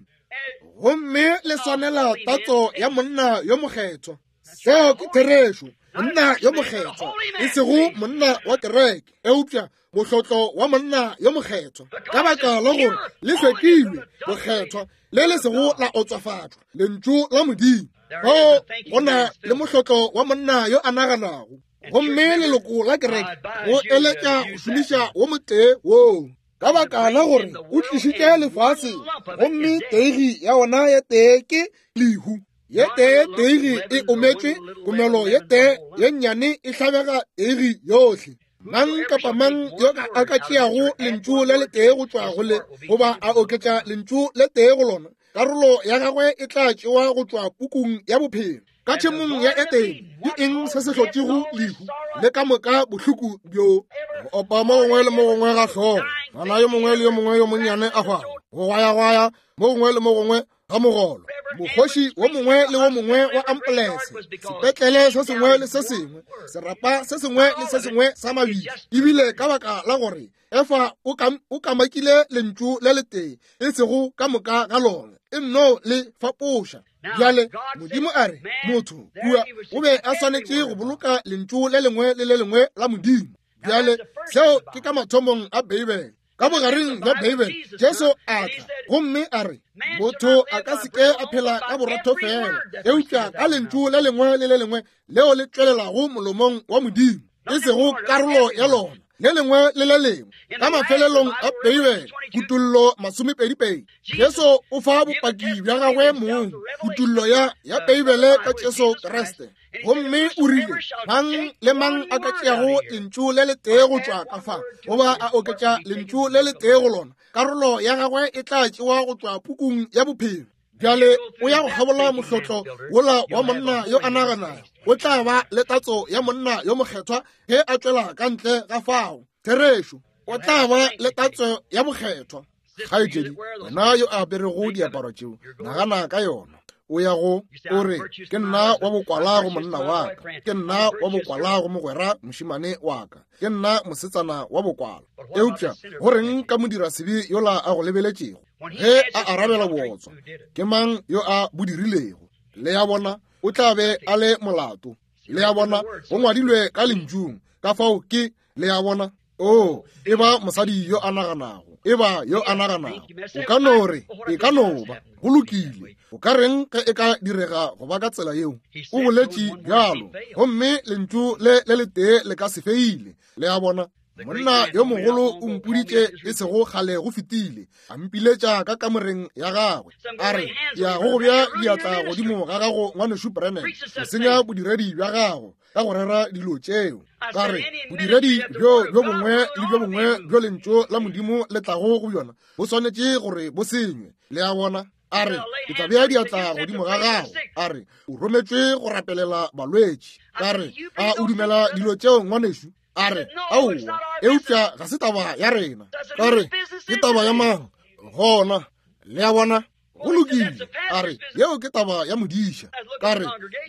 A: Gomme le swanela tatso ya monna yo mokgethwa. Seo ke therešo. Monna yo mokgethwa, e sego monna wa kereke, eupša mohlotlo wa monna yo mokgethwa, ka baka la gore le hlwekilwe bokgethwa le le sego la otswafatšwa, lentšu la Modimo. Fao go na le mohlotlo wa monna yo a naganago, gomme leloko la kereke go eletša go šomiša wo motee woo, ka baka la gore o tlišitše lefase, gomme teigi ya ona ye tee ke lehu. Ye tee teigi e ometšwe, komelo ye tee ye nnyane e hlabega teigi yohle. Mang kapa mang yo a ka tšeago lentšu le letee go tšwa go le, goba a oketša lentšu le tee go lona, karolo ya gagwe e tla tšewa go tšwa pukung ya bophelo. Ka tšhemong ya Edene, ke eng se se hlotšego lehu le ka moka bohloko bjo? Go opa mo gongwe le mo gongwe ga hlogo, ngwana yo mongwe le yo mongwe yo monnyane a hwago, go gwayagwaya mo gongwe le mo gongwe ga mogolo, mokgoši wo mongwe le wo mongwe wa ampolense, sepetlele se sengwe le se sengwe, serapa se sengwe le se sengwe sa mabitla, ebile ka baka la gore Efa o kamakile lentšu le letee, e sego ka moka ga lona, e nno le fapoša. Bjale Modimo a re, motho kua o be a swanetše go boloka lentšu le lengwe le le lengwe la Modimo. Bjale seo ke ka mathomong a Beibele. Ka bogareng bja Beibele, Jesu a tla gomme a re, motho a ka se ke a phela ka borotho fela, eupša ka lentšu le lengwe le le lengwe leo le tšwelelago molomong wa Modimo, e sego karolo ya lona. Le lengwe le le lengwe. Ka mafelelong a Beibele, Kutollo 22, Jesu o fa bopaki bja gagwe mong, kutollo ya, ya Beibele ka Jesu Kriste. Gomme o rile, mang le mang a ka tšeago lentšu le letee go tšwa ka fa, goba a oketša lentšu le letee go lona, karolo ya gagwe e tla tšewa go tšwa pukung ya bophelo. Bjale o ya go kgabola mohlotlo wola wa monna yo a naganago, o tla ba le tatso ya monna yo mokgethwa ge a tšwela ka ntle ga fao. Therešo, o tla ba le tatso ya bokgethwa. Kgaetšedi, wena yo a aperego diaparo tšeo, nagana ka yona. O ya go, o re, ke nna wa bokwala go monna wa ka, ke nna wa bokwala go mogwera mošemane wa ka, ke nna mosetsana wa bokwala. Eupša go reng ka modirasebe yola a go lebeletšego ge a arabela bootswa? Ke mang yo a bo dirilego? Le ya bona, o tla be a le molato. Le ya bona, go ngwadilwe ka lentšung, ka fao ke, le ya bona. Oo, e ba mosadi yo a naganago, e ba yo a naganago. O ka no re, e ka no ba, go lokile. O ka reng ge e ka direga go ba ka tsela yeo? O boletše bjalo, gomme lentšu le le letee le ka se feile. Le a bona? Monna yo mogolo o mpoditše e sego kgale go fetile, a mpiletša ka kamoreng ya gagwe, a re, ke ya go go bea diatla godimo ga gago, Ngwanešu Branham, go senya bodiredi bja gago ka go rera dilo tšeo. Ka re, bodiredi bjo bjo bongwe le bjo bongwe bjo lentšu la Modimo le tlago go bjona bo swanetše gore bo senywe. Le a bona? A re, ke tla bea diatla godimo ga gago. A re, o rometšwe go rapelela balwetši. Ka re, a o dumela dilo tšeo, ngwanešu? A re, aowa, eupša ga se taba ya rena. Ka re, ke taba ya mang gona? Le a bona? Go lokile. A re, yeo ke taba ya modiša. Ka re,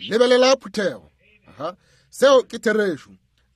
A: lebelela phuthego. Aha, seo ke therešo.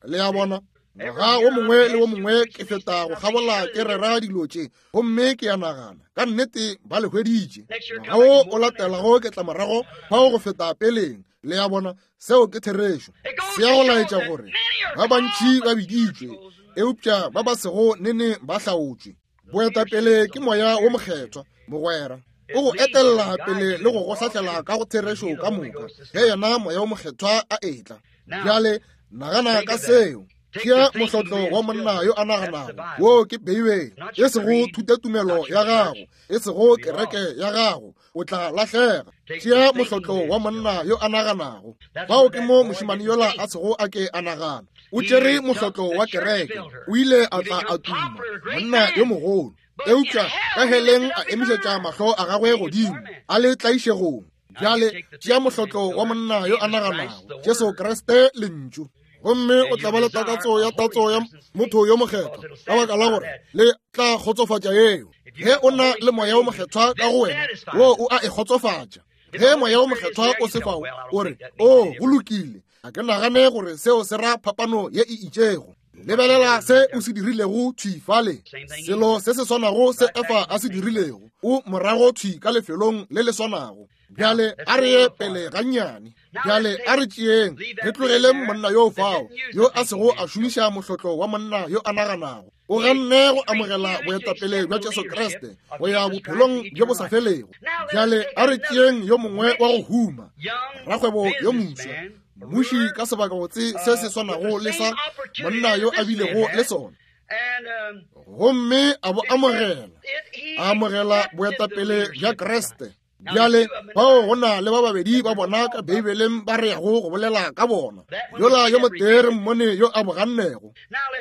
A: Le a bona? Ngwaga wo mongwe le wo mongwe ke feta go kgabola ke rera dilo tše, gomme ke a nagana, ka nnete ba le hweditše. Ngwaga wo o latelago ke tla morago fao go feta peleng. Le a bona? Seo ke therešo. Se ya go laetša gore ba bantši ba biditšwe, eupša ba ba sego nene ba hlaotšwe. Boetapele ke Moya wo Mokgethwa, mogwera. O go etelela pele le go go hlahlela ka go therešo ka moka, ge yena Moya wo Mokgethwa a etla. Bjale nagana ka seo. Tšea mohlotlo wa monna yo a naganago, wo ke Beibele, e sego thutotumelo ya gago, e sego kereke ya gago, o tla lahlega. Tšea mohlotlo wa monna yo a naganago. Fao ke mo mošemane yola a sego a ke a nagana. O tšere mohlotlo wa kereke, o ile a tla a tuma, monna yo mogolo. Eupša ka heleng a emišetša mahlo a gagwe godimo, a le tlaišegong. Bjale tšea mohlotlo wa monna yo a naganago, Jesu Kriste Lentšu, gomme o tla ba le takatso ya tatso ya motho yo mokgethwa, ka baka la gore le tla kgotsofatša yeo. Ge o na le Moya wo Mokgethwa ka go wena, wo o a e kgotsofatša. Ge Moya wo Mokgethwa o se fao, o re, O, go lokile, ga ke nagane gore seo se ra phapano ye e itšego. Lebelela se o se dirilego thwi fale, selo se se swanago se Efa a se dirilego, o morago thwi ka lefelong le le swanago. Bjale a re ye pele gannyane. Bjale a re tšeeng, re tlogeleng monna yo fao, yo a sego a šomiša mohlotlo wa monna yo a naganago. O ganne go amogela boetapele bja Jesu Kriste go ya bophelong bjo bo sa felego. Bjale a re tšeeng yo mongwe wa go huma, rakgwebo yo moswa, mmuši ka sebakabotse se se swanago le sa monna yo a bilego le sona, gomme a bo amogela, a amogela boetapele bja Kriste. Bjale bao go na le ba babedi ba bona ka Beibeleng ba re yago go bolela ka bona. Yola yo motee re mmone yo a bogannego.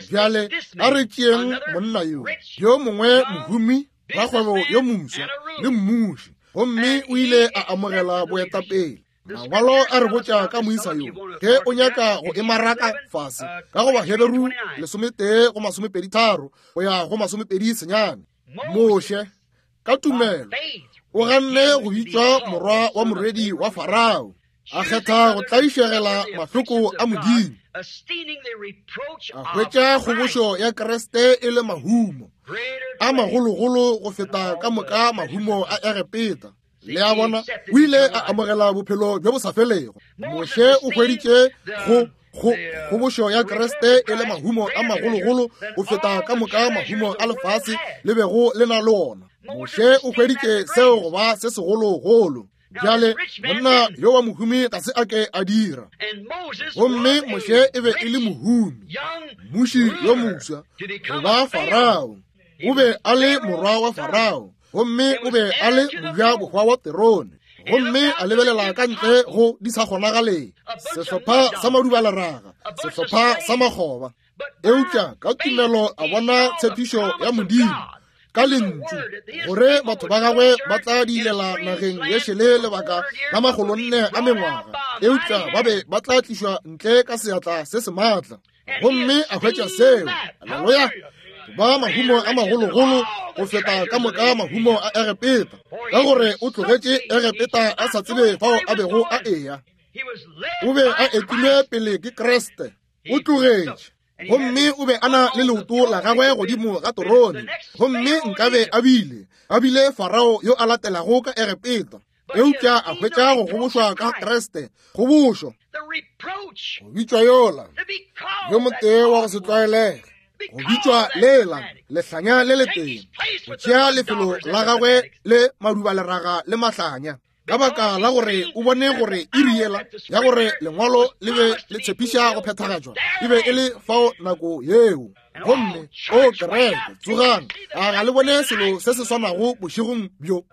A: Bjale a re tšeeng monna yo, yo mongwe mohumi, rakgwebo yo moswa le mmuši, gomme o ile a amogela boetapele. Mangwalo a re botša ka moisa yo, ge o nyaka go e maraka fase ka go Baheberu 11 go 23 go ya go 29, Moshe ka tumelo o ganne go bitšwa morwa wa morwedi wa Farao, a kgetha go tlaišegela mahloko a Modimo, a hwetša kgobošo ya Kriste e le mahumo a magologolo go feta ka moka mahumo a Egepeta. Le a bona, o ile a amogela bophelo bjo bo sa felego. Moshe o hweditše go kgobošo ya Kriste e le mahumo a magologolo go feta ka moka mahumo a lefase le bego le na le ona. Moshe o hweditše seo go ba se segologolo. Bjale monna yo wa mohumi ga se a ke a dira. Gomme Moshe e be e le mohumi, mmuši yo moswa, go ba Farao. O be a le morwa wa Farao, gomme o be a le mojabohwa wa terone. Gomme a lebelela ka ntle go di sa kgonagaleng, sehlopha sa madubaleraga, sehlopha sa makgoba. Eupša ka tumelo a bona tshepišo ya Modimo ka lentšu gore batho ba gagwe ba tla diilela nageng ye šele lebaka la 400 a mengwaga, eupša ba be ba tla tlišwa ntle ka seatla se se maatla. Gomme a hwetša seo. Haleluya! Ba mahumo a magologolo go feta ka moka mahumo a Egepeta, ka gore o tlogetše Egepeta a sa tsebe fao a bego a eya. O be a etilwe pele ke Kriste. O tlogetše, gomme o be a na le leoto la gagwe godimo ga torone, gomme nkabe a bile a bile Farao yo a latelago ka Egepeta, eupša a hwetša go gobošwa ka Kriste, kgobošo, go bitšwa yola yo motee wa go se tlwaelege, go bitšwa lela lehlanya le letee, go tšea lefelo la gagwe le madubaleraga le mahlanya, ka baka la gore o bone gore iri yela ya gore lengwalo le be le tshepiša go phethagatšwa e be e le fao nako yeo. Gomme o kereke, tsogang, a ga le bone selo se se swanago bošegong bjo?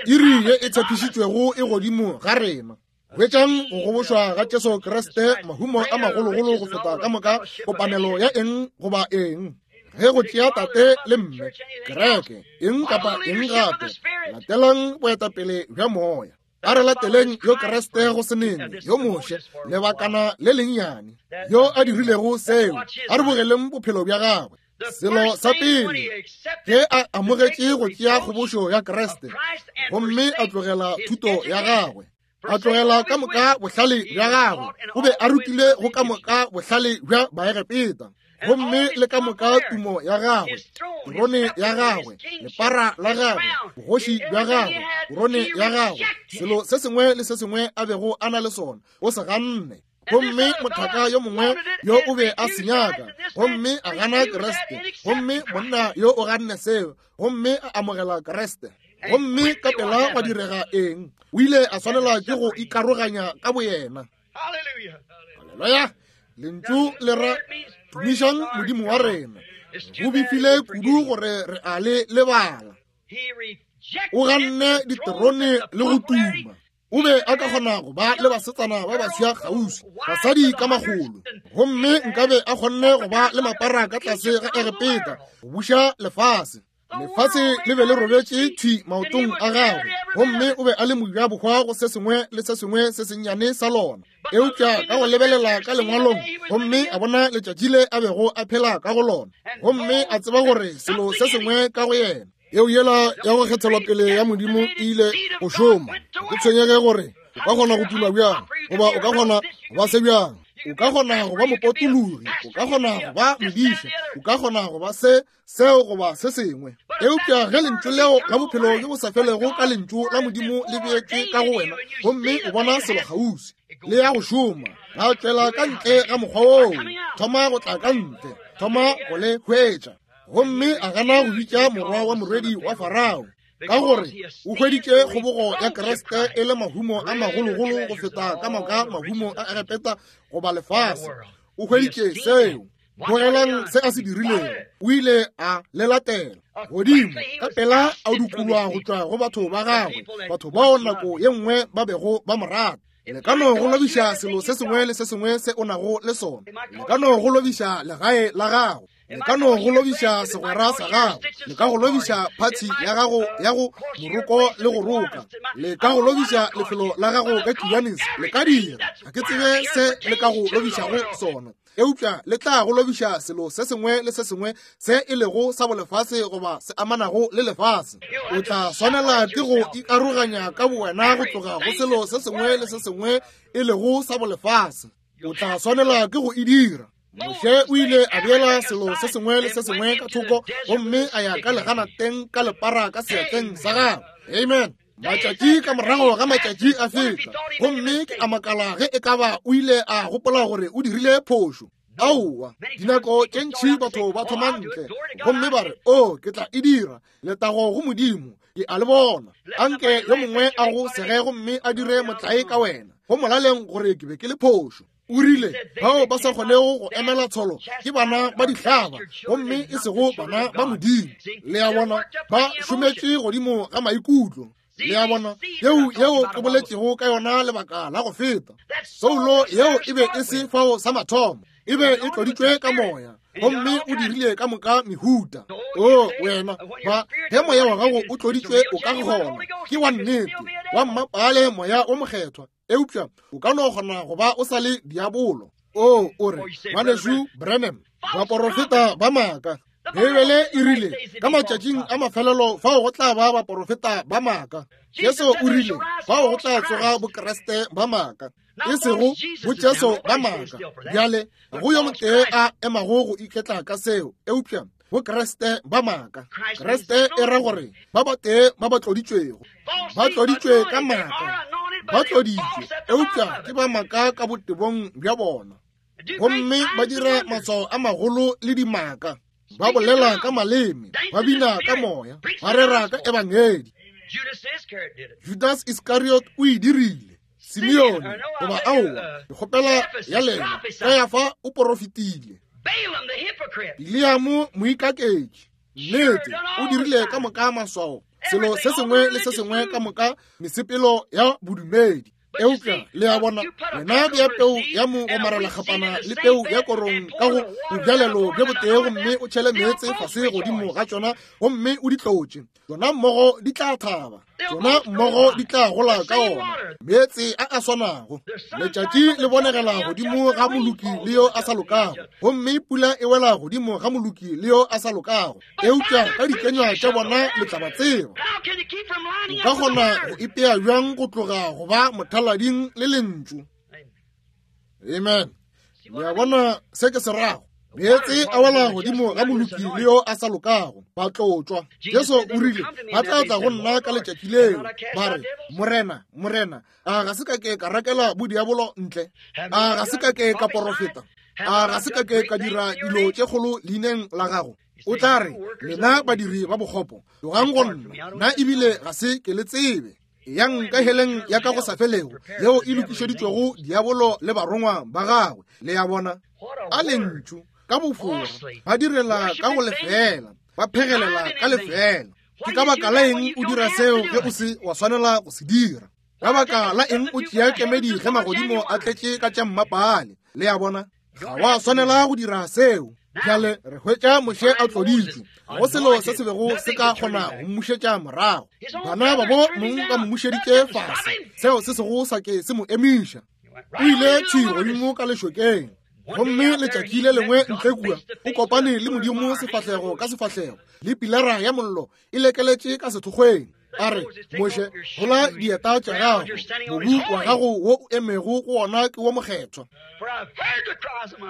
A: Iri ye e tshepišitšwego e godimo ga rena. Hwetšang go gobošwa ga Jesu Kriste, mahumo a magologolo go feta ka moka kopanelo ya eng goba eng. Ge go tšea tate le mme, kereke, eng kapa eng gape, latelang boetapele bja moya. A re lateleng yo Kriste go se nene, yo Moshe, lebakana le lennyane, yo a dirilego seo. A re bogeleng bophelo bja gagwe. Selo sa pele, ge a amogetše go tšea kgobošo ya Kriste, gomme a tlogela thuto ya gagwe, a tlogela ka moka bohlale bja gagwe, o be a rutile go ka moka bohlale bja Baegepeta, gomme le ka moka tumo ya gagwe, terone ya gagwe, lepara la gagwe, bogoši bja gagwe, terone ya gagwe, selo se sengwe le se sengwe a bego a na le sona, o se ganne. Gomme mothaka yo mongwe yo o be a se nyaka, gomme a gana Kriste, gomme monna yo o ganne seo, gomme a amogela Kriste. Gomme ka pela gwa direga eng? O ile a swanelwa ke go ikaroganya ka boyena. Haleluya! Lentšu le ra tumišang Modimo wa rena. Go befile kudu gore re a le lebala. O ganne diterone le go tuma. O be a ka kgona go ba le basetsana ba baswa kgauswi, basadi ka makgolo, gomme nkabe a kgonne go ba le mapara ka tlase ga Egepeta go buša lefase. Lefase le be le robetše thwi maotong a gagwe, gomme o be a le mojabohwa go se sengwe le se sengwe se sennyane sa lona. Eupša ka go lebelela ka lengwalong, gomme a bona letšatši le a bego a phela ka go lona, gomme a tseba gore selo se sengwe ka go yena, yeo yela ya go kgethelwa pele ya Modimo e ile go šoma. Ke tshwenyege gore o ka kgona go tuma bjang, goba o ka kgona go ba se bjang, o ka kgona go ba mopotologi, o ka kgona go ba modiša, o ka kgona go ba se, seo goba se sengwe. Eupša ge lentšu leo la bophelo bjo bo sa felego ka lentšu la Modimo le beetšwe ka go wena, gomme o bona selo kgauswi le ya go šoma, la tšwela ka ntle ga mokgwa woo, thoma go tla ka ntle, thoma go le hwetša. Gomme a gana go bitša morwa wa morwedi wa Farao, ka gore o hweditše kgobogo ya Kriste e le mahumo a magologolo go feta ka moka mahumo a Egepeta goba lefase. O hweditše seo. Bogelang se a se dirilego. O ile a le latela godimo ka pela, a dukulwa go tšwa go batho ba gagwe, batho bao nako ye nngwe ba bego ba mo rata. Le ka no go lobiša selo se sengwe le se sengwe se o nago le sona. Le ka no go lobiša legae la gago. Le ka no go lobiša segwera sa gago. Le ka go lobiša phathi ya gago ya go moroko le go roka. Le ka go lobiša lefelo la gago ka Kiwanis. Le ka dira, ga ke tsebe se le ka go lobišago sona, eupša le tla go lobiša selo se sengwe le se sengwe se e lego sa bolefase goba se amanago le lefase. O tla swanela ke go ikaroganya ka bowena go tloga go selo se sengwe le se sengwe e lego sa bolefase. O tla swanela ke go e dira. Moshe o ile a beela selo se sengwe le se sengwe ka thoko gomme a ya ka leganateng ka lepara ka seatleng sa gagwe. Amen. Matšatši ka morago ga matšatši a feta, gomme ke a makala ge e ka ba o ile a gopola gore o dirile phošo. Aowa, dinako tše ntši batho ba thoma ntle gomme ba re, O, ke tla e dira. Letago go Modimo, ke a le bona. Anke yo mongwe a go sege gomme a dire motlae ka wena, go molaleng gore ke be ke le phošo. O rile, Bao ba sa kgonego go emela tsholo ke bana ba dihlaba, gomme e sego bana ba Modimo. Le a bona, ba šometše godimo ga maikutlo. Le a bona, yeo yeo ke boletšego ka yona lebaka la go feta. Soulo yeo e be e se fao sa mathomo, e be e tloditšwe ka moya, gomme o dirile ka moka mehuta. O wena, ba ge moya wa gago o tloditšwe o ka gona, ke wa nnete, wa mmapaale moya o mokgethwa. Eupša o ka no kgona go ba o sa le diabolo. O o re, Ngwanešu Branham, baporofeta ba maaka. Beibele e rile ka matšatšing a mafelelo fao go tla ba baporofeta ba maaka. Jesu o rile fao go tla tsoga bokreste ba maaka, e sego bojesu ba maaka. Bjale go yo motee a emago go iketla ka seo, eupša bokreste ba maaka. Kreste e ra gore ba batee ba ba tloditšwego, ba tloditšwe ka maaka, ba tloditšwe eupša ke ba maaka ka botebong bja bona, gomme ba dira maswao a magolo le dimaka, ba bolela ka maleme, ba bina ka moya, ba rera ka ebangedi. Judas Iscariot o e dirile. Simeone goba aowa, ke kgopela ya lena, Kayafa o porofetile. Bileamo moikaketši, nnete, o dirile ka moka maswao, selo se sengwe le se sengwe ka moka mesepelo ya bodumedi. Eupša le a bona, wena bea peu ya mogomarelakgapana le peu ya korong ka go bobjalelo bjo botee gomme o tšhele meetse fase godimo ga tšona gomme o di tlotše, tšona mmogo di tla thaba, tšona mmogo di tla gola ka ona meetse a a swanago. Letšatši le bonegela godimo ga moloki le yo a sa lokago, gomme pula e wela godimo ga moloki le yo a sa lokago. Eupša ka dikenywa tša bona le tla ba tseba. O ka kgona go ipea bjang go tloga go ba mothalading le lentšu? Amen. Le a bona se ke se rago? Meetse a wela godimo ga moloki le yo a sa lokago, ba tlotšwa. Jesu o rile, ba tla tla go nna ka letšatši leo, ba re, Morena, Morena, a ga se ka ke ka rakela bodiabolo ntle? A ga se ka ke ka porofeta? A ga se ka ke ka dira dilo tše kgolo leineng la gago? O tla re, lena badiri ba bokgopo, tlogang go nna, nna ebile ga se ke le tsebe. Yang ka heleng ya ka go sa felego yeo e lokišeditšwego diabolo le barongwa ba gagwe. Le a bona, a lentšu ka bofora, ba direla ka go lefela, ba phegelela ka lefela. Ke ka baka la eng o dira seo ge o se wa swanela go se dira? Ka baka la eng o tšea kemedi ge magodimo a tletše ka tša mmapaale? Le a bona, ga wa swanela go dira seo. Bjale re hwetša Moshe a tloditšwe, ga go selo se se bego se ka kgona go mmušetša morago. Bana babo mong ba mmušeditše fase, seo se sego sa ke se mo emiša. O ile thwi godimo ka lešokeng, gomme letšatši le lengwe ntle kua o kopane le Modimo sefahlego ka sefahlego, le pilara ya mollo e lekeletše ka sethokgweng. A re, Moshe, gola dieta tša gago, mobu wa gago wo o emego go wona ke wo mokgethwa.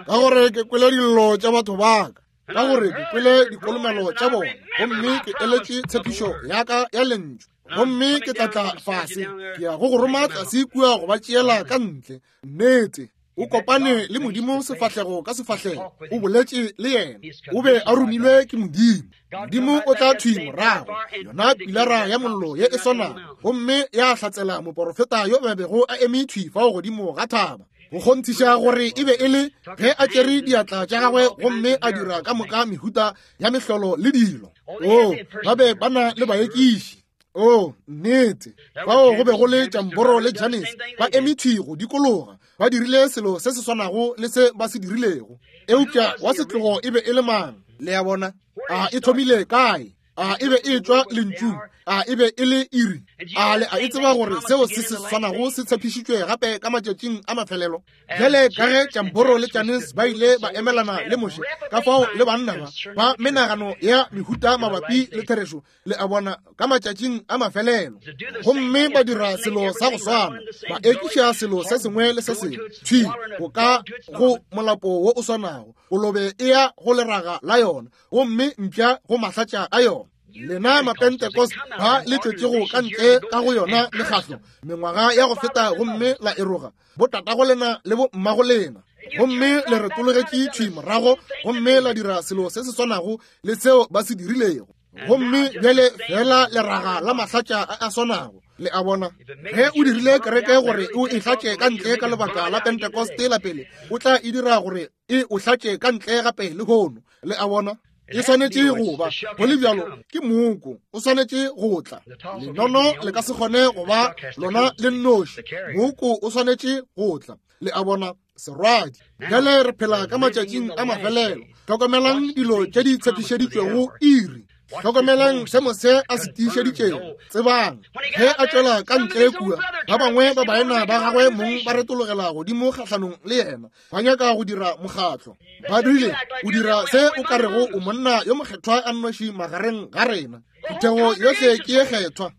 A: Ka gore ke kwele dillo tša batho ba ka, ka gore ke kwele dikolomelo tša bona, gomme ke eletše tshepišo ya ka ya lentšu, gomme ke tla tla fase, ke ya go go roma tlase kua go ba tšeela ka ntle. Nnete, o kopane le Modimo sefahlego ka sefahlego, o boletše le yena, o be a romilwe ke Modimo. Modimo o tla thwi morago, yona pilara ya mollo ye e swanago, gomme ya hlatsela moporofeta yo a bego a eme thwi fao godimo ga thaba, go kgonthiša gore e be e le ge a tšere diatla tša gagwe gomme a dira ka moka mehuta ya mehlolo le dilo. O, ba be ba na le baekiši. O, nnete, fao go be go le Jamboro le Jannes ba eme thwi go dikologa, ba dirile selo se se swanago le se ba se dirilego. Eupša wa setlogo e be e le mang? Le a bona? A e thomile kae? A e be e tšwa lentšung? A e be e le iri? A le a e tseba gore seo se se swanago se tshepišitšwe gape ka matšatšing a mafelelo? Bjale ka ge Jamboro le Jannes ba ile ba emelana le Moshe, ka fao le banna ba ba menagano ya mehuta mabapi le therešo, le a bona, ka matšatšing a mafelelo, gomme ba dira selo sa go swana, ba ekiša selo se sengwe le se sengwe thwi go ka go molapo wo o swanago. Kolobe e ya go leraga la yona, gomme mpša go mahlatša a yona. Lena Mapentecost ba le tšwetšego ka ntle ka go yona mekgahlo mengwaga ya go feta gomme la eroga botatago lena le bommago lena. Gomme le retologetše thwi morago gomme la dira selo se se swanago le seo ba se dirilego. Gomme bjale fela leraga la mahlatša a a swanago. Le a bona? Ge o dirile kereke gore o e hlatše ka ntle ka lebaka la Pentekoste la pele, o tla e dira gore e o hlatše ka ntle gape lehono. Le a bona? E swanetše go ba go le bjalo, ke mooko o swanetše go tla. Lenono le ka se kgone go ba lona le nnoši, mooko o swanetše go tla. Le a bona? Serwadi. Bjale re phela ka matšatšing a mafelelo. Hlokomelang dilo tše di tshepišeditšwego iri. Hlokomelang se Mose a se tiišeditšego. Tsebang, ge a tšwela ka ntle kua, ba bangwe ba baena ba gagwe mong ba retologela godimo kgahlanong le yena, ba nyaka go dira mokgatlo. Ba rile, o dira se o ka rego o monna yo mokgethwa a nnoši magareng ga rena. Phuthego yohle ke ye kgethwa,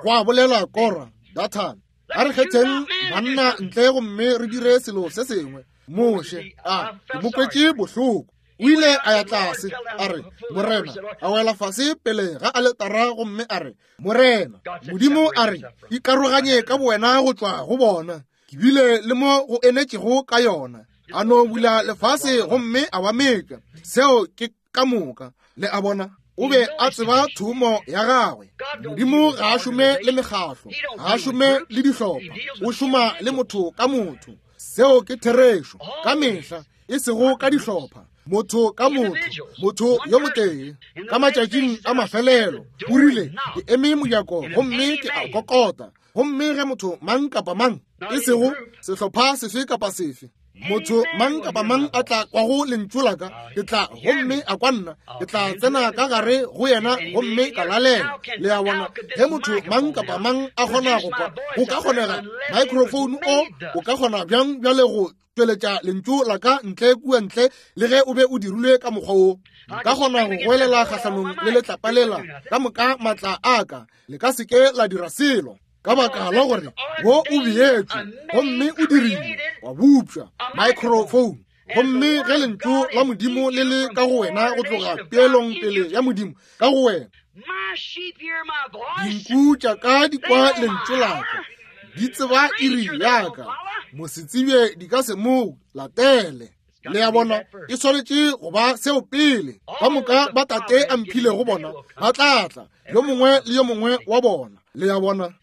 A: gwa bolela Kora, Dathane. A re kgetheng banna ntle gomme re dire selo se sengwe. Moshe a ke mo kwetše bohloko. O ile a ya tlase, a re, Morena, a wela fase pele ga aletara gomme a re, Morena, Modimo a re, ikaroganye ka bowena go tšwa go bona. Ke bile le mo go enetšego ka yona. A no bula lefase gomme a ba metša. Seo ke ka moka. Le a bona? O be a tseba thomo ya gagwe. Modimo ga a šome le mekgahlo, ga a šome le dihlopha, o šoma le motho ka motho. Seo ke therešo ka mehla, e sego ka dihlopha, motho ka motho, motho yo motee. Ka matšatšing a mafelelo o rile, ke eme mojako gomme ke a kokota, gomme ge motho mang kapa mang, e sego sehlopha sefe kapa sefe, motho mang kapa mang a tla kwago lentšu la ka, ke tla gomme a kwa nna, ke tla tsena ka gare go yena gomme ka lalela. Le a bona? Ge motho mang kapa mang a kgona go kwa, go ka kgonega microphone o o ka kgona bjang bjale go tšweletša lentšu la ka ntle kua ntle le ge o be o dirilwe ka mokgwa wo? Nka kgona go goelela kgahlanong le letlapa lela ka moka maatla a ka, le ka se ke la dira selo, ka baka la gore wo o beetšwe gomme o dirile wa bupša microphone. Gomme ge lentšu la Modimo le le ka go wena go tloga peelong pele ya Modimo ka go wena, dinku tša ka di kwa lentšu la ka, di tseba iri ya ka, mosetsebje di ka se mo latele. Le a bona? E swanetše go ba seo pele. Ka moka ba Tate a mphilego bona ba tla tla, yo mongwe le yo mongwe wa bona. Le a bona?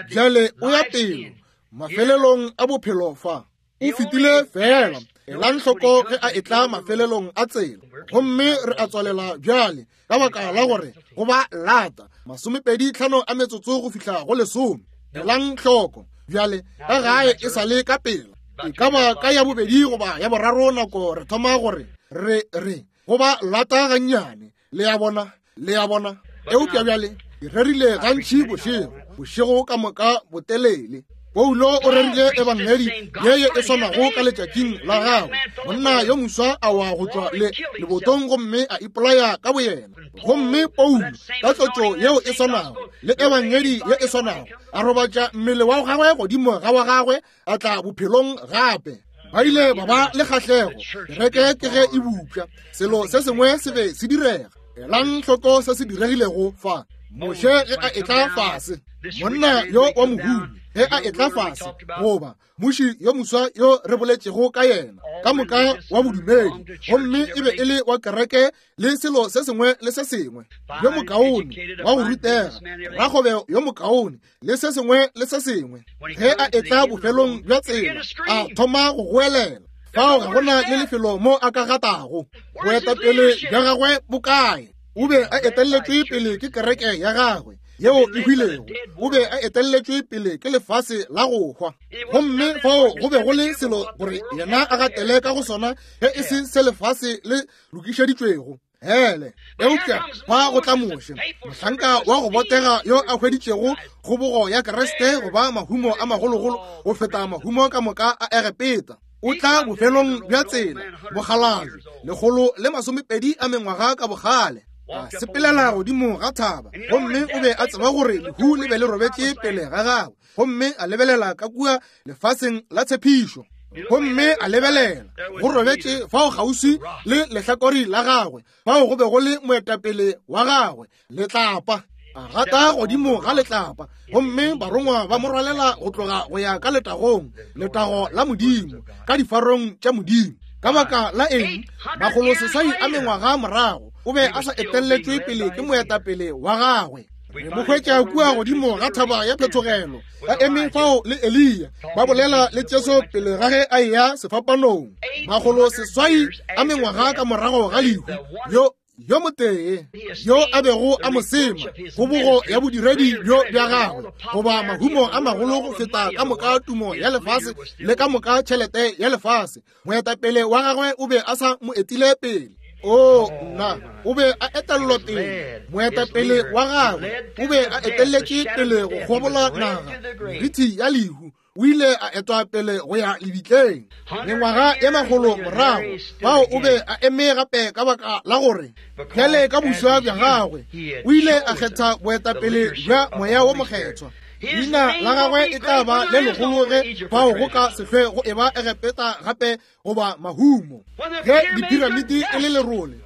A: Bjale o ya pele mafelelong a bophelo fa. O fetile fela. Elang hloko ge a etla mafelelong a tsela. Gomme re a tswalela bjale ka baka la gore go ba lata 25 a metsotso go fihla go 10. Elang hloko bjale ka gae e sa le ka pela. E ka ba ka ya bobedi goba ya boraro nako re thoma gore re re go ba lata gannyane. Le a bona? Le a bona? Eupša bjale ke rerile gantši bošego, bošego ka moka botelele. Paulo o rerile ebangedi ye ye e swanago ka letšatšing la gagwe. Monna yo moswa a wa go tšwa le lebotong gomme a ipolaya ka boyena. Gomme Paulo ka tlotšo yeo e swanago le ebangedi ye e swanago a robatša mmele wa gagwe godimo ga wa gagwe, a tla bophelong gape. Ba ile ba ba le kgahlego. Kereke ke ge e bupša, selo se sengwe se be se direga. Elang hloko se se diregilego fa. Moshe ge a etla fase, monna yo wa mohumi ge a etla fase, goba muši yo moswa yo re boletšego ka yena, ka moka wa bodumedi, gomme e be e le wa kereke le selo se sengwe le se sengwe, yo mokaone wa go rutega, rakgwebo yo mokaone le se sengwe le se sengwe. Ge a etla bofelong bja tsela, a thoma go goelela. Fao ga gona le lefelo mo a ka gatago. Boetapele bja gagwe bo kae? O be a etelletšwe pele ke kereke ya gagwe yeo e hwilego. O be a etelletšwe pele ke lefase la go hwa. Gomme fao go be go le selo gore yena a gatele ka go sona ge e se se lefase le lokišeditšwego. Hele, eupša fa go tla Moshe, mohlanka wa go botega yo a hweditšego kgobogo ya Kriste go ba mahumo a magologolo go feta mahumo ka moka a Egepeta. O tla bofelong bja tsela, mokgalabje, 120 a mengwaga ka bogale, a sepelela godimo ga thaba, gomme o be a tseba gore lehu le be le robetše pele ga gagwe, gomme a lebelela ka kua lefaseng la tshepišo. Gomme a lebelela, go robetše fao kgauswi le lehlakori la gagwe, fao go be go le moetapele wa gagwe, letlapa. A gata godimo ga letlapa, gomme barongwa ba mo rwalela go tloga go ya ka letagong, letago la Modimo, ka difarong tša Modimo. Ka baka la eng? 600 a mengwaga morago, o be a sa etelletšwe pele ke moetapele wa gagwe. Re mo hwetša kua godimo ga thaba ya phethogelo, ba eme fao le Eliya, ba bolela le Jesu pele ga ge a eya sefapanong. 600 a mengwaga ka morago ga lehu, yo motee yo a bego a mo sema, kgobogo ya bodiredi bjo bja gagwe, goba mahumo a magolo go feta ka moka tumo ya lefase le ka moka tšhelete ya lefase, moetapele wa gagwe o be a sa mo etile pele. O nna, o be a etellwa pele. Moetapele wa gagwe o be a etelletše pele go kgobola naga, merithi ya lehu. O ile a etwa pele go ya lebitleng. Mengwaga ye makgolo morago, fao o be a eme gape ka baka la gore bjale ka boswa bja gagwe o ile a kgetha boetapele bja Moya wo Mokgethwa. Leina la gagwe e tla ba le legolo ge fao go ka se hlwe go eba Egepeta gape goba mahumo, ge diphiramiti e le lerole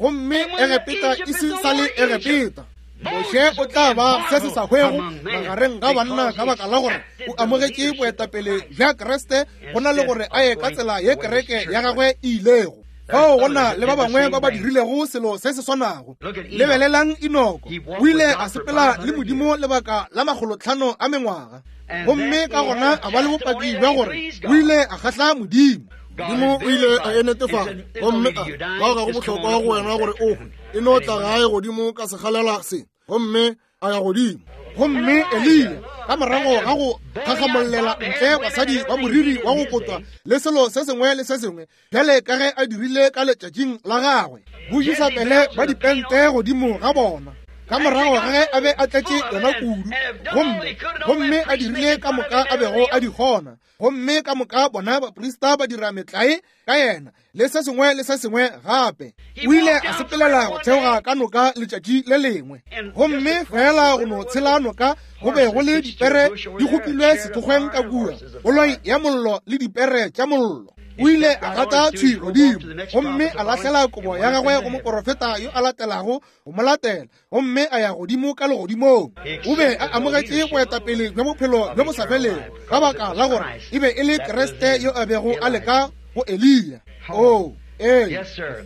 A: gomme Egepeta e se sa le Egepeta. Moshe o tla ba se se sa hwego magareng ga banna ka baka la gore o amogetše boetapele bja Kriste go na le gore a ye ka tsela ye kereke ya gagwe e ilego. Fao go na le ba bangwe ba ba dirilego selo se se swanago. Lebelelang Enoko, o ile a sepela le Modimo lebaka la 500 a mengwaga, gomme ka gona a ba le bopaki bja gore o ile a kgahla Modimo.
B: Modimo o ile a e netefatša, gomme a bao ga go bohlokwa go wena gore o hwe, e no tla gae godimo ka sekgalela se, gomme a ya godimo.
A: Gomme Eliya, ka morago ga go gagamolela ntle basadi ba moriri wa go kotwa le selo se sengwe le se sengwe, bjale ka ge a dirile ka letšatšing la gagwe, boJisabele ba dipente godimo ga bona, ka morago ga ge a be a tletše yona kudu, gomme a dirile ka moka a bego a di kgona, gomme ka moka bona baprista ba dira metlae ka yena le se sengwe le se sengwe gape. O ile a sepelela go theoga ka noka letšatši le lengwe, gomme fela go no tshela noka go be go le dipere di kgopilwe sethokgweng ka kua, koloi ya mollo le dipere tša mollo. O ile a gata thwi godimo gomme a lahlela kobo ya gagwe go moporofeta yo a latelago go mo latela, gomme a ya godimo ka legodimong. O be a amogetše boetapele bja bophelo bjo bo sa felego ka baka la gore e be e le Kriste yo a bego a leka go Eliya. Oo, ee,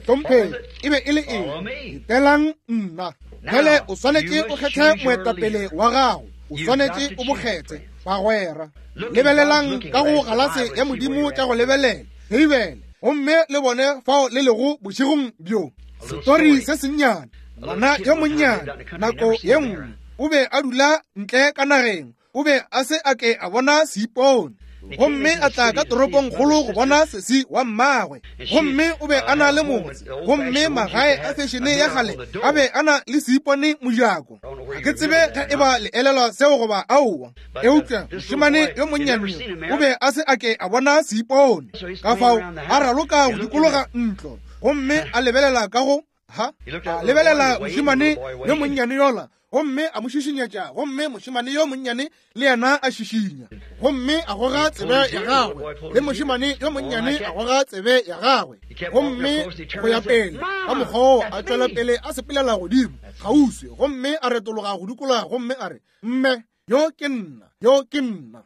A: hlompheng, e be e le eng? Etelang nna. Bjale o swanetše o kgethe moetapele wa gago, o swanetše o mo kgethe, bagwera. Lebelelang ka go galase ya Modimo tša go lebelela, Beibele, gomme le bone fao le lego bošegong bjo. Setori se sennyane, ngwana yo monnyane, nako ye nngwe o be a dula ntle ka nageng, o be a se a ke a bona seipone, gomme a tla ka toropongkgolo go bona sesi wa mmagwe, gomme o be a na le motse, gomme magae a fešene ya kgale a be a na le seipone mojako. Ga ke tsebe ge e ba le elelwa seo goba aowa, eupša mošemane yo monnyane o be a se a ke a bona seipone, ka fao a raloka go dikologa ntlo, gomme a lebelela ka go ha, a lebelela mošemane yo monnyane yola, gomme a mo šišinyetša, gomme mošemane yo monnyane le yena a šišinya, gomme a goga tsebe ya gagwe, le mošemane yo monnyane a goga tsebe ya gagwe, gomme go ya pele ka mokgwa wo a tšwela pele a sepelela godimo kgauswi, gomme a retologa go dikologa, gomme a re, Mme, yo ke nna, yo ke nna.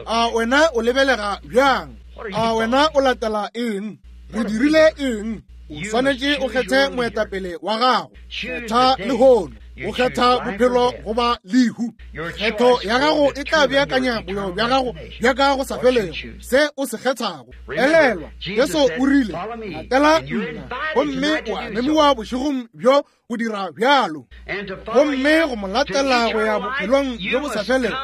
A: A wena o lebelega bjang? A wena o latela eng? Re dirile eng? O swanetše o kgethe moetapele wa gago. Kgetha lehono. O kgetha bophelo goba lehu. Kgetho ya gago e tla beakanya boyo bja gago bja ka go sa felego, se o se kgethago. Elelwa, Jesu o rile, latela nna, gomme o a memiwa bošegong bjo go dira bjalo. Gomme go mo latela go ya bophelong bjo bo sa felego,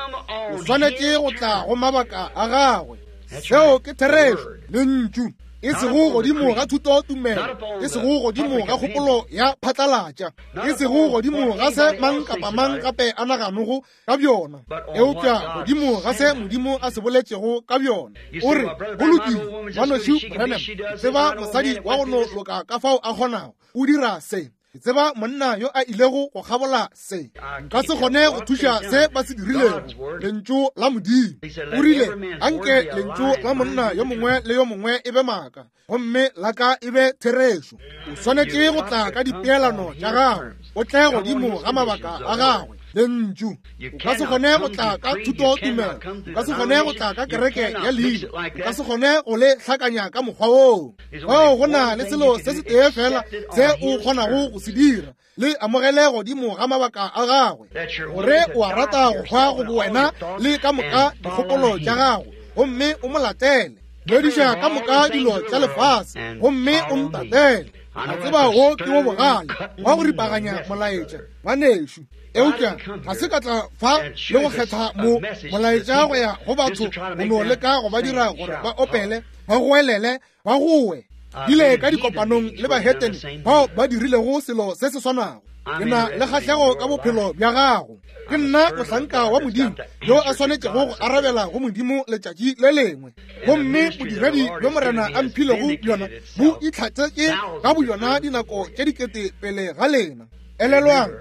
A: o swanetše go tla go mabaka a gagwe. Seo ke therešo, lentšu, e sego godimo ga thutotumelo, e sego godimo ga kgopolo ya phatlalatša, e sego godimo ga se mang kapa mang gape a naganogo ka bjona, eupša godimo ga se Modimo a se boletšego ka bjona. O re, Go lokile, Ngwanešu Branham, ke tseba mosadi wa go no loka ka fao a kgonago. O dira se. Ke tseba monna yo a ilego go kgabola se. Nka se kgone go thuša se ba se dirilego. Lentšu la Modimo. O rile, Anke lentšu la monna yo mongwe le yo mongwe e be maaka, gomme la ka e be therešo. O swanetše go tla ka dipeelano tša gagwe, o tle godimo ga mabaka a gagwe. Lentšu. O ka se kgone go tla ka thutotumelo, o ka se kgone go tla ka kereke ya leina, o ka se kgone go le hlakanya ka mokgwa woo. Fao go na le selo se setee fela se o kgonago go se dira, le amogele godimo ga mabaka a gagwe, gore o a rata go hwa go bowena le ka moka dikgopolo tša gago, gomme o mo latele. Lediša ka moka dilo tša lefase gomme o ntatele. A tseba wo ke wo bogale wa go ripaganya molaetša, ngwanešu. Eupša ga se ka tla fa le go kgetha mo molaetša go ya go batho go no leka go ba dira gore ba opele, ba goelele, ba goe. Bile ka dikopanong le bahetene bao ba dirilego selo se se swanago. Ke na le kgahlego ka bophelo bja gago. Ke nna mohlanka wa Modimo yo a swanetšego go arabela go Modimo letšatši le lengwe. Gomme bodiredi bjo Morena a mphilego bjona bo itlhatsetše ka boyona dinako tše dikete pele ga lena. Elelwang,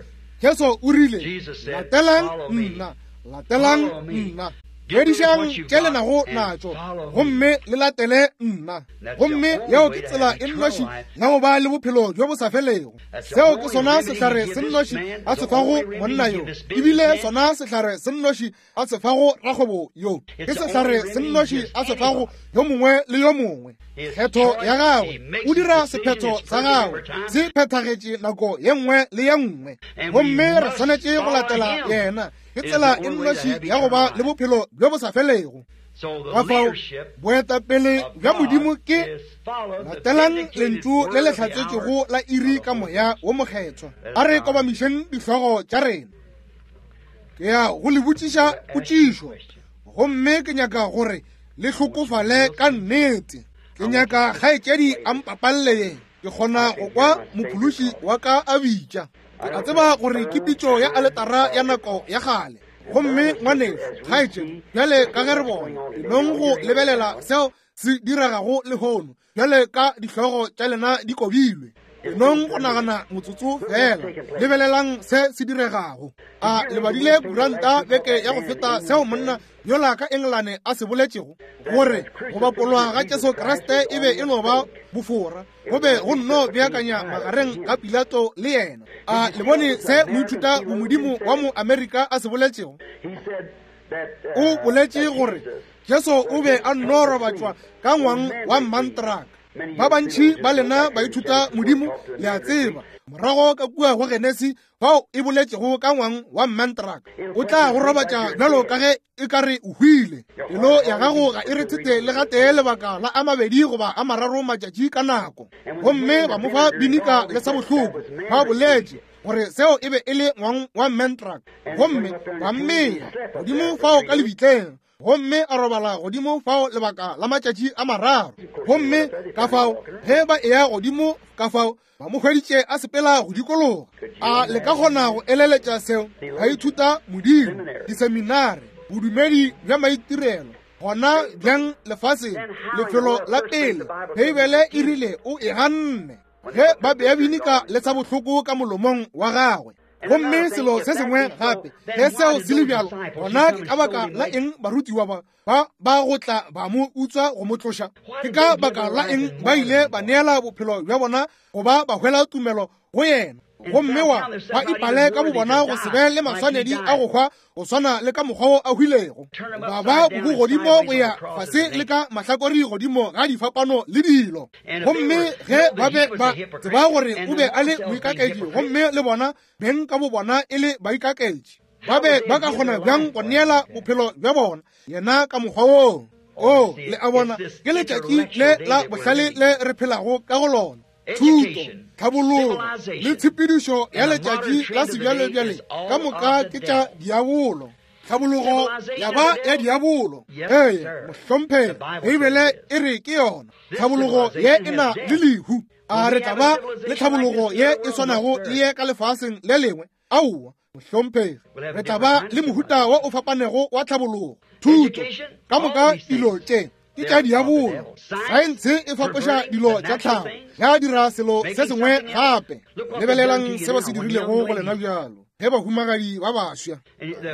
A: Jesu o rile, Latelang nna, latelang nna. Fedišang tše le nago natšo gomme le latele nna. Gomme yeo ke tsela e nnoši ya go ba le bophelo bjo bo sa felego. Seo ke sona sehlare se nnoši a se fago monna yo, ebile sona sehlare se nnoši a se fago rakgwebo yo, ke sehlare se nnoši a se fago yo mongwe le yo mongwe. Kgetho ya gagwe, o dira sephetho sa gagwe se phethagetše nako ye nngwe le ye nngwe, gomme re swanetše go latela yena. Ke tsela e nnoši ya go ba le bophelo bjo bo sa felego. Ka fao boetapele bja Modimo ke latelang lentšu le le hlatsetšwego la iri ka Moya wo Mokgethwa. A re kobamišeng dihlogo tša rena. Ke ya go le botšiša potšišo, gomme ke nyaka gore le hlokofale ka nnete. Ke nyaka kgaetšedi a mpapalle ye. Ke kgona go kwa Mophološi wa ka a bitša. Ke a tseba gore ke pitšo ya aletara ya nako ya kgale. Gomme ngwanešu, kgaetšedi, bjale ka ge re bona, nong go lebelela seo se diregago lehono, bjale ka dihlogo tša lena di kobilwe, nong go nagana motsotso fela, lebelelang se se diregago. A le badile kuranta beke ya go feta seo monna yola ka Engelane a se boletšego, gore go bapolwa ga Jesu Kriste e be e no ba bofora, go be go nno beakanya magareng ga Pilato le yena. A le bone se moithuta bomodimo wa mo Amerika a se boletšego? O boletše gore Jesu o be a nno robatšwa ka ngwang wa mantraka. Ba bantši ba lena baithuta modimo le a tseba, morago ka kua go Genesi fao e boletšego ka ngwang wa mantraka, o tla go robatša bjalo ka ge e ka re o hwile. Pelo ya gago ga e rethethe le gatee lebaka la a mabedi goba a mararo matšatši ka nako. Gomme ba mo fa binika le sa bohloko, ba boletše gore seo e be e le ngwang wa mantraka, gomme ba mmea godimo fao ka lebitleng, gomme a robala godimo fao lebaka la matšatši a mararo. Gomme ka fao ge ba eya godimo ka fao, ba mo hweditše a sepela go dikologa. A le ka kgona go eleletša seo? Ba ithuta Modimo, diseminare, bodumedi bja maitirelo, gona bjang lefaseng, lefelo la pele Beibele e rile o e ganne ge ba bea binika le sa bohloko ka molomong wa gagwe. Gomme selo se sengwe gape, ge seo se le bjalo, gona ke ka baka la eng barutiwa ba ba ba go tla ba mo utswa go mo tloša? Ke ka baka la eng ba ile ba neela bophelo bja bona go ba ba hwela tumelo go yena, gomme wa ba ipale ka bobona go se be le maswanedi a go hwa go swana le ka mokgwa wo a hwilego, ba ba bobo godimo go ya fase le ka mahlakori godimo ga difapano le dilo. Gomme ge ba be ba tseba gore o be a le moikaketši, gomme le bona beng ka bobona e le baikaketši, ba be ba ka kgona bjang go neela bophelo bja bona yena ka mokgwa woo? O, le a bona, ke letšatši le la bohlale le re phelago ka go lona. Thuto, tlhabologo le tshepedišo ya letšatši la sebjalebjale ka moka ke tša diabolo. Tlhabologo ya ba ya diabolo. Ee, mohlomphegi, Beibele e re ke yona. Tlhabologo ye e na le lehu. A re tla ba le tlhabologo ye e swanago le ye ka lefaseng le lengwe? Aowa, mohlomphegi. Re tla ba le mohuta wo o fapanego wa tlhabologo, thuto, ka moka dilo tše. Ke tša diabolo. Saense e fapoša dilo tša tlhago, ya dira selo se sengwe gape. Lebelelang se ba se dirilego go lena bjalo ge bahumagadi ba baswa.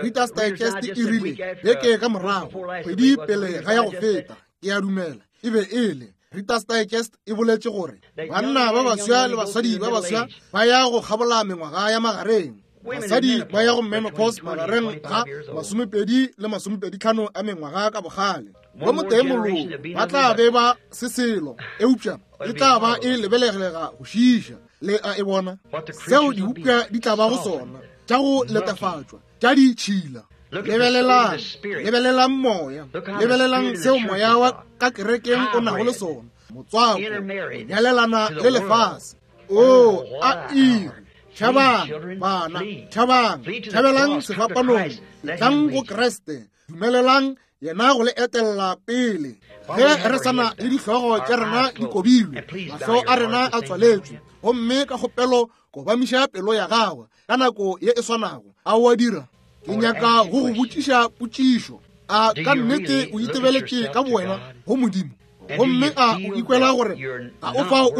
A: Reader's Digest e rile beke ka morago, kgwedi pele ga ya go feta, ke a dumela e be e le Reader's Digest e boletše gore banna ba baswa le basadi ba baswa ba ya go kgabola mengwaga ya magareng. Basadi ba ya go menopause magareng ga 20 le 25 a mengwaga ka bogale. Bo motee moloko ba tla be ba se selo, eupša e tla ba e lebelegelega go šiiša. Le a e bona seo dibopša di tla ba go sona, tša go letefatšwa, tša ditšhila. Lebelelang, lebelelang moya, lebelelang seo moya wa ka kerekeng o nago le sona, motswako, nyalelana le lefase. O a iri, tšhabang bana, tšhabang, tšhabelang sefapanong, tlang go Kriste, dumelelang yena go le etella pele. Ge re sana le dihlogo tša rena di kobilwe, mahlo a rena a tswaletšwe, gomme ka kgopelo kobamiša pelo ya gagwe ka nako ye e swanago. A o a dira? Ke nyaka go go botšiša potšišo. A ka nnete o itebeletše ka bowena go Modimo? Gomme a o ikwela gore ga o fao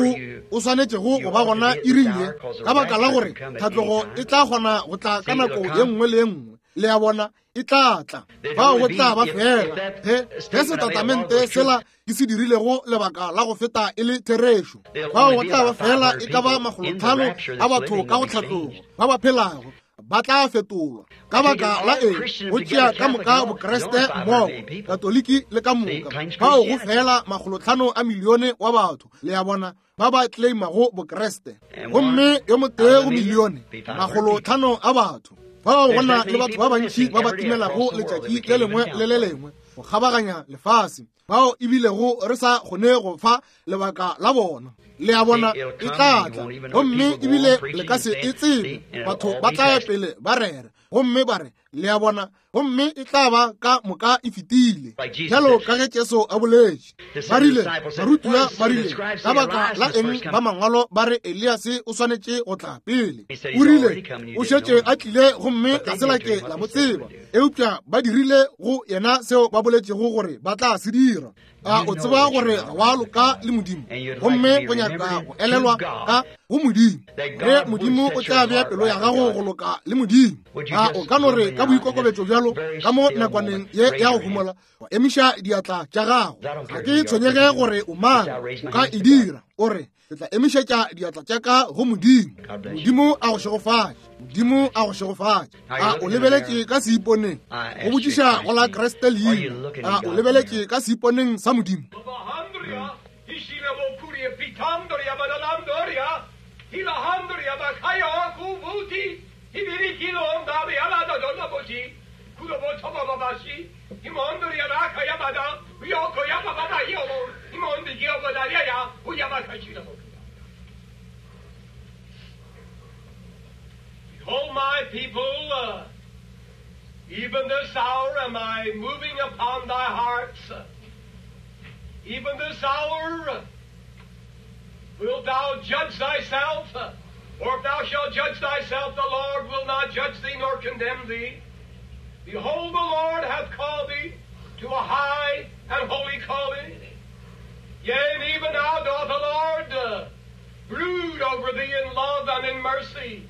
A: o swanetšego go ba gona iring ye, ka baka la gore tlhatlogo e tla kgona go tla ka nako ye nngwe le ye nngwe? Le a bona, e tla tla. Fao go tla ba fela ge setatamente sela ke se dirilego lebaka la go feta e le therešo. Fao go tla ba fela e ka ba 500 a batho ka go tlhatlogo ba ba phelago ba tla fetolwa. Ka baka la eng? Go tšea ka moka Bokreste mmogo, Katoliki le ka moka. Fao go fela 500 a milione wa batho, le a bona, ba ba claimago Bokreste, gomme yo motee go milione 500 a batho. Fao go na le batho ba bantši ba ba timelago letšatši le lengwe le le lengwe go kgabaganya lefase, bao ebilego re sa kgone go fa lebaka la bona. Le a bona, e tla tla, gomme ebile le ka se e tsebe. Batho ba tla ya pele ba rera gomme ba re, le a bona, gomme e tla ba ka moka e fetile, bjalo ka ge Jesu a boletše. Ba rile, barutiwa ba rile, ka baka la eng ba mangwalo ba re Eliase o swanetše go tla pele? O rile, o šetše a tlile gomme ga se la ke la mo tseba, eupša ba dirile go yena seo ba boletšego gore ba tla se dira. A o tseba gore ga wa loka le Modimo, gomme o nyaka go elelwa ka go Modimo, ge Modimo o tla bea pelo ya gago go loka le Modimo? A o ka no re ka boikokobetšo bjalo ka mo nakwaneng ye ya go homola, wa emiša diatla tša gago? Ga ke tshwenyege gore o mang, o ka e dira. O re, ke tla emišetša diatla tša ka go Modimo. Modimo a go šegofatše. Modimo a go šegofatše. A o lebeletše ka seiponeng go botšiša go la Kriste leina? A o lebeletše ka seiponeng sa Modimo?
C: Behold, my people, even this hour am I moving upon thy hearts. Even this hour wilt thou judge thyself, or if thou shalt judge thyself, the Lord will not judge thee nor condemn thee. Behold, the Lord hath called thee to a high and holy calling. Yea, and even now doth the Lord brood over thee in love and in mercy.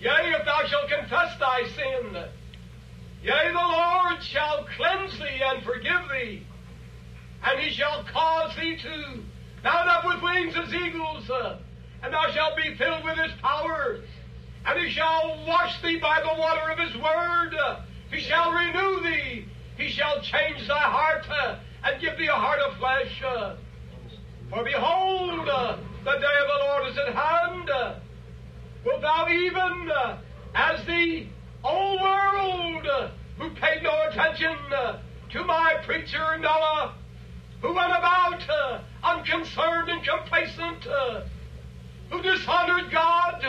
C: Yea, if thou shalt confess thy sin, yea, the Lord shall cleanse thee and forgive thee, and he shall cause thee to mount up with wings as eagles, and thou shalt be filled with his power, and he shall wash thee by the water of his word. He shall renew thee. He shall change thy heart and give thee a heart of flesh. For behold, the day of the Lord is at hand. Wilt thou even, as the old world, who paid no attention to my preacher Noah, who went about unconcerned and complacent, who dishonored God,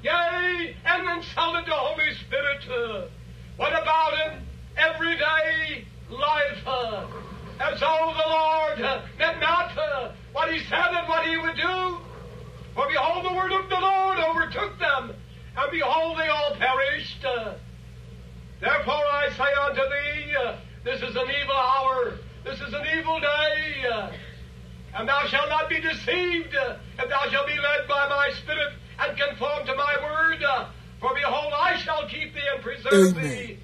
C: yea, and insulted the Holy Spirit, went about in everyday life, as though the Lord meant not what he said and what he would do. For behold, the word of the Lord overtook them, and behold, they all perished. Therefore I say unto thee, this is an evil hour, this is an evil day. thee, and thou shalt not be deceived, if thou shalt be led by my Spirit and conform to my word. For behold, I shall keep thee and preserve
A: Amen.
C: thee,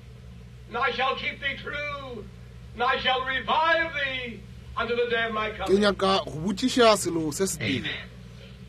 C: and I shall keep thee true, and I shall revive thee unto the day of my
A: Ke
C: coming.
A: nyaka go botšiša selo se setee.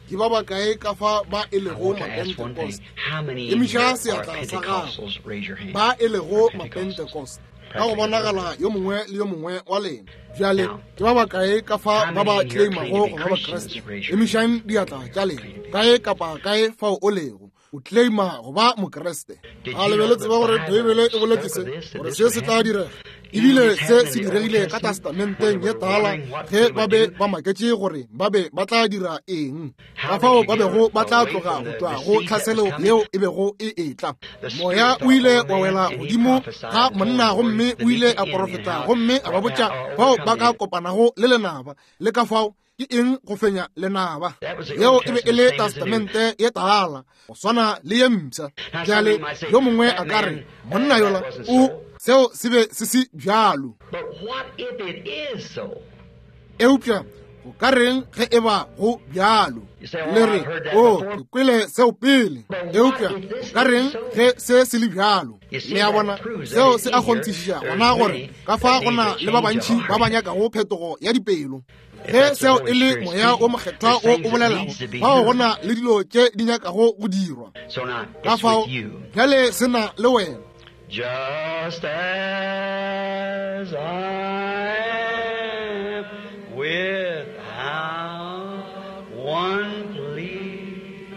A: Ke ba bakae ka fa ba e
D: I
A: lego
D: want to ask one thing.
A: Mapentecost?
D: How many in
A: Emiša
D: here are
A: seatla sa gago.
D: Pentecostals? Raise your hand.
A: Ba e lego
D: Pentecostals.
A: Mapentecost. Ka go bonagala yo mongwe le yo mongwe wa lena. Bjale ke ba bakae ka fa ba ba claimago go ba Bakriste? Emišang diatla tša lena. Kae kapa kae fao o lego, o claima go ba Mokriste. A le be le tseba gore Beibele e boletše se, gore se se tla direga? Ebile se se diregile ka testamenteng ye tala ge ba be ba maketše gore ba be ba tla dira eng, ka fao ba bego ba tla tloga go tšwa go tlhaselo yeo e bego e etla. Moya o ile wa wela godimo ga monna gomme o ile a porofeta gomme a ba botša bao ba ka kopanago le lenaba, le ka fao ke eng go fenya lenaba. Yeo e be e le testamente ye tala, go swana le ye mpsha. Bjale yo mongwe a ka re, monna yola o, seo se be se se bjalo.
D: But what if it is so?
A: Eupša go ka reng ge e ba go bjalo? Le re, o, ke kwele seo pele. Eupša go ka reng ge se se le bjalo? Le a bona, seo se a kgonthišiša gona gore ka fa go na le ba bantši ba ba nyakago phetogo ya dipelo. Ge seo e le Moya o Mokgethwa wo o bolelago, fao go na le dilo tše di nyakago go dirwa.
D: So now
A: Ka
D: it's
A: fao
D: with you.
A: bjale se na le wena.
D: Just as I am without one plea,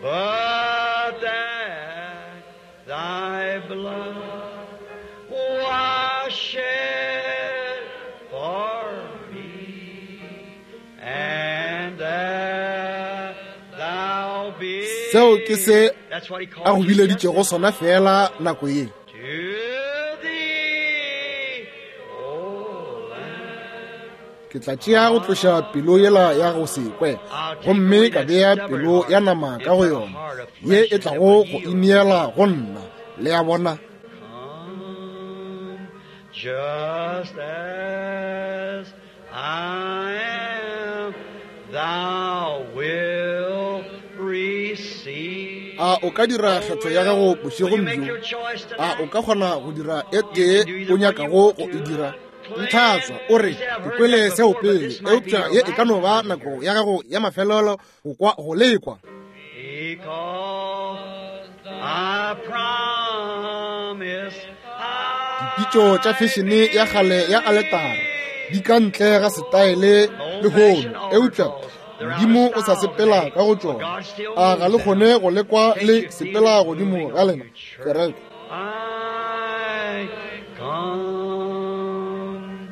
D: but that thy blood was shed for me, and that thou bidst.
A: Seo ke se
D: That's what he called
A: a go
D: you
A: bileditšego
D: just
A: sona fela nako ye.
D: To thee, O Lamb.
A: Ke tla tšea go tloša pelo yela ya go se kwe, gomme ka bea pelo ya nama ka go yona, ye e tlago go ineela go nna. Le a bona?
D: Come, just as I am, thou wilt receive.
A: A o ka dira kgetho ya gago
D: Will you
A: bošegong
D: make
A: bjo?
D: your choice
A: A o
D: tonight?
A: ka kgona go dira e tee o nyakago go e dira? Ntlhatswa o re, ke kwele seo pele, eupša ye e ka no ba nako ya gago ya mafelelo go kwa go lekwa.
D: Because I promise I
A: Dipitšo tša fešene ya kgale ya aletara di ka ntle ga setaele lehono, eupša Modimo o sa sepela ka go tšona. A ga le kgone go lekwa le sepela godimo ga lena, kereke?
D: I come.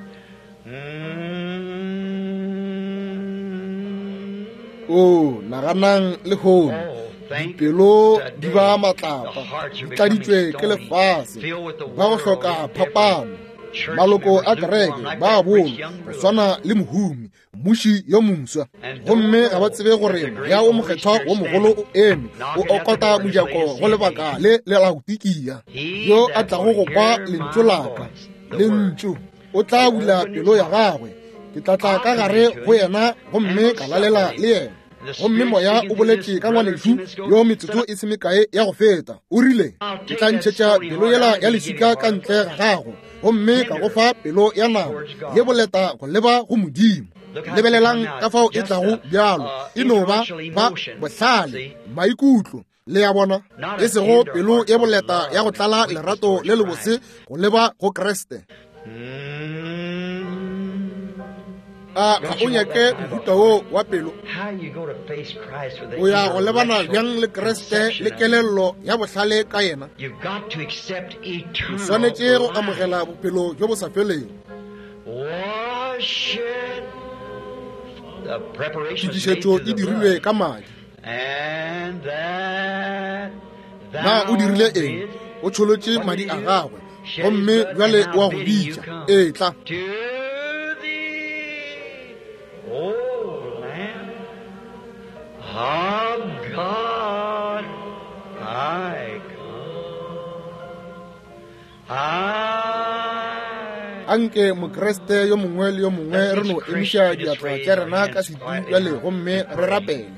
D: Mm.
A: O naganang lehono,
D: Oh, thank
A: dipelo di ba
D: today
A: matlapa,
D: the hearts are
A: di tladitšwe
D: becoming
A: ke
D: stony,
A: lefase,
D: filled with the
A: ba go
D: world
A: hloka
D: and different
A: phapano.
D: church
A: Maloko a
D: members,
A: kereke
D: lukewarm, like
A: ba
D: that rich
A: bolo
D: young
A: go
D: ruler.
A: swana le mohumi, mmuši yo moswa,
D: And don't
A: gomme ga ba
D: know
A: tsebe
D: that
A: gore
D: the great
A: Moya wo
D: Holy
A: Mokgethwa
D: Spirit
A: wo mogolo o
D: standing,
A: eme, o
D: knocking at the
A: okota
D: door and is
A: mojako
D: laying his
A: go lebaka
D: hand.
A: le le Laodikia.
D: He
A: Yo a
D: that
A: tlago
D: will
A: go kwa
D: hear
A: lentšu
D: my
A: la ka,
D: voice, the word,
A: lentšu, o tla
D: will
A: bula
D: open his
A: pelo ya
D: heart.
A: gagwe. Ke tla tla
D: I'll
A: ka
D: come
A: gare
D: into
A: go
D: him
A: yena
D: and
A: gomme
D: will
A: ka
D: sup
A: lalela
D: with
A: le
D: him.
A: yena.
D: And the
A: Gomme
D: Spirit
A: Moya
D: speaking
A: o
D: through this
A: boletše ka
D: brother a few
A: ngwanešu
D: minutes ago
A: yo
D: said,
A: metsotso e se mekae ya go feta. O rile,
D: I'll
A: ke
D: take
A: tla
D: that
A: ntšhetša
D: stony
A: pelo
D: heart
A: yela
D: out of
A: ya
D: you and give you
A: leswika
D: a
A: ka
D: heart of
A: ntle ga
D: flesh.
A: gago, gomme ka go
D: Tender
A: fa pelo ya nama
D: towards
A: ye
D: God.
A: boleta go leba go Modimo.
D: Look how it's become
A: Lebelelang
D: now.
A: ka fao e
D: Just
A: tlago
D: a,
A: bjalo, e no ba
D: intellectual
A: ba
D: emotion.
A: bohlale,
D: See?
A: maikutlo. Le a bona?
D: Not
A: E
D: a
A: sego
D: tender
A: pelo
D: heart
A: ye
D: with
A: boleta ya
D: love
A: go
D: and
A: tlala
D: sweetness
A: lerato
D: towards
A: le lebose
D: Christ.
A: go leba go Kriste.
D: Mm.
A: A ga
D: Don't
A: o
D: you want
A: nyake
D: that type of
A: mohuta wo
D: heart?
A: wa pelo?
D: How you go to face Christ with the
A: O ya go lebana
D: intellectual
A: bjang le Kriste le
D: conception of Him?
A: kelello ya bohlale ka yena?
D: You've got to accept
A: O
D: eternal
A: swanetše go
D: life.
A: amogela bophelo bjo bo sa felego.
D: Wash it. The preparation was made
A: Tokišetšo
D: through
A: e
D: the
A: dirilwe
D: blood.
A: ka madi.
D: And that
A: Na o
D: thou
A: dirile eng?
D: bidst.
A: O tšholotše
D: What did
A: madi
D: he
A: a
D: do?
A: gagwe,
D: Shed his
A: gomme
D: blood, and
A: bjale
D: now
A: o a go
D: bidding you
A: bitša.
D: come.
A: Etla.
D: To thee, O Lamb of God, I come. I
A: A Anke Mokriste yo mongwe le yo mongwe re no emiša diatla tša rena ka setu bjale gomme re rapele.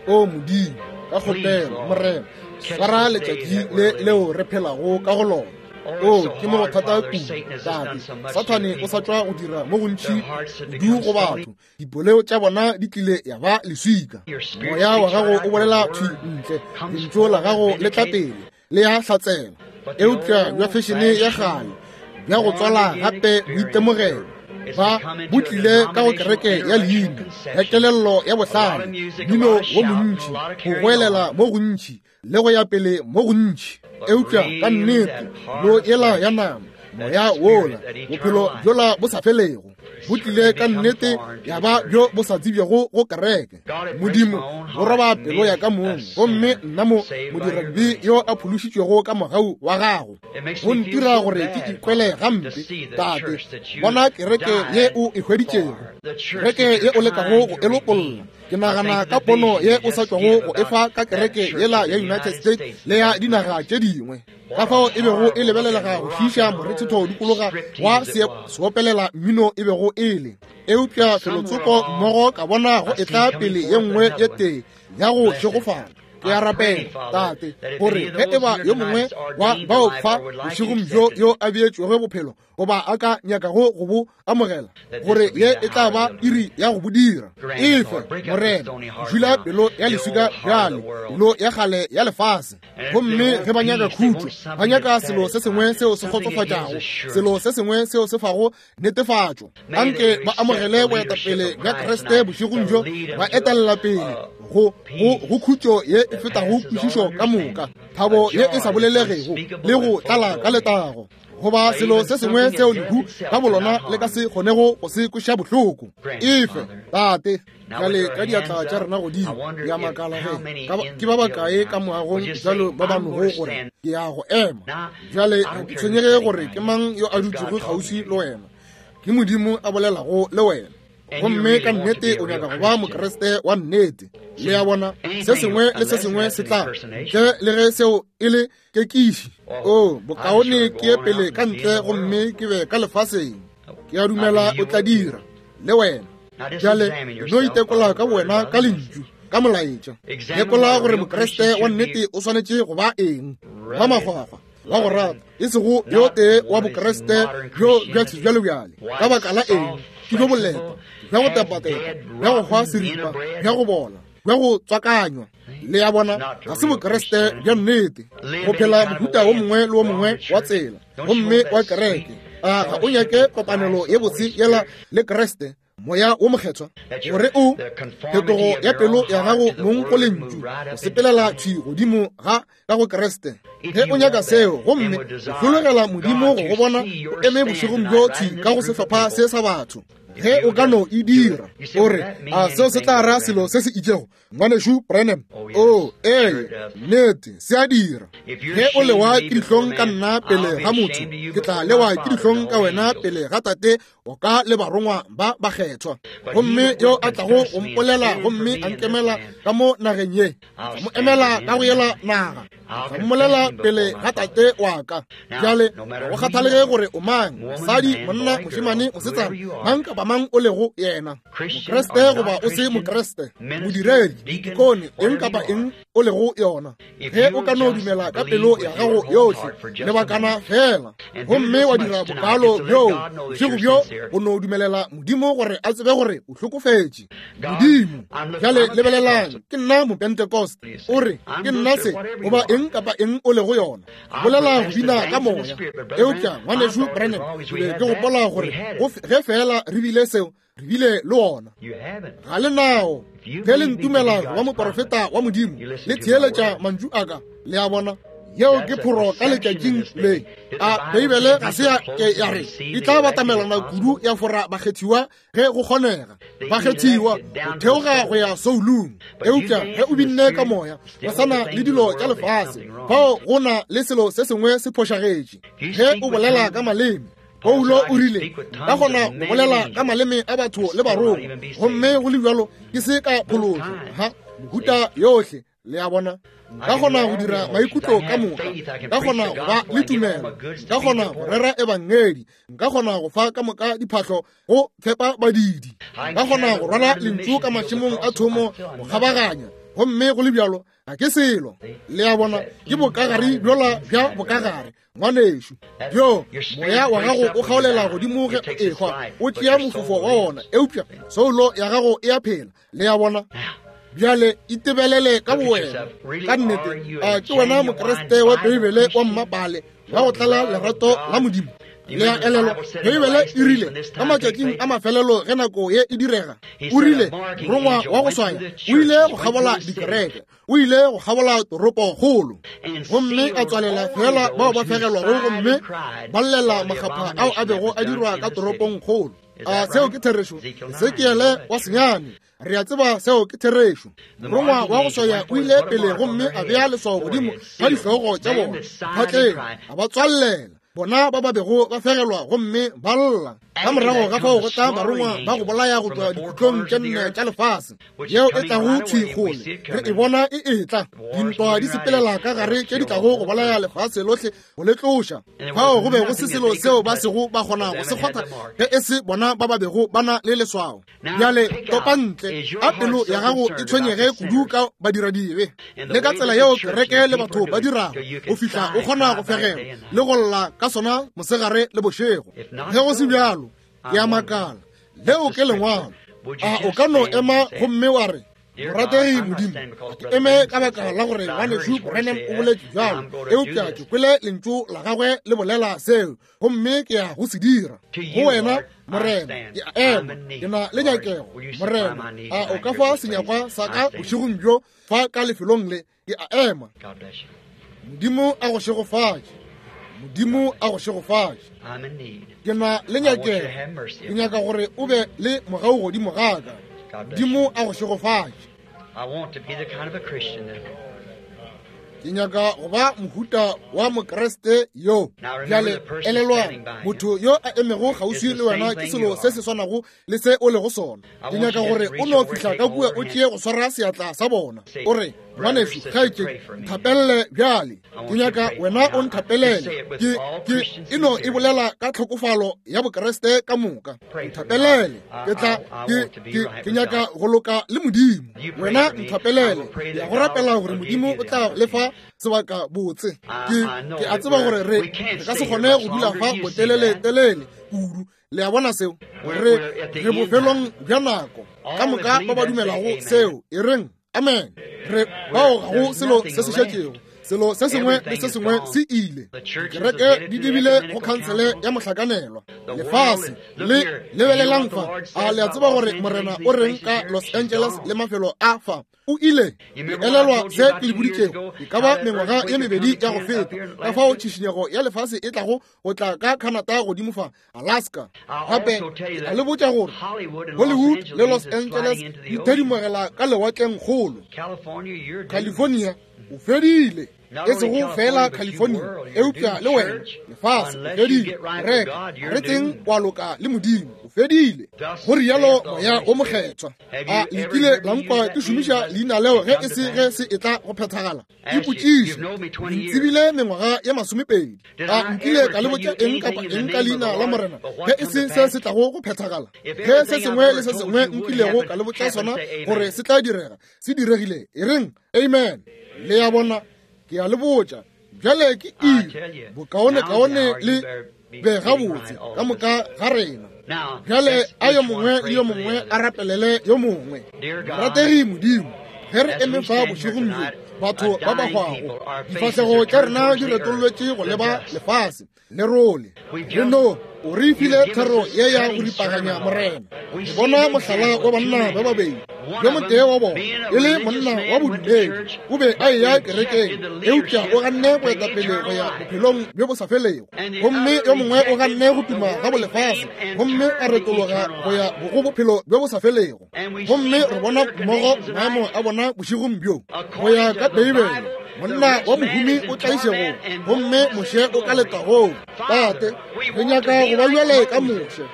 A: O Modimo, ka kgopelo, Morena, swara letšatši le leo re phelago ka go lona. O, ke mo go thata kudu, Tate. Sathane o sa tšwa go dira mo gontši kudu go batho. Dipoleo tša bona di tlile ya ba leswika. Moya wa gago o bolela thwi ntle. Lentšu la gago le tla pele, le a hlatsela. Eupša bja fešene ya kgale, bja go tswala gape boitemogelo, ba bo tlile ka go kereke ya leina, ya kelello ya bohlale, mmino wo montši, go goelela mo gontši, le go ya pele mo gontši. Eupša ka nnete, lo yela ya nama, moya wola, bophelo bjola bo sa felego, bo tlile ka nnete ya ba bjo bo sa tsebjego go kereke. Modimo, bo roba pelo ya ka mong, gomme nna mo modiradibe yo a phološitšwego ka mogau wa gago, go ntira gore ke ikwele gampe, Tate. Bona kereke ye o e hweditšego, kereke ye o lekago go e lopolla. Ke nagana ka pono ye o sa tšwago go efa ka kereke yela ya United States le ya dinaga tše dingwe, ka fao e bego e lebelelega go šiiša morethetho dikologa wa seopelela mmino e bego e le. Eupša felotsoko mmogo ka bona go etla pele ye nngwe ye tee ya go šegofala. Ke a rapela, Tate, gore ge e ba yo mongwe wa bao fa bošegong bjo yo a beetšwego bophelo goba a ka nyakago go bo amogela, gore ye e tla ba iri ya go bo dira. Efe, Morena, dula pelo ya leswika bjale, pelo ya kgale ya lefase. Gomme ge ba nyaka khutšo, ba nyaka selo se sengwe seo se kgotsofatšago, selo se sengwe seo se fago netefatšo. Anke ba amogele boetapele bja Kriste bošegong bjo, ba etelela pele go, go, go khutšo ye e fetago kwešišo ka moka, thabo ye e sa bolelegego, le go tlala ka letago, goba selo se sengwe seo lehu ka bolona le ka se kgonego go se kweša bohloko. Efe, Tate. Bjale ka diatla tša rena godimo, ke a makala ge ke ba bakae ka moagong bjalo ba ba nogo gore ke ya go ema. Bjale ga ke tshwenyege gore ke mang yo a dutšego kgauswi le wena, ke Modimo a bolelago le wena. Gomme ka nnete o nyaka go ba Mokriste wa nnete. Le a bona, se sengwe le se sengwe se tla, ntle le ge seo e le kekiši. O, bokaone ke ye pele ka ntle gomme ke be ka lefaseng. Ke a dumela o tla dira, le wena. Bjale, no itekola ka bowena ka Lentšu, ka Molaetša. Lekola gore Mokriste wa nnete o swanetše go ba eng. Ba makgwakgwa, wa go rata, e sego yo tee wa Bokriste bjo bja sebjalebjale. Ka baka la eng? Ke bjo boleta, bja go tepatepa, bja go hwa seripa, bja go bola, bja go tswakanywa. Le a bona, ga se Bokriste bja nnete, go phela mohuta wo mongwe le wo mongwe wa tsela gomme wa kereke. A ga o nyake kopanelo ye botse yela le Kriste, Moya wo Mokgethwa, gore o phetogo ya pelo ya gago mong go Lentšu, go sepelela thwi godimo ga ka go Kriste? Ge o nyaka seo, gomme o hlologela Modimo go go bona o eme bošegong bjo thwi ka go sehlopha se sa batho, ge o ka no e dira, o re, a seo se tla ra selo se se itšego? Ngwanešu Branham, o, ee, nnete, se a dira. Ge o lewa ke dihlong ka nna pele ga motho, ke tla lewa ke dihlong ka wena pele ga Tate wa ka le barongwa ba bakgethwa. Gomme yo a tlago go mpolela gomme a nkemela ka mo nageng ye, ke tla mo emela ka go yela naga, ke tla mmolela pele ga Tate wa ka. Bjale, ga go kgathalege gore o mang, mosadi, monna, mošemane, mosetsana, mang kapa mang o lego yena, Mokriste goba o se Mokriste, modiredi, dikone, eng kapa eng o lego yona, ge o ka no dumela ka pelo ya gago yohle lebakana fela, gomme wa dira bokalo bjoo bošego bjo, go no dumelela Modimo gore a tsebe gore o hlokofetše. Modimo, bjale lebelelang, ke nna Mopentecost, o re ke nna se, goba eng kapa eng o lego yona, bolela go bina ka moya. Eupša Ngwanešu Branham, ke be ke gopola gore ge feela re bile seo, re bile le ona. Ga le nao. Ge le ntumela go ba moporofeta wa Modimo, le theeletša mantšu a ka, le a bona. Yeo ke phoro ka letšatšing le. A Beibele ga se ya ke ya re e tla batamelana kudu ya fora bakgethiwa ge go kgonega, bakgethiwa go theoga go ya soulung. Eupša ge o binne ka moya, go sa na le dilo tša lefase, fao go na le selo se sengwe se phošagetše. Ge o bolela ka maleme, Paulo o rile, ka gona go bolela ka maleme a batho le barongwa, gomme go le bjalo ke se ka phološo. Ha, mohuta yohle, le a bona. Nka kgona go dira maikutlo ka moka, nka kgona go ba le tumelo, nka kgona go rera ebangedi, nka kgona go fa ka moka diphahlo go fepa badidi, nka kgona go rwala lentšu ka mašemong a thomo go kgabaganya, gomme go le bjalo ga ke selo. Le a bona, ke bokagare bjola bja bokagare, ngwanešu. Bjo moya wa gago o kgaolela godimo ge o ehwa, o tšea mofofo wa wona, eupša soulo ya gago e a phela. Le a bona? Bjale itebelele ka bowena ka nnete. A ke wena Mokriste wa Beibele wa mmapale wa go tlala lerato la Modimo? Le a elelwa, Beibele e rile ka matšatšing a mafelelo ge nako ye e direga, o rile morongwa wa go swaya o ile go kgabola dikereke, o ile go kgabola toropokgolo, gomme a tswalela feela bao ba fegelwago gomme ba llela makgapha ao a bego a dirwa ka toropongkgolo. A seo ke therešo? Ezekiele wa senyane, re a tseba seo ke therešo. Morongwa wa go swaya o ile pele gomme a bea leswao godimo ga dihlogo tša bona phatleng, a ba tswallela bona ba ba bego ba fegelwa gomme ba lla. Ka morago ga fao go tla barongwa ba go bolaya go tšwa dikhutlong tše nne tša lefase, yeo e tlago thwi kgole. Re e bona e etla, dintwa di sepelela ka gare tše di tlago go bolaya lefase lohle go le tloša. Fao go be go se selo seo ba sego ba kgona go se kgotha ge e se bona ba ba bego ba na le leswao. Bjale topa ntle, a pelo ya gago e tshwenyege kudu ka badiradibe le ka tsela yeo kereke le batho ba dirago, go fihla o kgona go fegelwa le go lla ka sona mosegare le bošego. Ge go se bjalo, ke a makala. Leo ke lengwalo. A o ka no ema gomme wa re, Morategi Modimo, ke eme ka baka la gore ngwanešu Branham o boletše bjalo, eupša ke kwele lentšu la gagwe le bolela seo, gomme ke ya go se dira. Go wena, Morena, ke a ema, ke na le nyakego. Morena, a o ka fa senyakwa sa ka bošegong bjo fa ka lefelong le? Ke a ema. Modimo a go šegofatše. Modimo a go šegofatše. Ke na le nyakego. Ke nyaka gore o be le mogau godimo ga ka. Modimo a go šegofatše. Ke nyaka go ba mohuta wa Mokriste yo. Bjale elelwang, motho yo a emego kgauswi le wena ke selo se se swanago le se o lego sona. Ke nyaka gore o no fihla ka kua o tšee go swara seatla sa bona, o re, Ngwanešu, kgaetšedi, nthapelele bjale. Ke nyaka wena o nthapelele. Ke, ke, e no e bolela ka tlhokofalo ya Bokriste ka moka. Nthapelele. Ke tla, ke, ke, ke nyaka go loka le Modimo. Wena nthapelele. Ke ya go rapela gore Modimo o tla le fa sebaka botse. Ke, ke a tseba gore re, re ka se kgone go dula fa botelele-telele kudu. Le a bona seo? Re, re bofelong bja nako. Ka moka ba ba dumelago seo, e reng amen. Re bao ga go selo se se šetšego. Selo se sengwe le se sengwe se ile. Kereke di dibile go khansele ya mohlakanelwa. Lefase le lebelelang fa. A le a tseba gore Morena o reng ka Los Angeles le mafelo a fa? O ile. Le elelwa se ke le boditšego e ka ba mengwaga ye mebedi ya go feta, ka fao tšhišinyego ya lefase e tlago go tla ka Canada godimo fa Alaska. Gape ke tla le botša gore Hollywood le Los Angeles di thedimogela ka lewatleng kgolo. California o fedile, e sego feela California, eupša le wena, lefase, o fedile. Reka, re tseng wa loka le Modimo, o fedile. Go rialo Moya wo Mokgethwa. A le kile la nkwa ke šomiša leina leo ge e se ge se etla go phethagala? Ipotšiše, ntsebile mengwaga ye masomepedi, a nkile ka le botša eng kapa eng ka leina la Morena ge e se se se tlago go phethagala? Ge se sengwe le se sengwe nkilego ka le botša sona gore se tla direga, se diregile, e reng amen. Le ya bona, ke a le botša bjale ke iri, bokaonekaone le be gabotse ka moka ga rena. Bjale a yo mongwe le yo mongwe a rapelele yo mongwe. Morategi Modimo, ge re eme fa bošegong bjo, batho ba ba hwago, difahlego tša rena di retollwetše go leba lefase lerole. Re no o re file thero ye ya go ripaganya, Morena. Re bona mohlala wa banna ba babedi, yo motee wa bona e le monna wa bodumedi, o be a eya kerekeng, eupša o ganne boetapele go ya bophelong bjo bo sa felego, gomme yo mongwe o ganne go tuma ga bolefase gomme a retologa go ya go bophelo bjo bo sa felego. Gomme re bona mmogo maemo a bona bošegong bjo go ya ka Beibele, monna wa mohumi o tlaišegong gomme Moshe o ka letagong. Tate, re nyaka go ba bjale ka Moshe.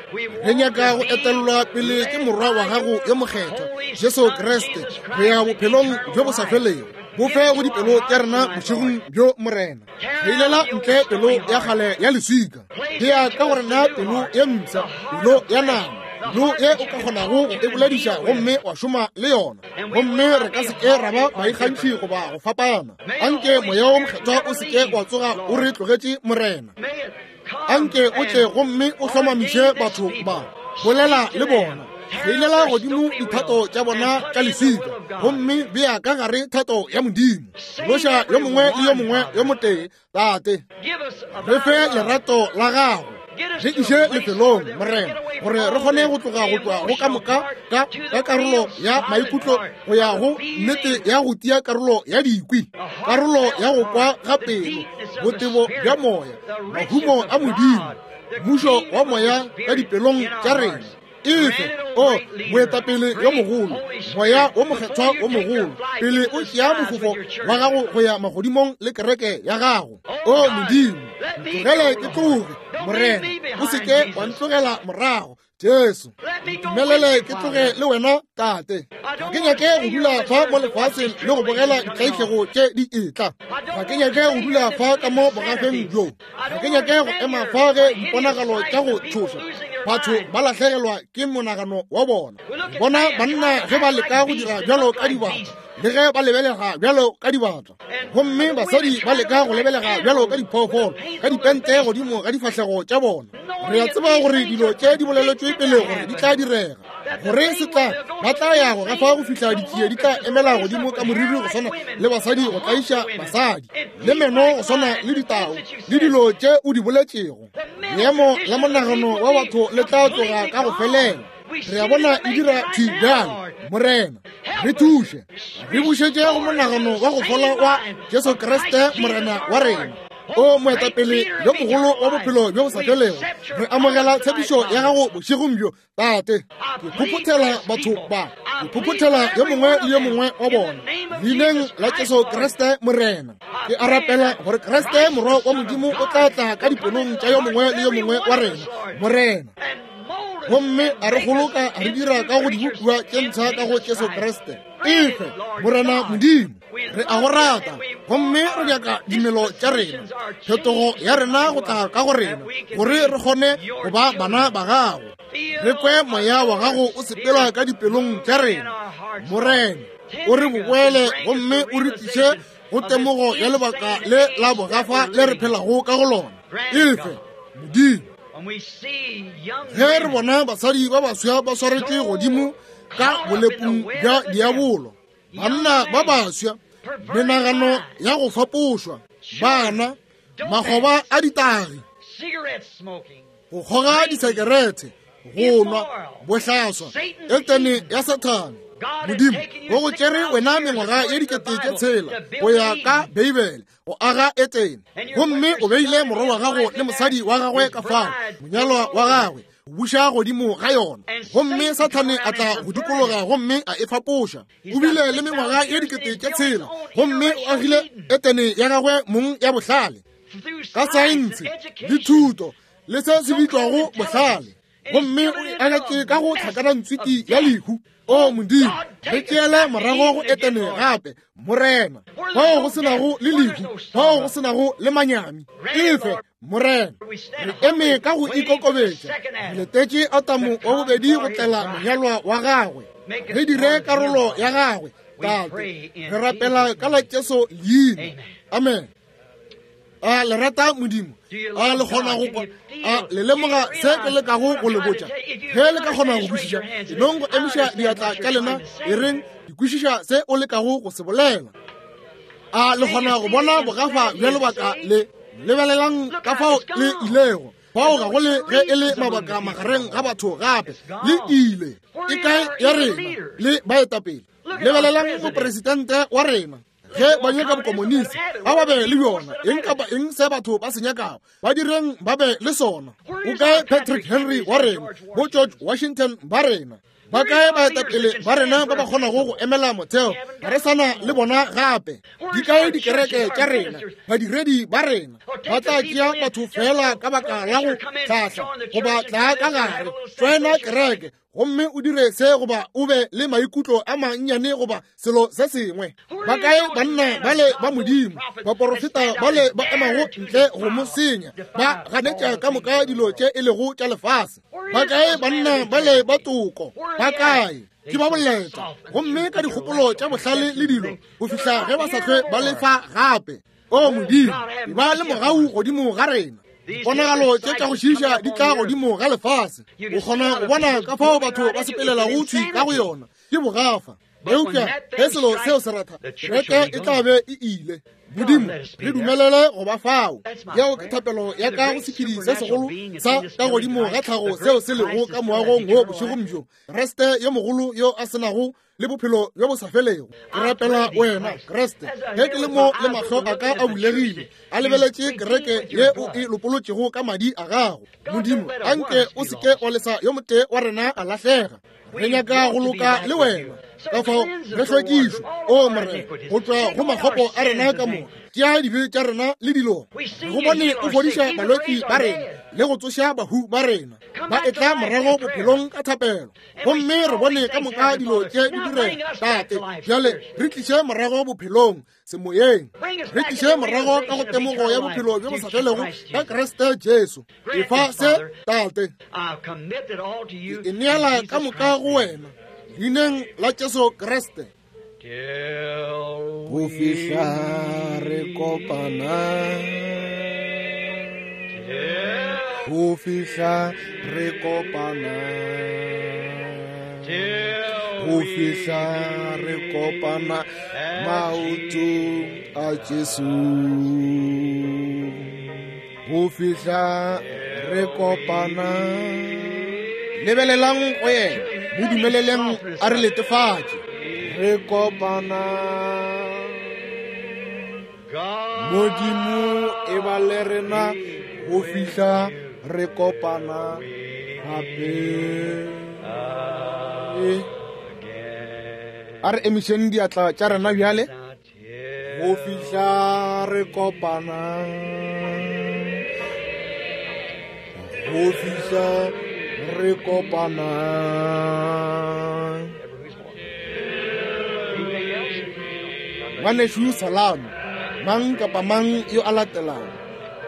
A: Re nyaka go etellwa pele ke Morwa wa gago yo mokgethwa, Jesu Kriste, go ya bophelong bjo bo sa felego. Bo fe go dipelo tša rena bošegong bjo, Morena. Kgeilela ntle pelo ya kgale ya leswika. Bea ka go rena pelo ye mpsha, pelo ya nama, pelo ye o ka kgonago go e bolediša gomme wa šoma le yona. Gomme re ka se ke ra ba baikgantšhi goba go fapana. Anke Moya wo Mokgethwa o se ke wa tsoga o re tlogetše, Morena. Anke o tle gomme o hlomamiše batho ba. Bolela le bona. Kgeilela godimo dithato tša bona tša leswika, gomme bea ka gare thato ya Modimo. Loša yo mongwe le yo mongwe yo motee, Tate. Re fe lerato la Gago. Re iše lefelong, Morena, gore re kgone go tloga go tšwa go ka moka ka, ka karolo ya maikutlo go ya go nnete ya go tia karolo ya dikwi, karolo ya go kwa ga pelo, botebo bja moya, mahumo a Modimo, mmušo wa moya ka dipelong tša rena. Efe, o moetapele yo mogolo, Moya wo Mokgethwa wo mogolo, pele o tšea mofofo wa gago go ya magodimong le kereke ya gago. O Modimo, ntlogele ke tloge, Morena, o se ke wa ntlogela morago. Jesu, ntumelele ke tloge le wena, Tate. Ga ke nyake go dula fa mo lefaseng le go bogela ditlaišego tše di etla. Ga ke nyake go dula fa ka mo bogafeng bjo. Ga ke nyake go ema fa ge diponagalo tša go tšhoša batho ba lahlegelwa ke monagano wa bona. Bona banna ge ba leka go dira bjalo ka dibata, le ge ba lebelega bjalo ka dibata, gomme basadi ba leka go lebelega bjalo ka diphoofolo ka dipente godimo ga difahlego tša bona. Re a tseba gore dilo tše di boleletšwe pele gore di tla direga, gore se tla ba tla ya go gafa go fihla ditšie di tla emela godimo ka moriri go swana le basadi go tlaiša basadi, le meno go swana le ditau, le dilo tše o di boletšego. Leemo la monagano wa batho le tla tloga ka go felela. Re a bona e dira thwi bjale. Morena, re thuše, re bušetše go monagano wa go fola wa Jesu Kriste Morena wa rena. O moetapele yo mogolo wa bophelo bjo bo sa felego, re amogela tshepišo ya gago bošegong bjo, Tate. Ke phophothela batho ba, ke phophothela yo mongwe le yo mongwe wa bona leineng la Jesu Kriste Morena. Ke a rapela gore Kriste Morwa wa Modimo o tla tla ka dipelong tša yo mongwe le yo mongwe wa rena, Morena, gomme a re goloka a re dira ka go dibopiwa tše mpsha ka go Jesu Kriste. Efe, Morena Modimo, re a go rata, gomme re nyaka dimelo tša rena, phetogo ya rena go tla ka go rena, gore re kgone go ba bana ba gago. Re kwe moya wa gago o sepela ka dipelong tša rena, Morena. O re boboele gomme o re tliše go temogo ya lebaka le la bogafa le re phelago ka go lona. Efe, Modimo, ge re bona basadi ba baswa ba swaretšwe godimo ka bolepung bja diabolo, banna ba baswa, menagano ya go fapošwa, bana, makgoba a ditagi, go kgoga disekerete, go nwa, bohlaswa, Etene ya Sathane. Modimo o go tšere wena mengwaga ye 6000 go ya ka Beibele go aga Etene, gomme o beile morwa wa gago le mosadi wa gagwe ka fao, monyalwa wa gagwe, go buša godimo ga yona. Gomme Sathane a tla go dikologa gomme a e fapoša. O bile le mengwaga ye 6000 gomme o agile Etene ya gagwe mong ya bohlale ka saense le thuto le se se bitšwago bohlale, gomme o e agetše ka go tlhakanantswiki ya lehu. O Modimo, re tšeele morago go Etene gape, Morena, fao go se nago le lehu, fao go se nago le manyami. Efe, Morena, re eme ka go ikokobetša, re letetše Atamo wa bobedi go tlela monyalwa wa gagwe. Re dire karolo ya gagwe, Tate. Re rapela ka la Jesu leina. Amen. A le rata Modimo? A le kgona go kwa? A le lemoga se ke lekago go le botša? Ge le ka kgona go kwešiša, enong go emiša diatla tša lena, e reng ke kwešiša se o lekago go se bolela. A le kgona go bona bogafa bja lebaka le? Lebelelang ka fao le ilego. Fao ga go le ge e le mabaka magareng ga batho gape. Le ile. E kae ya rena le baetapele? Lebelelang mopresidente wa rena. Ge ba nyaka bokomonisi, a ba be le bjona. Eng kapa eng se batho ba se nyakago, ba direng ba be le sona. O kae Patrick Henry wa rena, bo George Washington ba rena? Ba kae baetapele ba rena ba ba kgonago go emela motheo? Ga re sa na le bona gape. Di kae dikereke tša rena, badiredi ba rena? Ba tla tšea batho fela ka baka la go hlahla goba tla ka gare, tsena kereke. gomme o dire se goba o be le maikutlo a mannyane goba selo se sengwe. Ba kae banna bale ba Modimo, baporofeta bale ba emago ntle go mo senya, ba ganetša ka moka dilo tše e lego tša lefase? Ba kae banna bale ba toko? Ba kae? Ke ba boleta gomme ka dikgopolo tša bohlale le dilo go fihla ge ba sa hlwe ba lefa gape. O Modimo, ba le mogau godimo ga rena. Diponagalo tše tša go šiiša di tla godimo ga lefase. O kgona go bona ka fao batho ba sepelelago thwi ka go yona. Ke bogafa. Eupša ge selo seo se ratha, kereke e tla be e ile. Modimo, re dumelele go ba fao. Yeo ke thapelo ya ka go sephedi se segolo sa ka godimo ga tlhago seo se lego ka moagong wo bošegong bjo, Kriste yo mogolo yo a se nago le bophelo bjo bo sa felego. Ke rapela wena, Kriste, ge ke le mo le mahlo a ka a bulegile, a lebeletše kereke ye o e lopolotšego ka madi a gago. Modimo, anke o se ke wa lesa yo motee wa rena a lahlega. Re nyaka go loka le wena, ka fao re hlwekišwe, o Morena, go tšwa go makgopo a rena ka moka. Tšea dibe tša rena le dilo. Re go bone o fodiša balwetši ba rena le go tsoša bahu ba rena ba etla morago bophelong ka thapelo, gomme re bone ka moka dilo tše di direga. Tate, bjale re tliše morago bophelong semoyeng, re tliše morago ka go temogo ya bophelo bjo bo sa felego ka Kriste Jesu. Efa se, Tate. Ke e neela ka moka go wena, leineng la Jesu Kriste. Go fihla re kopana, go fihla re kopana, go fihla re kopana maotong a Jesu. Go fihla re kopana. Lebelelang go yena, mo dumeleleng a re letefatše. Re kopana. Modimo e ba le rena go fihla re kopana gape. A re emišeng diatla tša rena bjale. Go fihla re kopana. Go fihla re kopana. Ngwanešu Salamo, mang kapa mang yo a latelago,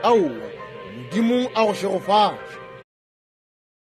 A: aowa, Modimo a go šegofatše.